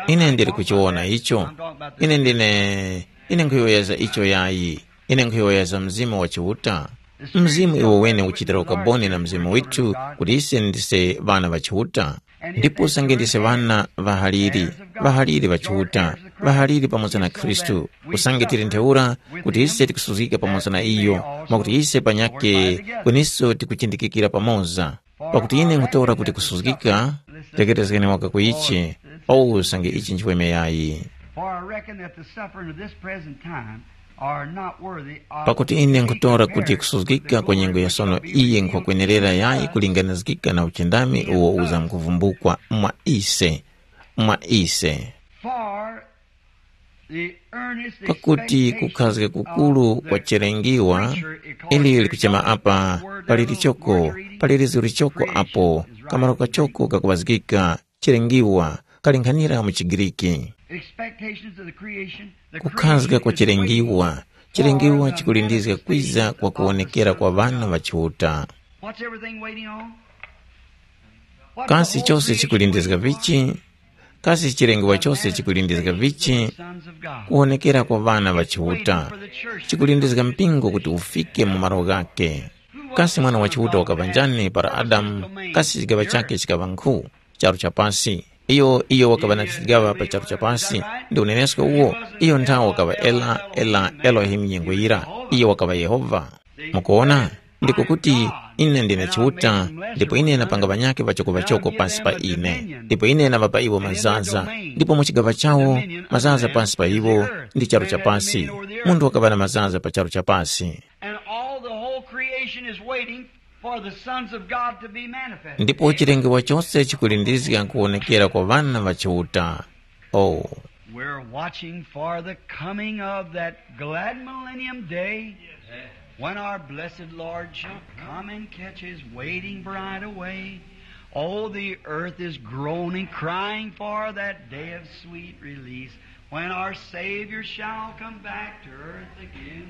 Ine ndili kuchiwona icho. Ine ndine, ine nkhuyowoyeza icho yayi. Ine nkhuyowoyeza Mzimu wa Chiuta. Mzimu iwo wene ukuchitira ukaboni na mzimu withu kuti ise ndise ŵana ŵa Chiuta. Ndipo usange ndise ŵana ŵahaliri, ŵahaliri ŵa Chiuta, ŵahaliri pamoza na Khristu, usange tili ntheura kuti ise tikusuzgika pamoza na iyo, mwakuti ise panyakhe kweniso tikuchindikikira pamoza. Pakuti ine nkhutora kuti kusuzgika, tekerezgeni waka ku ichi, paulo usange ichi nchiweme yayi. For I reckon that the suffering of this present time are not worthy of Pakuti ine nkhutora kuti kusuzgika kwa nyengo ya sono iyi nkhwakwenerera yayi kulinganizgika na uchindami uwo uzamkuvumbukwa mwa ise, mwa ise. For the earnest Pakuti expectation kukhazga kukulu of kwa the cherengiwa, preacher, ili likuchema apa, pali lichoko, pali lizu lichoko apo, kamaro kachoko kakuŵazgika, cherengiwa, kalinkhanira mu chiGriki. Expectations of the creation, the Kukhazga kwa cherengiwa, cherengiwa chikulindizga kwiza kwa kuwonekera kwa ŵana ŵa Chiuta. What's everything waiting on? What's the Kasi whole chose creation chikulindizga waiting for? Vichi? Kasi chirengiwa chose chikulindizga vichi? Sons of God. Kuwonekera kwa ŵana ŵa Chiuta. Chikulindizga mpingo kuti ufike mu malo ghake. Kasi mwana wa Chiuta wakaŵa njani para Adamu, kasi chigaŵa chakhe chikaŵa nkhu? Charu cha pasi. Iyo, iyo wakaŵa na chigaŵa pa charu cha pasi. Ndi unenesko uwo, iyo nthawe wakaŵa Ela, Ela, Elohimu nyengo yira. Iyo wakaŵa Yehova. Mukuwona? Ndiko kuti, ine ndine Chiuta, ndipo ine napanga ŵanyakhe ŵachoko-ŵachoko pasi pa ine, ndipo ine naŵapa iwo mazaza, ndipo mu chigaŵa chawo, mazaza pasi pa iwo ndi charu cha pasi. Munthu wakaŵa na mazaza pa charu cha pasi. And all the whole creation is waiting for the sons of God to be manifested. Ndipo chilengewa chose chikulindizga kuwonekera kwa ŵana ŵa Chiuta. Oh. We're watching for the coming of that glad millennium day when our blessed Lord shall come and catch his waiting bride away. Oh, the earth is groaning, crying for that day of sweet release when our Savior shall come back to earth again.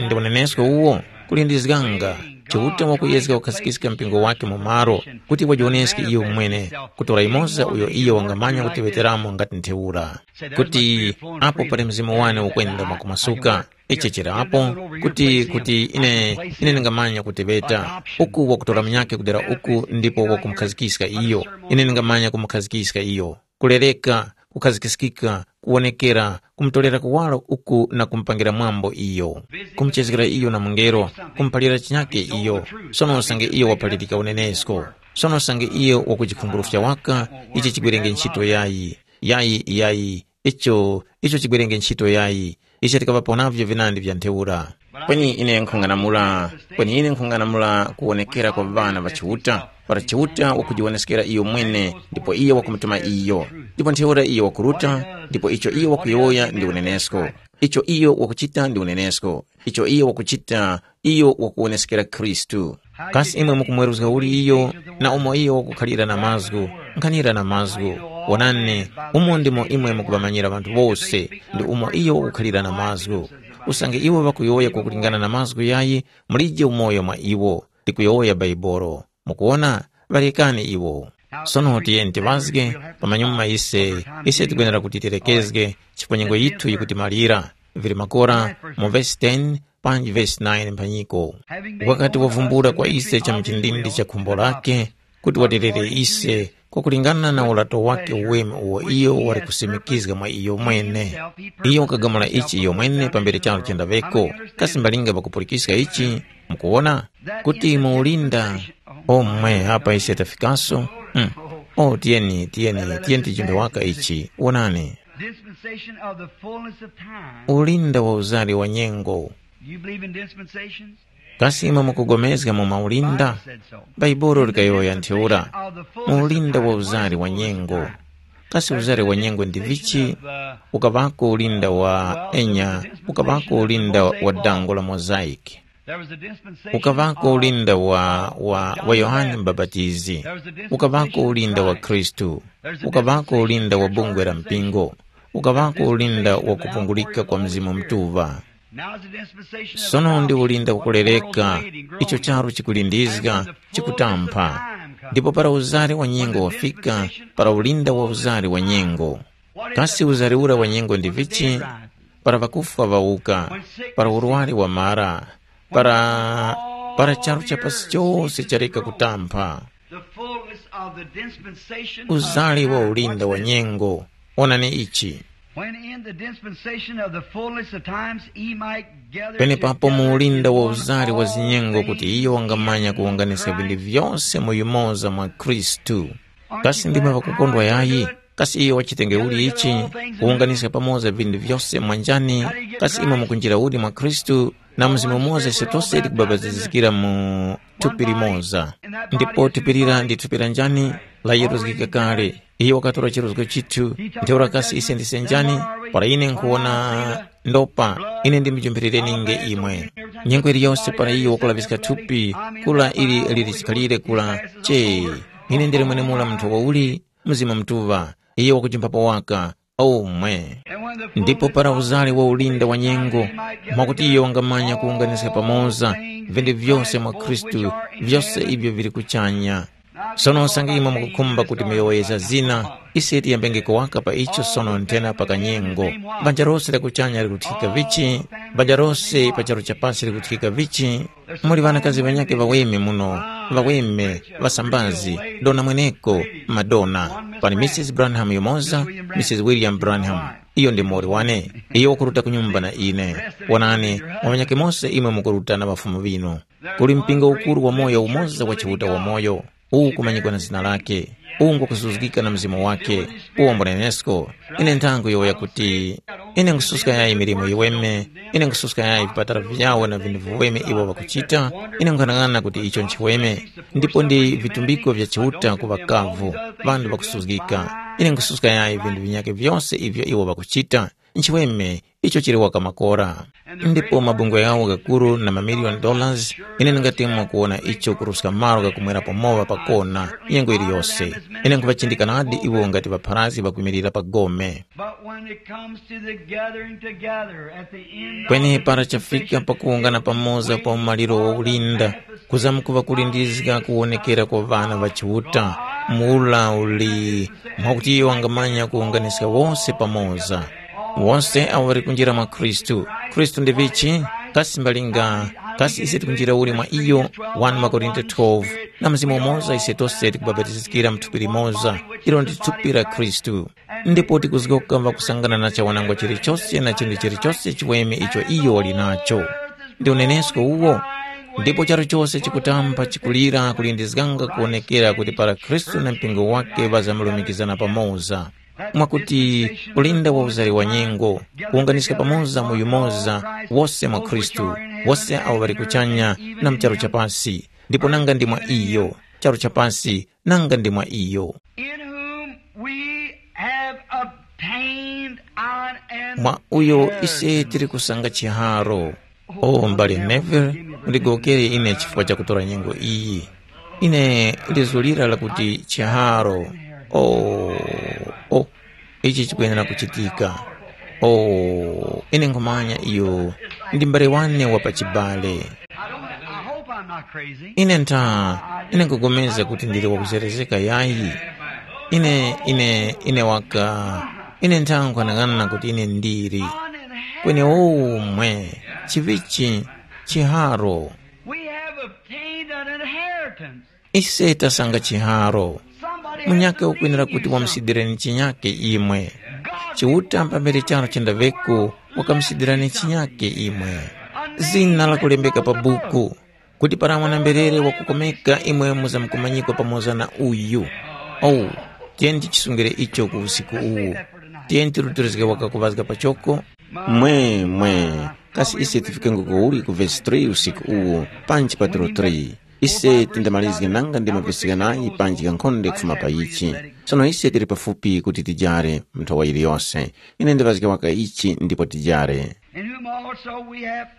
Ndi unenesko uwo, kulindizganga, Chiuta wakuyezga kukhazikika mpingo wake mu malo, kuti wajiwoneske iyo mwene, kutora yumoza uyo iyo wangamanya kutiŵeteramo ngati ntheura. Kuti apo pali mzimu wane ukwenda mwakumasuka, ichi chirapo, kuti, kuti ine, ine ndingamanya kutiŵeta, uku wakutora munyakhe kudera uku ndipo wakumukhazikika iyo, ine ndingamanya kumukhazikika iyo. Kulereka, kukhazikiskika, kuwonekera, kumutolera kuwaro uku na kumupangira mwambo iyo, kumuchezgera iyo na mungelo, kumuphalira chinyake iyo. Sono usange iyo waphalirika unenesko, sono usange iyo wakujikhumbulufya waka, ichi chigwerenge ntchito yayi, yayi, yayi, icho, icho chigwerenge ntchito yayi, icho tikaŵapo navyo vinandi vya ntheura. Kweni ine nkhung'anamula, kweni ine nkhung'anamula kuwonekera kwa ŵana ŵa Chiuta, para Chiuta wakujiwoneskera iyo mwene, ndipo iyo wakumutuma iyo, ndipo ntheura iyo wakuruta, ndipo icho iyo wakuyowoya ndi unenesko, icho iyo wakuchita ndi unenesko, icho iyo wakuchita, iyo wakuwoneskera Khristu. Kasi imwe mukumweruzga uli iyo, na umo iyo wakukhalira na mazgu, nkhanira na mazgu? Wonani, umo ndimo imwe mukuŵamanyira ŵanthu wose, ndi umo iyo wakukhalira na mazgu. Usange iwo ŵakuyowoya kwakulingana na mazgu yayi, mulije umoyo mwa iwo, likuyowoya Baibolo. Mukuwona, ŵarekani iwo. Sono tiyeni tiŵazge, pamanyuma ise, ise tikwenera kuti tirekezge, chifukwa nyengo yithu yikutimalira. Vili makora mu vesi ten, panji vesi nine mphanyiko. Wakati wavumbula kwa ise cha mchindindi cha khumbo lake, kuti waterere ise, kwakulingana na ulato wake uweme uwo iyo wali kusimikizga mwa iyo mwene. Iyo wakagamula ichi iyo mwene pambere charu chendaŵeko, kasi mbalinga pakupulikiska ichi, mukuwona, kuti muulinda. Omwe apa ise tafikaso. Mm. O tiyeni tiyeni tiyeni tijimbe waka ichi, wonani. Dispensation of the fullness of time. Ulinda wa uzari wa nyengo. You believe in dispensations? Kasi imwe mukugomezga mu maulinda? Bible said so. Baibulo likayowoya ntheura. Mu ulinda wa uzari wa nyengo. Kasi uzari wa nyengo ndi vichi? Ukavako ulinda wa enya, ukavako ulinda wa dango la mosaic. Ukavako ulinda wa, wa, wa Yohane Mbapatizi. Ukavako ulinda wa Khristu. Ukavako ulinda wa bungwe la mpingo. Ukavako ulinda wa kupungulika kwa Mzimu Mutuŵa. Sono ndi ulinda kukulereka, icho charu chikulindizga, chikutampha. Ndipo para uzari wa nyengo wafika, para ulinda wa uzari wa nyengo. Kasi uzari ura wa nyengo ndi vichi? Para ŵakufwa ŵawuka, para urwari wamara, para, para charu cha pasi chose chareka kutampha. The fullness of the dispensation of uzali wa time. Ulinda wa nyengo. Onani ichi. When in the dispensation of the fullness of times he might gather penepapo mu ulinda wa uzali wa zinyengo kuti iyo wangamanya kuwunganiska vinthu vyose mu yumoza mwa Khristu. Kasi ndimwe ŵakukondwa yayi? Kasi iyo wachitenge uli ichi, kuwunganiska pamoza vinthu vyose mwanjani? Kasi imwe mukunjira uli mwa Khristu? Na mzimu umoza ise tose tikubapatizikira mu thupi limoza. Ndipo thupi lira ndi thupi la njani? La yeruzgika kale. Iyo wakatora chiruzgo chithu, ntheura kasi ise ndise njani? Para ine nkhuwona ndopa, ine ndimujumphirireninge imwe. Nyengo iliyonse para iyo wakulaŵiska thupi, kula ili lili chikhalire kula, che, ine ndili mwenemura munthu wauli? Mzimu Mutuŵa, iyo wakujimphapo waka, omwe. Ndipo para uzale wa ulinda wa nyengo, mwakuti iyo wangamanya kuwunganiska pamoza vinthu vyose mwa Khristu, vyose ivyo vili kuchanya. Sono usange imwe mukukhumba kuti muyowoyeza zina, ise tiyambenge kuwaka pa icho sono nthena pa kanyengo. Banja lose la kuchanya likuthikika vichi? Banja lose pa charu cha pasi likuthikika vichi? Muli ŵanakazi ŵanyakhe ŵaweme muno, ŵaweme, ŵasambazi, dona mweneko, madona. Pali Mrs Branham yumoza, Mrs William Branham. Iyo ndi muwoli wane. Iyo wakuruta ku nyumba na ine. Wonani, mwa ŵanyakhe mose imwe mukuruta na ŵafumu ŵinu. Kuli mpingo ukuru wamoyo umoza wa Chiuta wamoyo, uwu ukumanyikwa na zina lake, uwu ngwakusuzgika na mzimu wake, uwo mbunenesko. Ine nthangu yowoya kuti, ine nkususka yayi milimo yiweme, ine nkususka yayi vipatala vyawo na vinthu viweme iwo ŵakuchita, ine nkhanang'ana kuti icho nchiweme, ndipo ndi vitumbiko vya Chiuta ku ŵakavu, ŵanthu ŵakusuzgika. Ine nkususka yayi vinthu vinyakhe vyose ivyo iwo ŵakuchita, nchiweme, icho chili waka makora. Ndipo mabungwe ghawo gakuru na mamiliyoni dollars, ine ndingatemwa kuwona icho kuruska malo ghakumwerapo mowa pakona, nyengo yiliyose. Ine nkhuŵachindika nadi iwo ngati ŵapharazgi ŵakwimirira pa gome. But when it comes to the gathering together at the end of kweni the para chafika dispensation, pakuwungana pamoza pa umaliro wa ulinda, kuzamkuŵa kulindizga kuwonekera kwa ŵana ŵa Chiuta, mula uli, mwakuti iyo wangamanya kuwunganiska wose pamoza. Wose awo ŵali kunjira mwa Khristu. Khristu ndi vichi? Kasi mbalinga, Kasi ise tikunjira uli mwa iyo? One Makorinto twelve. Na Mzimu umoza ise tose tikubapatizikira mu thupi limoza, ilo ndi thupi la Khristu. Ndipo tikuzgoka ŵakusangana na chawanangwa chilichose na chinthu chilichose chiweme icho iyo wali nacho. Ndi unenesko uwo. Ndipo charu chose chikutamba chikulira kulindizganga kuwonekera kuti para Khristu na mpingo wake ŵazamlumikizana pamoza. Mwakuti ulinda wa uzari wa nyengo, kuwunganiska pamoza mu yumoza, wose mwa Khristu, wose awo ŵali kuchanya na mu charu cha pasi, ndipo nanga ndi mwa iyo, charu cha pasi, nanga ndi mwa iyo. In whom we have obtained an Mwa uyo ise inheritance. Tili kusanga chiharo. O mbale Neville, undigowokere ine chifukwa cha kutora nyengo iyi. Ine ndizulira lakuti chiharo. O, o, ichi chikuyenera kuchitika. O, ine nkhumanya iyo ndi mbale wane wa pachibale. I don't, I hope I'm not crazy. Ine ntha, ine nkugomeza kuti ndili wakuzerezeka yayi. Ine, ine, ine waka, ine ntha nkwanang'ana kuti ine ndili. Kweni umwe, chivichi, chiharo. We have obtained an inheritance. Ise tasanga chiharo. Munyakhe ukwenera kuti wamusidireni chinyakhe imwe. Chiuta pambere charo chendaŵeko wakamusidirani chinyakhe imwe. Zina lakulembeka pa buku, kuti para mwana-mberere wakukomeka imwe muzamkumanyikwa pamoza na uyu. Oh, tiyeni tichisungire icho ku usiku uwu. Tiyeni tirutilizge wakakuŵazga pachoko. Mwe, mwe, kasi ise tifike nguko uli ku vesi three usiku uwu, panji pa tiro three? Ise tindamalizge nanga ndi mavesi ghanayi panji ghankhonde kufuma pa ichi. Sono ise tili pafupi kuti tijare mu nthowa yiliyose. Ine ndiŵazge waka ichi ndipo tijare. In whom also we have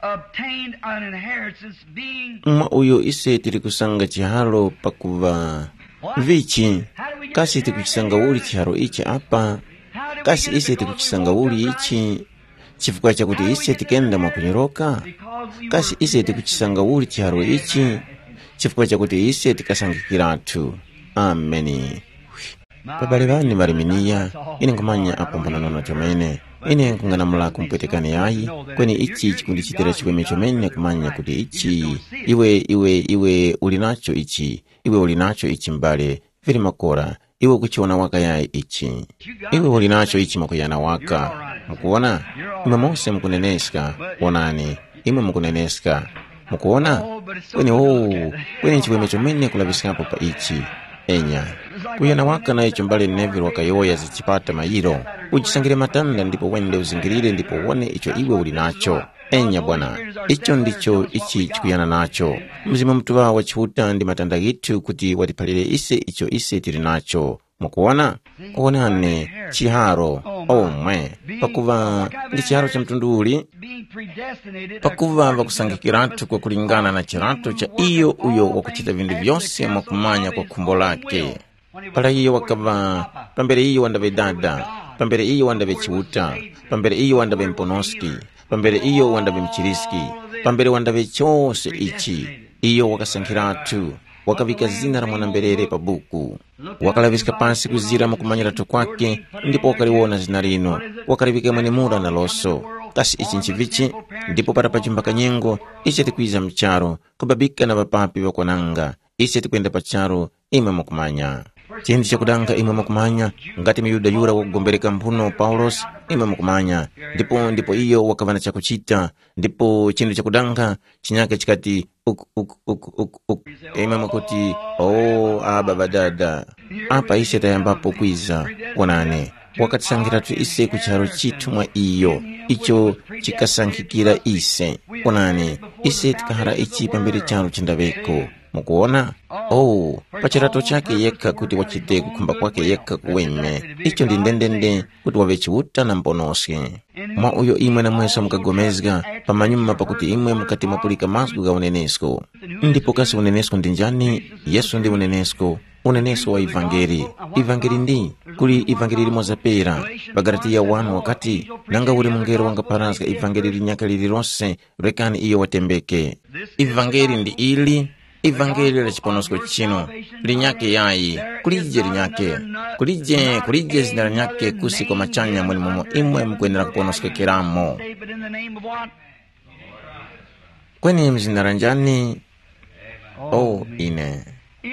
obtained an inheritance, being Mwa uyo ise tili kusanga chiharo pakuva. Vichi, kasi tikuchisanga uli chiharo ichi apa? Kasi ise tikuchisanga uli ichi chifukwa chakuti ise tikenda mwakunyoroka? Kasi ise tikuchisanga uli chiharo ichi chifukwa chakuti ise tikasangikiratu? Ameni. Babale ŵane ŵaliminiya, ine nkhumanya apo mphonanono chomene. Ine nkhung'anamula kumpwetekani yayi, kweni ichi chikundichitira chiweme chomene kumanya kuti ichi, iwe, iwe, iwe uli nacho ichi, iwe uli nacho ichi m'bale, vili makora, iwe ukuchiwona waka yayi ichi. Iwe uli nacho ichi mwakuyana waka. Mukuwona? Imwe mose mukuneneska, wonani, imwe mukuneneska. Mukuwona? Kweni owu, kweni nchiweme chomene kulaŵiskapo pa ichi. Enya. Kuyana waka na icho mbale Neville wakayowoya za chipata mayiro. Uchisangire matanda ndipo wende uzingirire ndipo wone icho iwe uli nacho. Enya bwana, icho ndicho ichi chikuyana nacho. Mzimu Mutuŵa wa Chiuta ndi matanda ghithu kuti watiphalire ise icho ise tili nacho. Mukuwona? Kuwonani, chiharo, omwe, pakuva ndi chiharo cha mtundu uli, pakuva vakusangikiratu kwakulingana na chirato cha iyo uyo wakuchita vindu vyose mwakumanya kwa khumbo lake. Para iyo wakaŵa, pambere iyo wandaŵe dada, pambere iyo wandaŵe chiuta, pambere iyo wandaŵe mponoski, pambere iyo wandaŵe mchiriski, pambere wandaŵe chose ichi, iyo wakasankhiratu, wakaŵika zina la mwana-mberere pa buku. Wakalaŵiska pasi kuzira mukumanyiratu kwake, ndipo wakaliwona zina linu, wakaliŵika mwenemura na loso. Kasi ichi nchivichi? Ndipo para pachimba kanyengo, ise tikwiza mu charu, kubabika na ŵapapi ŵakwananga, ise tikwenda pa charu, imwe mukumanya. Chinthu chakudanga imwe mukumanya, ngati muyuda yura wakugombereka mphuno Paulosi, imwe mukumanya, ndipo ndipo iyo wakaŵa na chakuchita, ndipo chinthu chakudanga chinyake chikati, uku uku uku uku uku. Imwe mukuti, o aba badada, apa ise tayambapo kwiza. Wonani, wakatisangiratu ise ku chiharo chithu mwa iyo, icho chikasankhikira ise. Wonani, ise tikahara ichi pambere charu chindaŵeko. Mukuwona? Oh, pa chirato chakhe yekha kuti wachite kukhumba kwakhe yekha kuweme. Icho ndi ndendende kuti waŵe Chiuta na Muponoski. Mwa uyo imwe namweso mukagomezga, pamanyuma pakuti imwe mukati mwapulika mazgu gha unenesko. Ndipo kasi unenesko ndi njani? Yesu ndi unenesko, unenesko wa ivangeli. Ivangeli ndi, kuli ivangeli limoza pera, pa Galatiya wani wakati, nanga uli mungelo wangapharazga ivangeli linyakhe lililose, rekani iyo watembeke. Ivangeli ndi ili, ivangeli la chiponosko chinu, linyakhe yayi, kulije linyakhe, kulije, kulije zina linyakhe kusi kwa machanya mwenimomo imwe mukwenera kuponoskekeramo. David, in the name of what? Kweni mzina la njani? O ine.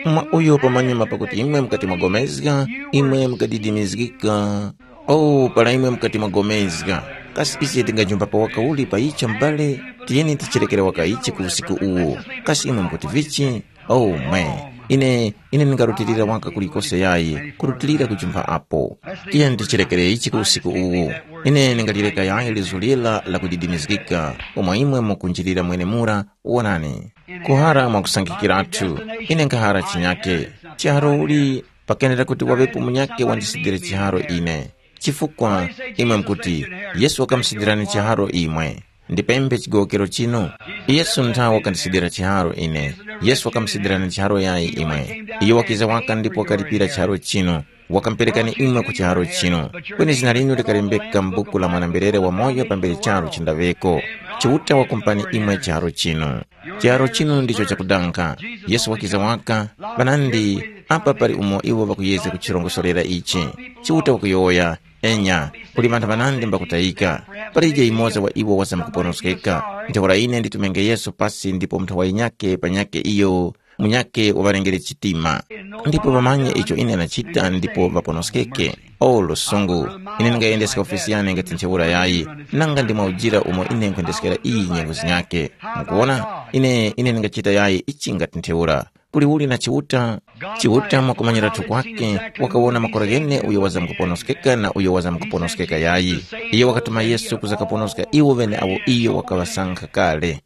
Mwa uyo pamanyuma pakuti imwe mukati mwagomezga, imwe mukadidimizgika. O para imwe mukati mwagomezga. Kasi ise tingajumba pa waka uli pa icho m'bale? Tiyeni ticherekere waka ichi ku usiku uwu. Kasi imwe mukuti vichi? O mwe. Ine, ine ndingarutilira waka kulikose yayi, kurutilira kujumba apo. Tiyeni ticherekere ichi ku usiku uwu. Ine ndingalireka yayi lizu lila lakudidimizgika, umo imwe mukunjilira mwenemura, wonani. Kuhara mwakusangikiratu, ine nkhahara chinyake. Chiharo uli, pakenera kuti waŵepo munyake wandisidire chiharo ine. Chifukwa, imwe mukuti, Yesu wakamusidirani chiharo imwe. Ndipembe chigowokero chinu. Yesu nthawe wakandisidira chiharo ine. Yesu wakamusidirani chiharo yayi imwe. Iyo wakiza waka ndipo wakalipira chiharo chinu. Wakamuperekani imwe ku chiharo chinu. Kweni zina linu likalembeka m'buku la mwana-mberere wamoyo pambere charu chindaŵeko. Chiuta wakumpani imwe chiharo chinu. Chiharo chinu ndicho chakudanga. Yesu wakiza waka, panandi apa pali umo iwo ŵakuyezga kuchirongosorera ichi. Chiuta wakuyowoya, enya, kuli ŵanthu ŵanandi mbakutayika. Palije yumoza wa iwo wazamkuponoskeka. Ntheura ine nditumenge Yesu pasi ndipo munthu wa yinyake panyake iyo munyakhe waŵalengere chitima. Ndipo ŵamanye icho ine ndachita ndipo ŵaponoskeke. O lusungu! Ine ndingayendeska ofesi yane ngati ntheura yayi, nanga ndi mwaujira umo ine nkhwendeskera iyi nyengo zinyakhe. Mukuwona? Ine, ine ndingachita yayi ichi ngati ntheura. Kuli uli na Chiuta? Chiuta mwakumanyiratu kwake, wakawona makora ghene uyo wazamkuponoskeka na uyo wazamkuponoskeka yayi. Iyo wakatuma Yesu kuza kaponoska iwo ŵene awo iyo wakaŵasankha kale.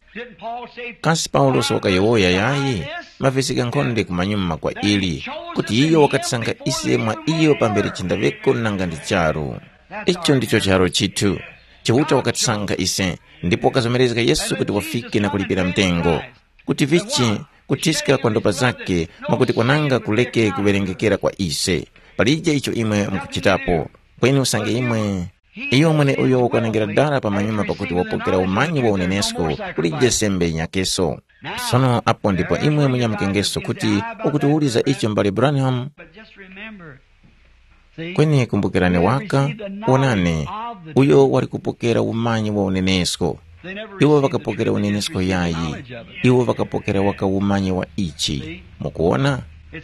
Kasi Paulosi wakayowoya yayi? Mavesi ghankhonde kumanyuma kwa ili, kuti iyo wakatisankha ise mwa iyo pambere chindaŵeko nanga ndi charu. Icho ndicho charo chithu. Chiuta wakatisankha ise, ndipo wakazomerezga Yesu kuti wafike na kulipira mtengo. Kuti vichi, kuthiska kwa ndopa zakhe, mwakuti kwananga kuleke kuwerengekera kwa ise. Palije icho imwe mukuchitapo. Kweni usange imwe, iyo mweneuyo wakwanengera dara pamanyuma pakuti wapokera umanyi wa unenesko, kulije sembe yinyakeso. Sono apo ndipo imwe munyamukengeso kuti ukutiwuliza icho m'bale Branham. Kweni kumbukirani waka, wonani, uyo wali kupokera umanyi wa unenesko. Iwo ŵakapokera unenesko yayi, iwo ŵakapokera waka umanyi wa ichi. Mukuwona?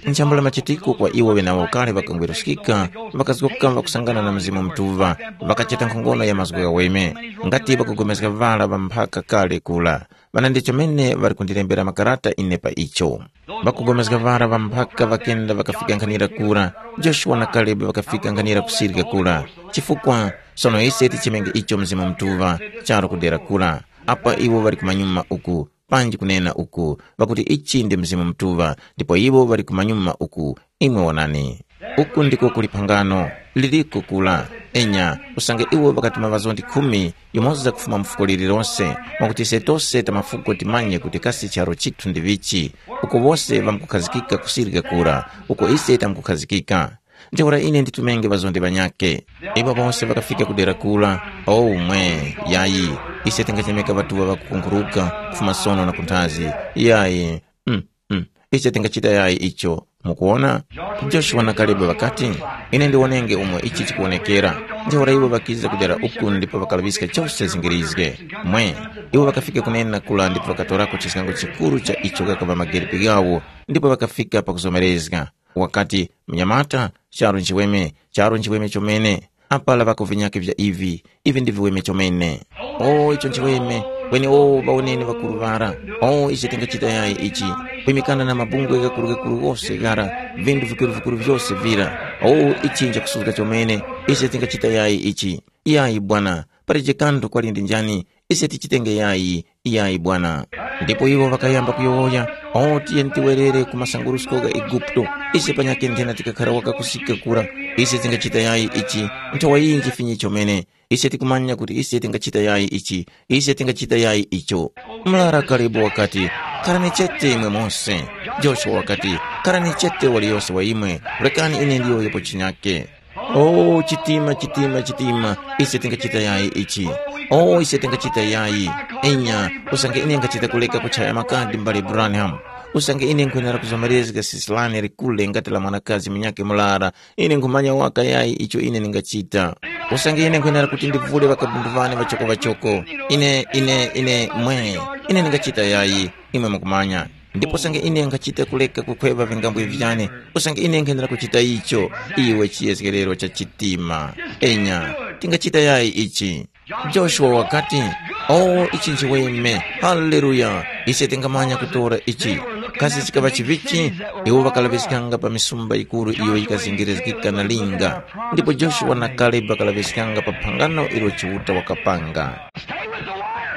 Nchambula machitiko kwa iwo ŵenawo kale ŵakangweruskika, ŵakazgoka ŵakusangana na Mzimu Mutuŵa, ŵakachita nkhongono ya mazgu ghaweme, ngati ŵakugomezga ŵara ŵa mphaka kale kura. Ŵana ndi chomene ŵali kundilembera makarata ine pa icho. Ŵakugomezga ŵara ŵa mphaka ŵakenda ŵakafika nkhanira kura, Joshua na Kalebi ŵakafika nkhanira kusirika kura. Chifukwa, sono ise tichimenge icho Mzimu Mutuŵa, charo kudera kura. Apa iwo ŵali kumanyuma uku, panji kunena uku, pakuti ichi ndi Mzimu Mutuŵa, ndipo iwo ŵali kumanyuma uku, imwe wonani. Uku ndiko kuli phangano, liliko kula. Enya, usange iwo ŵakatuma ŵazondi khumi, yumoza kufuma mu fuko lililose, mwakuti ise tose ta mafuko timanye kuti kasi charo chithu ndi vichi, uko wose ŵamkukhazikika kusirika kura, uko ise tamkukhazikika. Ntheura ine nditumenge ŵazondi ŵanyakhe. Iwo wose ŵakafika ku dera kura, o umwe, yayi, ise tingachemeka ŵatuŵa ŵakukunguruka kufuma sono na kunthazi, yayi, mm, mm, ise tingachita yayi icho. Mukuwona? Joshua na Kalebe ŵakati, ine ndiwonenge umo ichi chikuwonekera. Ntheura iwo ŵakiza ku dera uku ndipo ŵakalaŵiska chose zingirizge. Mwe, iwo ŵakafika kunena kura ndipo ŵakatorako chiskango chikuru cha icho ghakaŵa mageripi ghawo, ndipo ŵakafika pakuzomerezga. Wakati, mnyamata, charu nchiweme, charu nchiweme chomene. Apa lavako vinyakhe vya ivi, ivi ndi viweme chomene. O, icho nchiweme, kweni o, ŵawoneni ŵakuru ŵara. O, ise tingachita yayi ichi, kwimikana na mabungwe ghakuru-ghakuru ghose ghara, vinthu vikuru-vikuru vyose vira. O, ichi nchakusuzga chomene, ise tingachita yayi ichi. Iyayi bwana, palije kanthu kwali ndi njani, ise tichitenge yayi, iyayi bwana. Ndipo iwo ŵakayamba kuyowoya, o tiyeni tiwerere ku masangurusko gha Eguputo, ise panyakhe nthena tikakhara waka kusika kura, ise tingachita yayi ichi, nthowa yinji finyi chomene, ise tikumanya kuti ise tingachita yayi ichi, ise tingachita yayi icho. Mlara Kalebe wakati, kharani chete imwe mose. Joshua wakati, kharani chete waliyose wa imwe, rekani ine ndiyowoyepo chinyakhe. O chitima, chitima, chitima, ise tingachita yayi ichi. O ise tingachita yayi. Enya, usange ine ngachita kuleka kuchaya makadi mbale Branham. Usange ine nkhwenera kuzomerezga sisi lane likule ngati la mwanakazi munyakhe murara, ine nkhumanya waka yayi icho ine ndingachita. Usange ine nkhwenera kuti ndivule ŵakabundu ŵane ŵachoko-ŵachoko, ine, ine, ine mwe, ine ndingachita yayi, imwe mukumanya. Ndipo usange ine nkhachita kuleka kukhweva vingambwe vyane, usange ine nkhendera kuchita icho, iwe chiyezgerero cha chitima. Enya, tingachita yayi ichi? Joshua wakati, “O, ichi nchiweme! Haleluya! Ise tingamanya kutora ichi.” Kasi chikaŵa chivichi? Iwo ŵakalaŵiskanga pa misumba yikuru iyo yikazingirizgika na linga. Ndipo Joshua na Kalebu ŵakalaŵiskanga pa phangano ilo Chiuta wakapanga.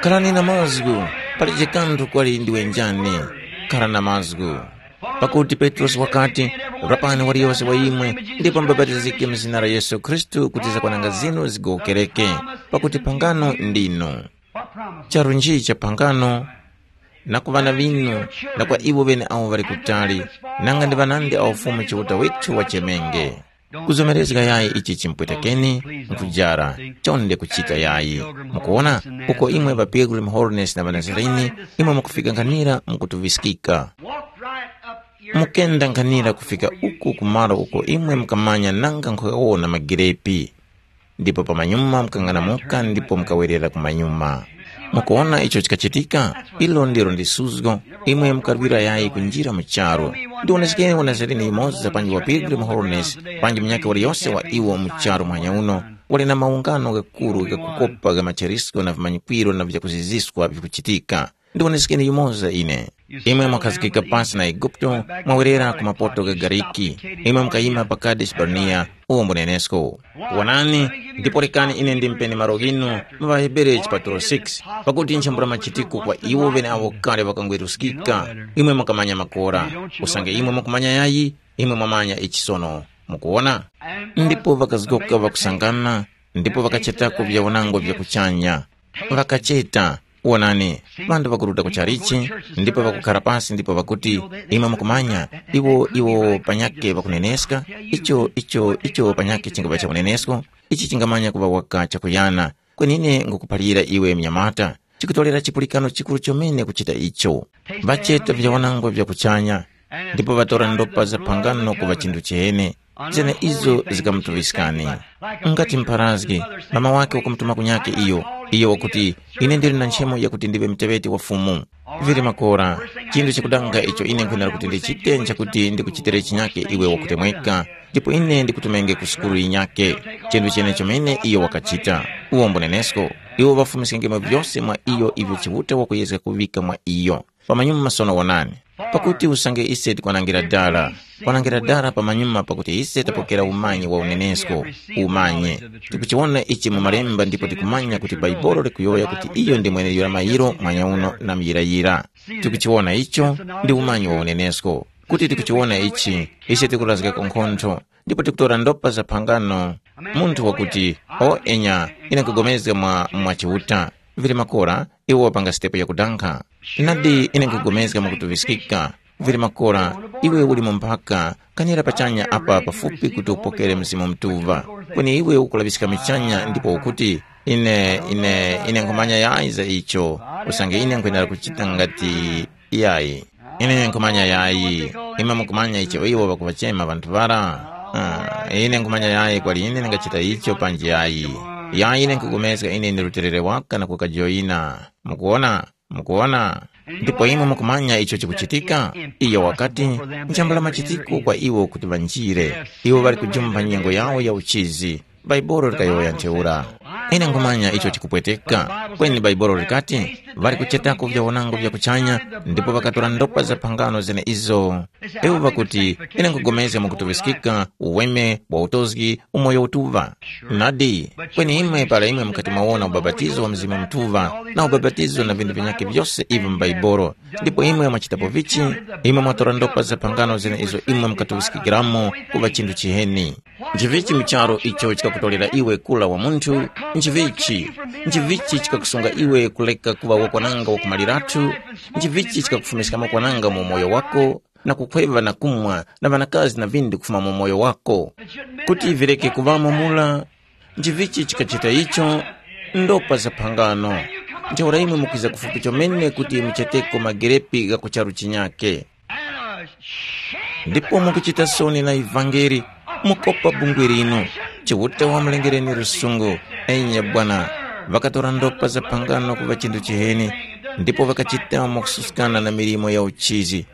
Kharani na mazgu, palije kanthu kwali ndiwe njani. Khara na mazgu. Pakuti Petrosi wakati, “Rapani waliyose wa imwe, ndipo mubapatizike mu zina la Yesu Khristu kuti zakwananga zinu zigowokereke, pakuti phangano ndinu.” Charu nji cha phangano? Na ku ŵana ŵinu, na kwa iwo ŵeneawo ŵali kutali, nanga ndi ŵanandi awo Fumu Chiuta withu wachemenge. Kuzomerezga yayi ichi chimpwetekeni, nkujara, chonde kuchita yayi. Mukuwona, uko imwe ŵa Pilgrim Holiness na ŵaNazarini, imwe mukufika nkhanira mukutuŵiskika. Mukenda nkhanira kufika uku kumalo uko imwe mukamanya nanga nkhugawona magirepi. Ndipo pamanyuma mukang'anamuka ndipo mukawerera kumanyuma. Mukuwona icho chikachitika? Ilo ndilo ndi suzgo. Imwe mukarwira yayi kunjira mu charu. Ndiwonesekeni uNazarini yumoza panji wa Pilgrim Holiness, panji munyakhe waliyose wa iwo mu charu muhanya uno, wali na maungano ghakuru ghakukopa gha macherisko na vimanyikwiro na vyakuziziswa vikuchitika. Ndiwonesekeni yumoza ine. Imwe mwakhazikika pasi na Eguputo, mwawerera ku mapoto gha Gariki. Imwe mukayima pa Kadeshi Barnea, uwo mbunenesko. Wonani, ndipo rekani ine ndimpeni malo ghinu mu ŵaHebere chipatulo six, pakuti nchambula machitiko kwa iwo ŵeneawo kale ŵakangweruskika, imwe mukamanya makora. Usange imwe mukumanya yayi, imwe mwamanya ichi sono. Mukuwona? Ndipo ŵakazgoka ŵakusangana, ndipo ŵakachetako vyawanangwa vya kuchanya. Ŵakacheta, wonani, ŵanthu ŵakuruta ku chalichi, ndipo ŵakukhara pasi ndipo ŵakuti, imwe mukumanya, iwo iwo panyakhe ŵakuneneska, icho icho icho panyakhe chingapa cha unenesko, ichi chingamanya kuŵa waka chakuyana. Kweni ine ngukuphalira iwe mnyamata, chikutolera chipulikano chikuru chomene kuchita icho. Ŵacheta vyawanangwa vya kuchanya, ndipo ŵatora ndopa za phangano kuŵa chinthu chihene, zene izo zikamutuŵiskani. Ngati mpharazgi, mama wake wakumutuma kunyake iyo, iyo wakuti, ine ndili na nchemo yakuti ndiŵe muteŵeti wa Fumu. Vili makora, chinthu chakudanga icho ine nkhwenera kuti ndichite nchakuti ndikuchitire chinyake iwe wakutemweka, ndipo ine ndikutumenge ku sukulu yinyake. Chinthu chene chomene iyo wakachita. Uwo mbunenesko, iwo ŵafumiskengemo vyose mwa iyo ivyo Chiuta wakuyezga kuŵika mwa iyo. Pamanyuma sono wonani, pakuti usange ise tikwanangira dala, kwanangira dala pamanyuma pakuti ise tapokera umanyi wa unenesko, umanyi. Tikuchiwona ichi mu malemba ndipo tikumanya kuti Baibolo likuyowoya kuti iyo ndi mweneiyo la mayiro mwanyauno na muyirayira. Tikuchiwona icho ndi umanyi wa unenesko. Kuti tikuchiwona ichi, ise tikurazgako nkhontho, ndipo tikutora ndopa za phangano. Munthu wakuti, o enya, ine nkugomezga mwa mwa Chiuta, vili makora, iwo wapanga sitepo yakudankha. Nadi ine nkugomezga mwakutuŵiskika, vili makora, iwe uli mu mphaka, kanira pachanya apa pafupi kuti upokere Mzimu Mutuŵa. Kweni iwe ukulaŵiska michanya ndipo ukuti, ine, ine, ine nkhumanya yayi za icho, usange ine nkhwenera kuchita ngati yayi. Ine nkhumanya yayi, imwe mukumanya icho iwo ŵakuŵachema ŵanthu ŵara? Ah, ine nkhumanya yayi kwali ine ndingachita icho panji yayi. Yayi ine nkhupulikana ine ndi luterere waka na kukajoyina. Mukuwona? Mukuwona? Ndipo imwe mukumanya icho chikuchitika? Iyo wakati, nchambula machitiko kwa iwo kuti ŵanjire. Iwo ŵali kujumpha nyengo yawo ya uchizi. Bhaibuli likayowoya ntheura. Ine nkhumanya icho chikupweteka. Kweni Bhaibuli likati, ŵali kuchetako vyawanango vya kuchanya, ndipo ŵakatora ndopa za phangano zene izo. Iwo ŵakuti, ine nkhupulikana mwakutuŵiskika, uweme, wa utozgi, umoyo utuŵa. Nadi, kweni imwe para imwe mukati mwawona ubapatizo wa Mzimu Mutuŵa, na ubapatizo na vinthu vinyakhe vyose ivyo mu Bhaibuli, ndipo imwe mwachitapo vichi, imwe mwatora ndopa za phangano zene izo imwe mukatuŵiskikiramo kuŵa chinthu chiheni. Nchivichi mu charu icho chikakutolera iwe kula wa munthu? Nchivichi? Nchivichi chikakusunga iwe kuleka kuŵa wakwananga wakumaliratu? Nchivichi chikakufumiskamo kwananga mu umoyo wako, na kukhweva na kumwa na ŵanakazi na vindi kufuma mu umoyo wako? Kuti vireke kuŵamo mura, nchivichi chikachita icho? Ndopa za phangano. Ntheura imwe mukwiza kufupi chomene kuti mucheteko magerepi gha ku charu chinyakhe. Ndipo mukuchita soni na ivangeli, mukopa bungwe linu. Chiuta wamulengereni lusungu. Enya bwana, ŵakatora ndopa za phangano kuŵa chinthu chiheni, ndipo ŵakachita mwakususkana na milimo ya uchizi.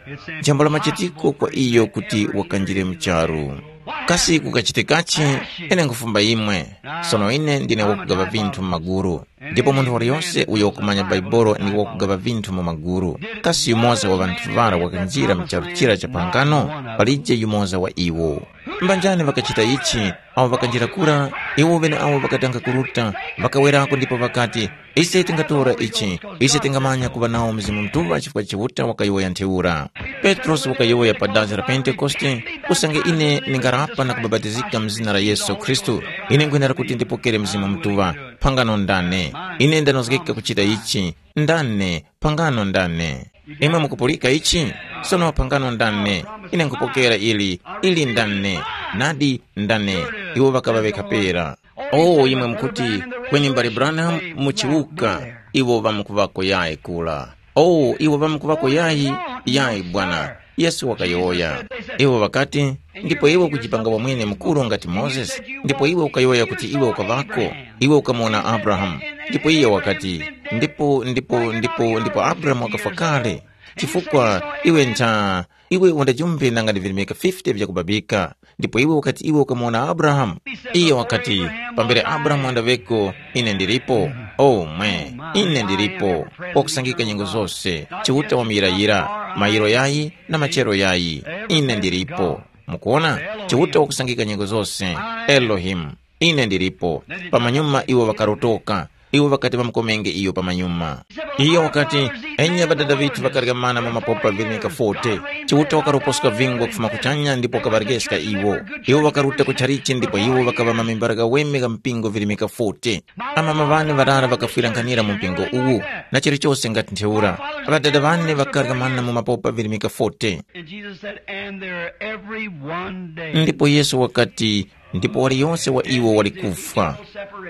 Jambo la machitiko kwa iyo kuti wakanjire mu charu. Kasi kukachitikachi? Ine nkhufumba imwe. Sono ine ndine wakugaŵa vinthu mu magulu. Ndipo munthu waliyose uyo wakumanya Bhaibuli ndi wakugaŵa vinthu mu magulu. Kasi yumoza wa ŵanthu ŵara wakanjira mu charu chira cha phangano? Palije yumoza wa iwo. Mbanjani ŵakachita ichi? Awo ŵakanjira kura, iwo ŵeneawo ŵakadanga kuruta, ŵakawerako ndipo ŵakati, ise tingatora ichi, ise tingamanya kuŵa nawo Mzimu Mutuŵa chifukwa Chiuta wakayowoya ntheura. Petrosi wakayowoya pa dasi la Pentekoste, usange ine ndingarapa na kubapatizika mu zina la Yesu Khristu, ine nkhwenera kuti ndipokere Mzimu Mutuŵa. Phangano ndane? Ine ndanozgeka kuchita ichi. Ndane? Phangano ndane? Imwe mukupulika ichi? Sono phangano ndane? Ine nkhupokera ili. Ili ndane? Nadi ndane. Iwo ŵakaŵa ŵekha pera. Oh, imwe mukuti, kweni mbale Branham muchiwuka, iwo ŵamkuŵako yayi kula. Oh, iwo ŵamkuŵako yayi? Yayi bwana. Yesu wakayowoya. Iwo ŵakati, ndipo iwe ukujipanga wamwene mukuru ngati Mozesi, ndipo iwe ukayowoya kuti iwe ukaŵako, iwe ukamuwona Abrahamu. Ndipo iye wakati, ndipo ndipo ndipo ndipo Abrahamu wakafwa kale. Chifukwa iwe ntha iwe undajumbe nanga ndi virimika fifty vyakubabika, ndipo iwe ukati iwe ukamuwona Abrahamu. Iye wakati, pambere Abrahamu andaŵeko, ine ndilipo. Omwe, ine ndilipo. Wakusangika nyengo zose, Chiuta wamuyirayira, mayiro yayi na machero yayi. Ine ndilipo. Mukuona? Chiuta wakusangika nyengo zose. Elohimu. Ine ndilipo. Pamanyuma iwo ŵakarotoka. Iwo ŵakati ŵamukomenge iyo pamanyuma. Iyo wakati, enya ŵadada ŵithu ŵakarya mana mu mapopa virimika forty. Chiuta wakaroposka vingwa kufuma kuchanya ndipo wakaŵarekeska iwo. Iwo ŵakaruta ku chalichi ndipo iwo ŵakaŵa mamembara ghaweme gha mpingo virimika forty. Amama ŵane ŵarara ŵakafwira nkhanira mu mpingo uwu, na chilichose ngati ntheura. Ŵadada ŵane ŵakarya mana mu mapopa virimika forty. And Jesus said, and they're every one dead. Ndipo Yesu wakati, ndipo waliyonse wa iwo wali kufwa.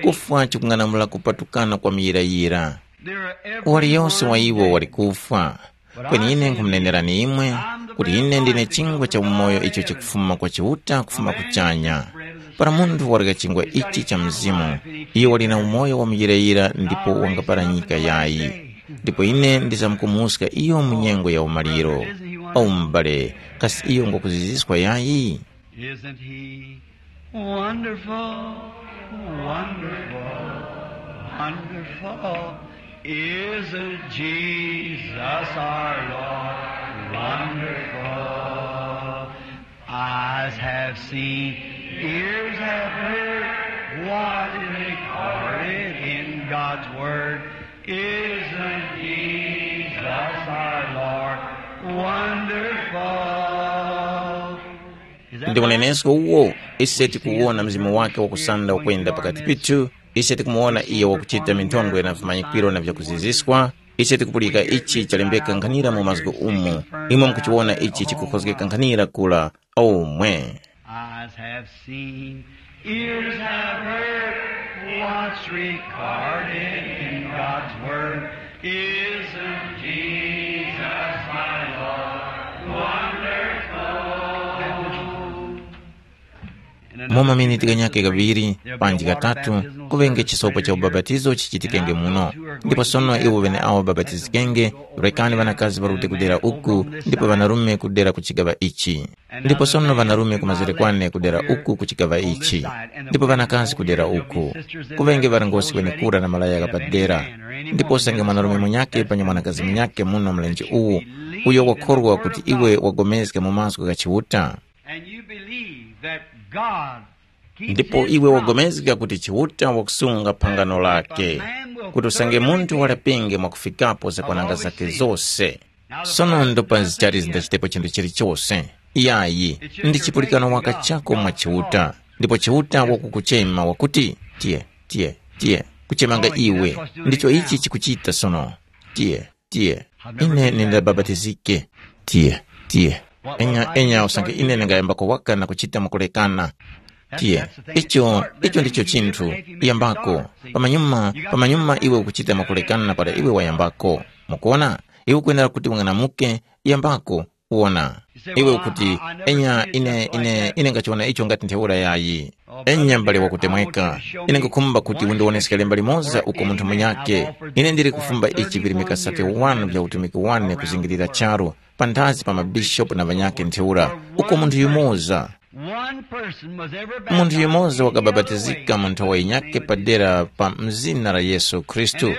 Kufwa chikung'anamula kupatukana kwa muyirayira. Waliyonse wa iwo wali kufwa. Kweni ine nkhumunenerani imwe kuti ine ndine chingwa cha umoyo icho chikufuma kwa Chiuta kufuma kuchanya. Para munthu warya chingwa ichi cha Mzimu, iyo wali na umoyo wa muyirayira ndipo wangaparanyika yayi. Ndipo ine ndizamkumuska iyo mu nyengo ya umaliro. O m'bale, kasi iyo ngwakuziziskwa yayi? Isn't he wonderful, wonderful, wonderful? Isn't Jesus our Lord wonderful? Eyes have seen, ears have heard, what is recorded in God's word. Isn't Jesus our Lord wonderful? Ndi unenesko uwo, ise tikuwona mzimu wake wakusanda ukwenda pakati pithu, ise tikumuwona iyo wakuchita minthondwe na vimanyikiro na vyakuziziswa, ise tikupulika ichi chalembeka nkhanira mu mazgu umu, imwe mukuchiwona ichi chikukhozgeka nkhanira kula. Omwe. Eyes have seen, ears have heard, what's recorded in God's word. Isn't Jesus my Lord wonderful? Mu maminiti ganyakhe ghaŵiri panji ghatatu, kuŵenge chisopo cha ubapatizo chichitikenge muno. Ndipo sono iwo ŵeneawo ŵabatizikenge, rekani ŵanakazi ŵarute kudera uku, ndipo ŵanarume kudera ku chigaŵa ichi. Ndipo sono ŵanarume kumazere kwane kudera uku ku chigaŵa ichi, ndipo ŵanakazi kudera uku. Kuŵenge ŵarongozgi ŵenekura na malaya gha padera. Ndipo usange mwanarume munyakhe panyi mwanakazi munyakhe muno mlenje uwu, uyo wakhorwa kuti iwe wagomezga mu mazgu gha Chiuta. And you believe that God keeps Ndipo his iwe promise. Wagomezga kuti Chiuta wakusunga phangano lake, kuti usange munthu walapenge mwakufikapo zakwananga zake zose. Sono ndopa zichali zindachitepo chinthu chilichose. Yayi, ndi chipulikano waka chako mwa Chiuta, ndipo Chiuta wakukuchema wakuti, tiye, tiye, tiye, kuchemanga iwe. Ndicho ichi chikuchita sono. Tiye, tiye, ine nindabapatizike. Tiye, tiye, enya enya usange ine ndingayambako waka na kuchita mwakulekana. Tiye, icho icho ndicho chinthu. Yambako. Pamanyuma pamanyuma iwe ukuchita mwakulekana para iwe wayambako. Mukuona, iwe ukwenera kuti ung'anamuke. Yambako. Wona, iwe ukuti, enya ine ine ine ngachiwona icho ngati ntheura yayi. Enya mbale wakutemweka, ine nkukhumba kuti undiwoneske lemba limoza uko munthu munyake. Ine ndili kufumba ichi virimika thirty-one vya utumiki wane kuzingirira charu, panthazi pa mabishopu na ŵanyakhe ntheura, uko munthu yumoza. One person was ever munthu baptized yumoza in the other wakababatizika way. Mu nthawi yinyakhe padera pa mzina la Yesu Khristu.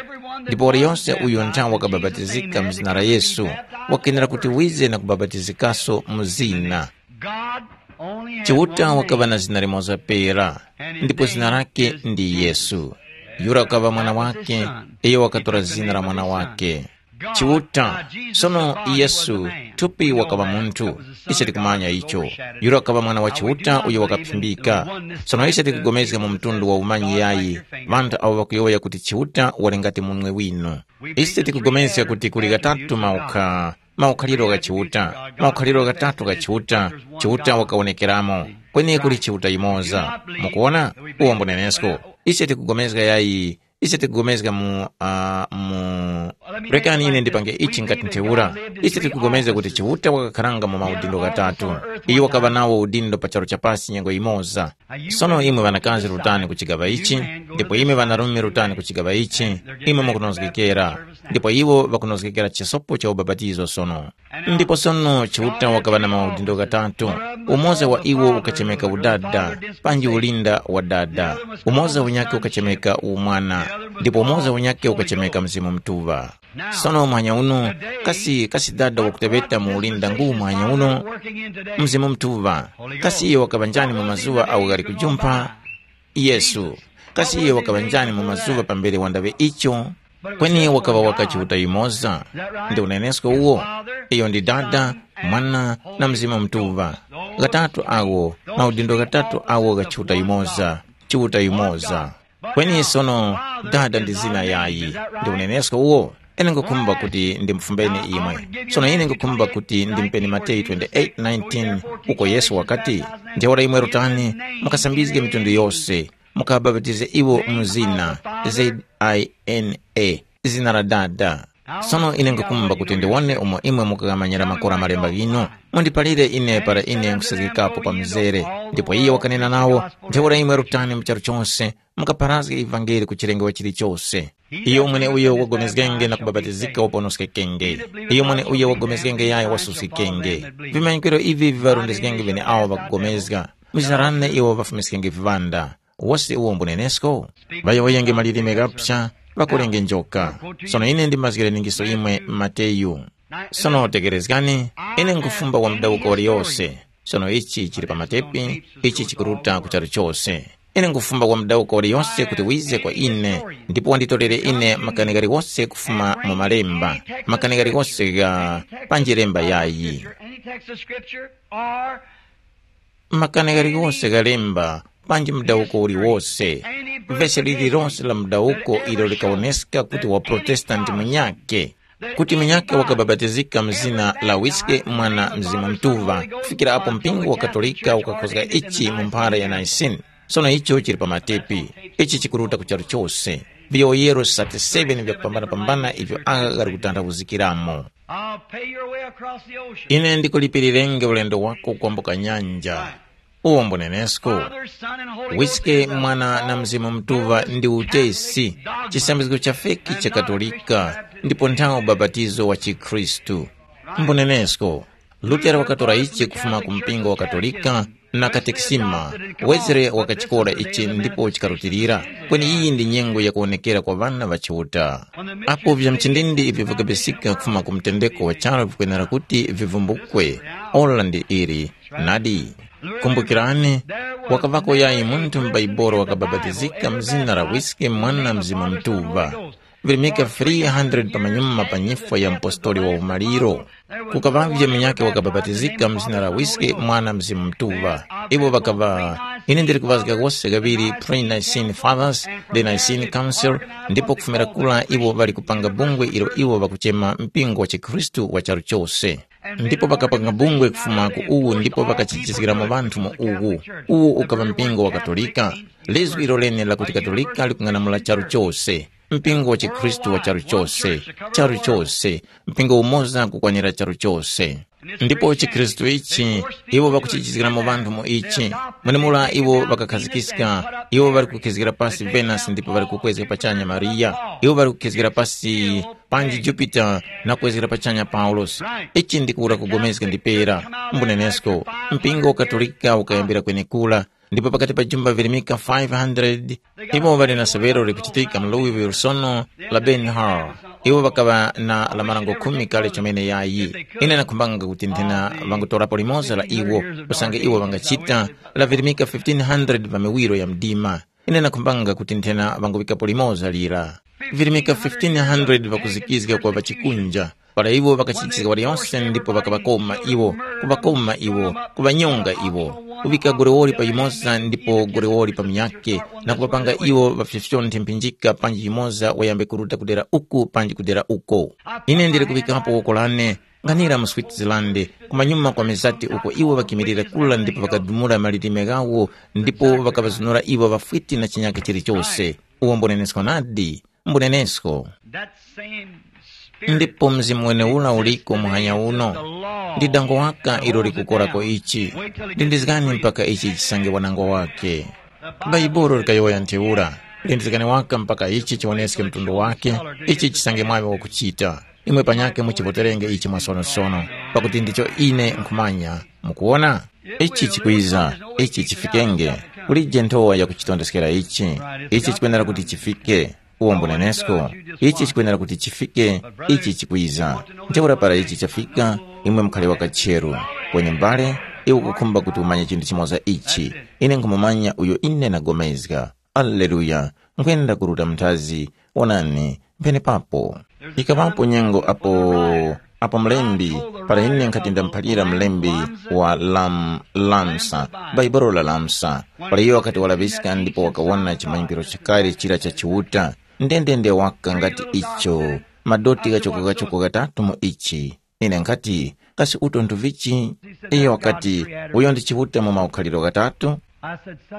Ndipo waliyonse uyo nthawi wakababatizika mzina la Yesu, wakenera kuti wize na kubabatizikaso mu zina. God only had Chiuta one wakaŵa name. Na zina limoza pera, ndipo zina lake ndi Yesu. Yura wakaŵa mwana wake, iyo wakatora zina la mwana wake. Chiuta. Sono Yesu, thupi wakaŵa munthu. Ise tikumanya icho. Yura wakaŵa mwana wa Chiuta uyo wakaphimbika. Sono ise tikugomezga mu mtundu wa umanyi yayi, ŵanthu awo ŵakuyowoya kuti Chiuta wali ngati munwe winu. Ise tikugomezga kuti kuli ghatatu maukha, maukhaliro gha Chiuta, maukhaliro ghatatu gha Chiuta. Chiuta wakawonekeramo. Kweni kuli Chiuta yumoza. Mukuona? Uwo mbunenesko. Ise tikugomezga yayi, ise tikugomezga mu uh, mu rekani ine ndipange ichi ngati ntheura. Ise tikugomezga kuti Chiuta wakakharanga mu maudindo ghatatu. Iyo wakaŵa nawo udindo pa charu chapasi nyengo yimoza. Sono imwe ŵanakazi rutani ku chigaŵa ichi, ndipo imwe ŵanarume rutani ku chigaŵa ichi. Imwe mukunozgekera, ndipo iwo ŵakunozgekera chisopo cha ubapatizo sono. Ndipo sono Chiuta wakaŵa na maudindo ghatatu. Umoza wa iwo ukachemeka udada, panji ulinda wa dada. Umoza unyakhe ukachemeka umwana, ndipo umoza unyakhe ukachemeka Mzimu Mutuŵa. Sono mwanya uno, kasi kasi dada wakuteŵeta mu ulinda ngu mwanya uno? Mzimu Mutuŵa. Kasi iyo wakaŵa njani mu mazuŵa awo ghali kujumpha? Yesu. Kasi iyo wakaŵa njani mu mazuŵa pambere wandaŵe icho? Kweni wakaŵa waka Chiuta yumoza. Ndi unenesko uwo? Iyo ndi Dada, Mwana, na Mzimu Mutuŵa. Ghatatu awo, maudindo ghatatu awo gha Chiuta yumoza. Chiuta yumoza. Kweni sono, Dada ndi zina yayi. Ndi unenesko uwo? Ine ngukhumba kuti ndimufumbeni imwe. Sono ine ngukhumba kuti ndimpeni Mateyu twenty-eight nineteen, uko Yesu wakati, ntheura imwe rutani, mukasambizge mitundu yose, mukabapatize iwo mu zina, Z I N A, zina la Dada. Sono ine ngukhumba kuti ndiwone umo imwe mukaghamanyira makora malemba ghinu. Mundiphalire ine para ine nkhusazgikapo pa mzere. Ndipo iye wakanena nawo, ntheura imwe rutani mu charu chose, mukapharazge ivangeli ku chilengedwe chilichose. Iyo mweneuyo wagomezgenge na kubabatizika waponoskekenge. Iyo mweneuyo wagomezgenge yaya wasuskikenge. Vimanyikiro ivi viŵarondezgenge vene awo ŵakugomezga. Mzarane iwo ŵafumiskenge viŵanda. Wose uwo mbunenesko? Ŵayowoyenge malilime ghapsa, ŵakolenge njoka. Sono ine ndimazgire ningiso imwe Mateyu. Sono tekerezgani, ine nkufumba kwa mudawuko waliyose. Sono ichi chili pa matepi, ichi chikuruta ku charu chose. Ine nkufumba kwa mudawuko waliyose kuti wize kwa ine, ndipo wanditorere ine makani ghaliwose kufuma mu malemba, makani ghaliwose gha panji lemba yayi. Makani ghaliwose gha lemba, panji mudawuko uliwose. Vesi lililonse la mudawuko ilo likawoneska kuti wa Protestanti munyakhe, kuti munyakhe wakabapatizika mu zina la Wiske Mwana Mzimu Mutuŵa, kufikira apo mpingo wa Katolika ukakhozga ichi mu mphara ya Nicene. Sono icho chili pa matepi. Ichi chikuruta ku charu chose. Viyowoyero thirty-seven vya kupambanapambana ivyo agha ghali kutanthauzikiramo. I'll pay your way across the ocean. Ine ndikulipirirenge ulendo wako kwambuka nyanja. Uwo mbunenesko. Father, Son, and Holy Ghost Wiske is a Mwana na false Mzimu Mutuŵa ndi utesi, Catholic dogma, chisambizgo cha feki cha Katolika, ndipo nthawo ubapatizo wa chikhristu. Mbunenesko. Lutero wakatora ichi kufuma ku mpingo wa Katolika na katekisima. Wezere wakachikora ichi ndipo chikarutilira. Kweni iyi ndi nyengo yakuwonekera kwa ŵana ŵa Chiuta. Apo vya mchindindi ivyo vikabisika kufuma ku mtendeko wa charu vikwenera kuti vivumbukwe. Ora ndi ili. Nadi. Kumbukirani, wakavako yayi munthu m'Baibolo wakabapatizika mzina la Wiske Mwana Mzimu Mutuŵa. Virimika three hundred pamanyuma pa nyifwa ya mpostoli wa umaliro. Kukaŵavye munyakhe wakabapatizika mu zina la Wiske Mwana Mzimu Mutuŵa. Iwo ŵakaŵa, ine ndili kuvazga wose ghaŵiri pre-Nicene Fathers, the Nicene Council, ndipo kufumira kura iwo ŵali kupanga bungwe ilo iwo ŵakuchema mpingo wa chikhristu wa charu chose. Ndipo ŵakapanga bungwe kufuma ku uwu ndipo ŵakachijizgiramo ŵanthu mu uwu. Uwu ukaŵa mpingo wa Katolika. Lizgu ilo lene lakuti Katolika likung'anamula charu chose. Mpingo wa chikhristu wa charu chose, charu chose, mpingo umoza kukwanira charu chose. Ndipo chikhristu ichi, iwo ŵakuchichizgiramo ŵanthu mu ichi. Mwenemura iwo ŵakakhazikiska, iwo ŵali kukhizgira pasi Venus ndipo ŵali kukwezga pachanya Mariya. Iwo ŵali kukhizgira pasi panji Jupiter na kuwezgera pachanya Paulosi. Ichi ndikuwura kugomezga ndipera. Mbunenesko, mpingo wa Katolika ukayambira kwenekura, ndipo pakati pa jumba virimika five hundred, iwo ŵali na severo likuchitika mu Louisville sono la Ben Hur. Iwo ŵakaŵa na la marango khumi kale chomene yayi. Ine nakhumbanga kuti nthena ŵangutorapo limoza la iwo, usange iwo ŵangachita la virimika fifteen hundred pa miwiro ya mdima. Ine nakhumbanga kuti nthena ŵanguŵikapo limoza lira. Virimika fifteen hundred ŵakuzikizga kwa ŵachikunja. Para iwo ŵakachitizga waliyonse ndipo ŵakaŵakoma iwo, kuŵakoma iwo, kuŵanyonga iwo, kuŵika gorewoli pa yumoza ndipo gorewoli pa munyakhe, na kuŵapanga iwo ŵafyofyonthe mphinjika panji yumoza wayambe kuruta kudera uku panji kudera uko. Ine ndili kuŵikapo woko lane, nghanira mu Switzerland, kumanyuma kwa mezati uko iwo ŵakimilira kula ndipo ŵakadumula malilime ghawo, ndipo ŵakaŵazunura iwo ŵafwiti na chinyakhe chilichose. Uwo mbunenesko nadi, mbunenesko. That same Spirit Ndipo mzimu wenewura uliko muhanya uno. Ndi dango waka ilo likukorako ichi. Lindizgani mpaka ichi chisange wanango wake. Bhaibuli likayowoya ntheura. Lindizgani waka mpaka ichi chiwoneske mtundu wake, ichi chisange mwaŵe wakuchita. Imwe panyakhe muchivoterenge ichi mwasonosono, pakuti ndicho ine nkhumanya. Mukuwona? Ichi chikwiza, ichi chifikenge. Kulije nthowa yakuchitondeskera ichi. Ichi chikwenera kuti chifike. Uwo mbunenesko, ichi chikwenera kuti chifike, ichi chikwiza. Ntheura para ichi chafika, imwe mukhale wakacheru. Kweni mbale, iwe ukukhumba kuti umanye chinthu chimoza ichi. Ine nkhumumanya uyo ine ndagomezga. Aleluya! Nkhwenda kuruta mnthazi. Wonani, mpenepapo. Ikaŵapo nyengo apo, apo mlembi, para ine nkhati ndamuphalira mlembi wa Lam, Lamsa, Bhaibuli la Lamsa, para iyo wakati walaŵiska ndipo wakawona chimanyikiro chakale chira cha Chiuta, ndendende waka ngati icho, madoti ghachoko-ghachoko ghatatu mu ichi. Ine nkhati, kasi uto nduvichi? Iyo wakati, uyo ndi Chiuta mu maukhaliro ghatatu.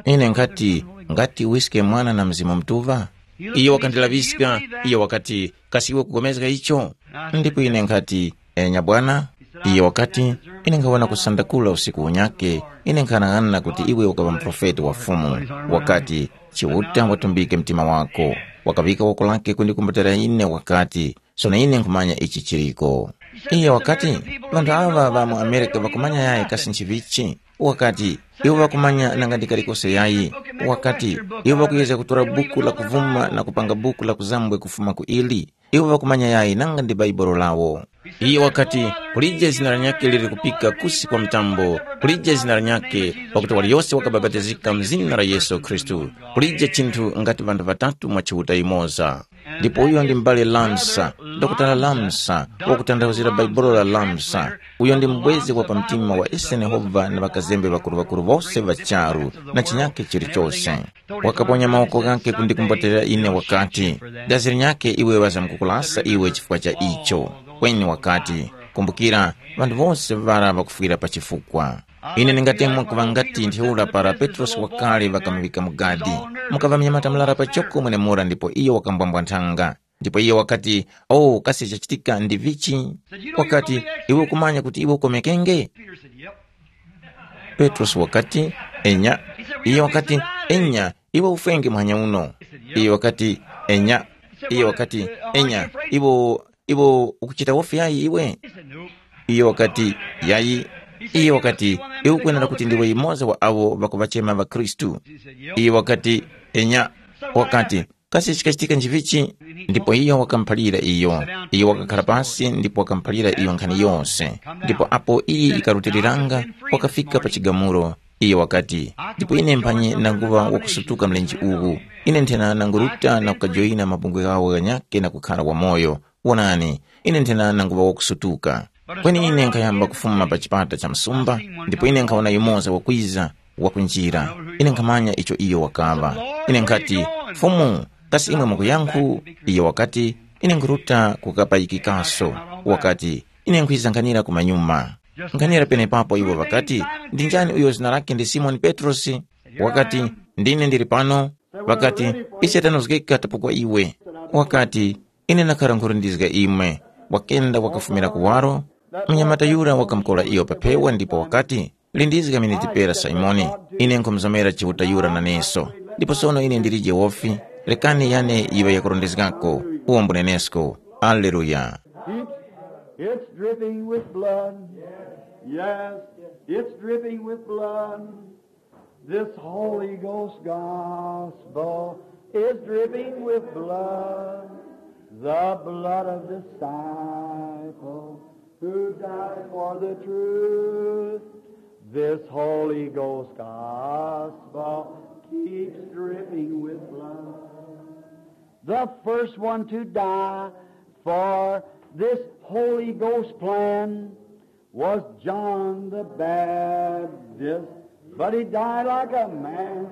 Ine nkhati, ngati wiske Mwana na Mzimu Mutuŵa? Iyo wakandilaŵiska, iyo wakati, kasi iwe kupulikana icho? Ndipo ine nkhati, enya Bwana. Iyo wakati, ine nkhawona kusandakula usiku unyakhe, ine nkhanang'ana kuti iwe ukaŵa muprofeti wa Fumu. Wakati, Chiuta watumbike mtima wako. Wakaŵika woko lake kundikumbatira ine wakati, sono ine nkhumanya ichi chiriko. Iye wakati, ŵanthu aŵa ŵa mu Amerika ŵakumanya yayi kasi nchivichi? Wakati, iwo ŵakumanya nanga ndi kalikose yayi. Wakati, iwo ŵakuyezga kutora buku la kuvuma na kupanga buku la kuzambwe kufuma ku ili. Iwo ŵakumanya yayi nanga ndi Bhaibuli lawo. Iye wakati, kulije zina lanyakhe liri kupika kusi kwa mtambo, kulije zina lanyakhe, pakuti waliyose wakabapatizika mu zina la Yesu Khristu. Kulije chinthu ngati ŵanthu ŵatatu mwa Chiuta yumoza. Ndipo uyo ndi m'bale Lamsa, Dokotala Lamsa, wakutanthauzira Bhaibuli la Lamsa. Uyo ndi mubwezi wa pamtima wa ise Yehova na ŵakazembe ŵakuru-ŵakuru wose ŵa charu na chinyakhe chilichose. Wakaponya mawoko ghakhe kundikumbatirira ine wakati, dazi linyakhe iwe ŵazamkukulasa iwe chifukwa cha icho. Kweni wakati, kumbukira, ŵanthu wose ŵara ŵakufwira pa chifukwa. Ine ndingatemwa kuŵa ngati ntheura para Petrosi wakale ŵakamuŵika mu gadi. Mukaŵa mnyamata murara pachoko mwenemura ndipo iyo wakambwambwa nthanga. Ndipo iyo wakati, oh, kasi chachitika ndi vichi? Wakati, iwe ukumanya kuti iwe ukomekenge? Petrosi wakati, enya. Iyo wakati, enya, iwe ufwenge muhanya uno. Iyo wakati, enya. Iyo wakati, enya, iwe, iwe ukuchita wofi yayi iwe? Iyo wakati, yayi. Iyo wakati, iwe ukwenera kuti ndiwe yumoza wa awo ŵakuŵachema ŵakhristu. Iyo wakati, enya. Wakati, kasi chikachitika nchivichi? Ndipo iyo wakamuphalira iyo. Iyo wakakhala pasi ndipo wakamuphalira iyo nkhani yose. Ndipo apo iyi ikarutiliranga, wakafika pa chigamulo. Iyo wakati, ndipo ine mphanyi nanguŵa wakusutuka mlenje uwu. Ine nthena nanguruta na kukajoyina mabungwe ghawo ghanyakhe na kukhala wamoyo. Wonani, ine nthena nanguŵa wakusutuka. Kweni ine nkhayamba kufuma pa chipata cha msumba, ndipo ine nkhawona yumoza wakwiza, wakunjira. Ine nkhamanya icho iyo wakaŵa. Ine nkhati, Fumu, kasi imwe mukuyankhu? Iyo wakati, ine nkhuruta kukapayikikaso. Wakati, ine nkhwiza nkhanira kumanyuma. Nkhanira penepapo iwo ŵakati, ndi njani uyo zina lake ndi Simoni Petrosi? Wakati, ndine ndili pano. Ŵakati, ise tanozgeka tapokwa iwe. Wakati, ine ndakhara nkhurindizga imwe. Wakenda wakafumira kuwaro, Mnyamata yura wakamukola iyo pa phewa ndipo wakati, “Lindizga miniti pera, Simoni, ine nkhumuzomera Chiuta yura naneso. Ndipo sono ine ndilije wofi, rekani yane yiŵe yakurondezgako, uwo mbunenesko.” Aleluya! It's, it's dripping with blood. Yes, it's dripping with blood. This Holy Ghost gospel is dripping with blood, the blood of disciples who died for the truth. This Holy Ghost gospel keeps dripping with blood. The first one to die for this Holy Ghost plan was John the Baptist, but he died like a man.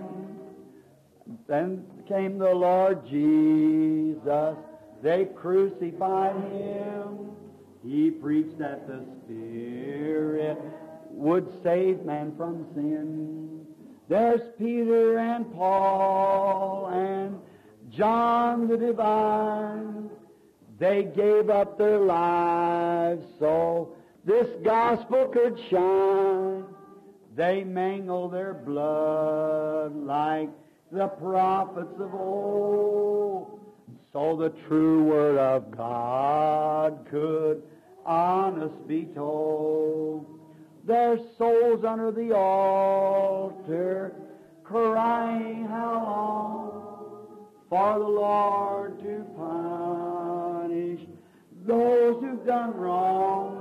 Then came the Lord Jesus. They crucified him. He preached that the Spirit would save man from sin. There's Peter and Paul and John the Divine. They gave up their lives so this gospel could shine. They mingled their blood like the prophets of old, so the true word of God could honest be told. Their souls under the altar crying, "How long for the Lord to punish those who've done wrong?"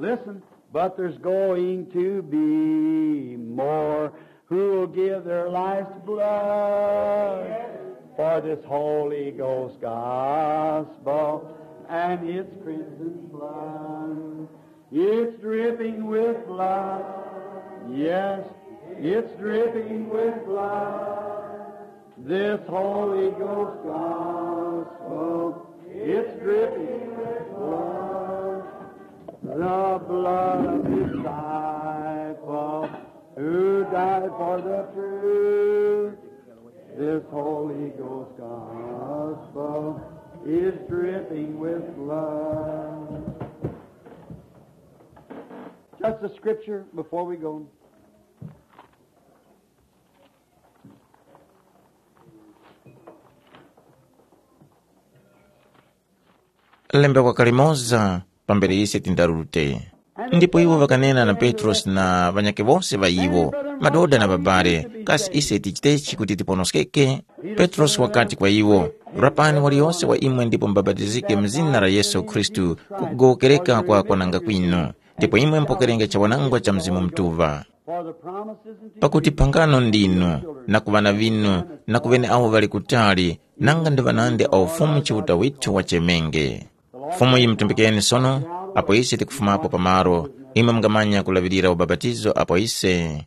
Listen, but there's going to be more who'll give their life's blood for this Holy Ghost gospel and its crimson flood. It's dripping with blood. Yes, it's dripping with blood. This Holy Ghost gospel, it's dripping with blood. The blood of disciple who died for the truth. This Holy Ghost gospel is dripping with blood. Just a scripture before we go. Lembe kwa kalimoza pambere ise tindarute. Ndipo iwo ŵakanena na Petrosi na ŵanyakhe wose ŵa iwo, madoda na ŵabale, kasi ise tichitechi kuti tiponoskeke? Petrosi wakati kwa iwo, rapani waliyose wa imwe ndipo mubapatizike mu zina la Yesu Khristu ku kugowokereka kwa kwananga kwinu, ndipo imwe mupokerenge chawanangwa cha Mzimu Mutuŵa. Pakuti phangano ndinu, na ku ŵana ŵinu, na ku ŵeneawo ŵali kutali, nanga ndi ŵanandi awo Fumu Chiuta withu wachemenge. Fumu yimutumbikeni sono, apo ise tikufumapo pamaro, imwe mungamanya kulaŵirira ubapatizo apo ise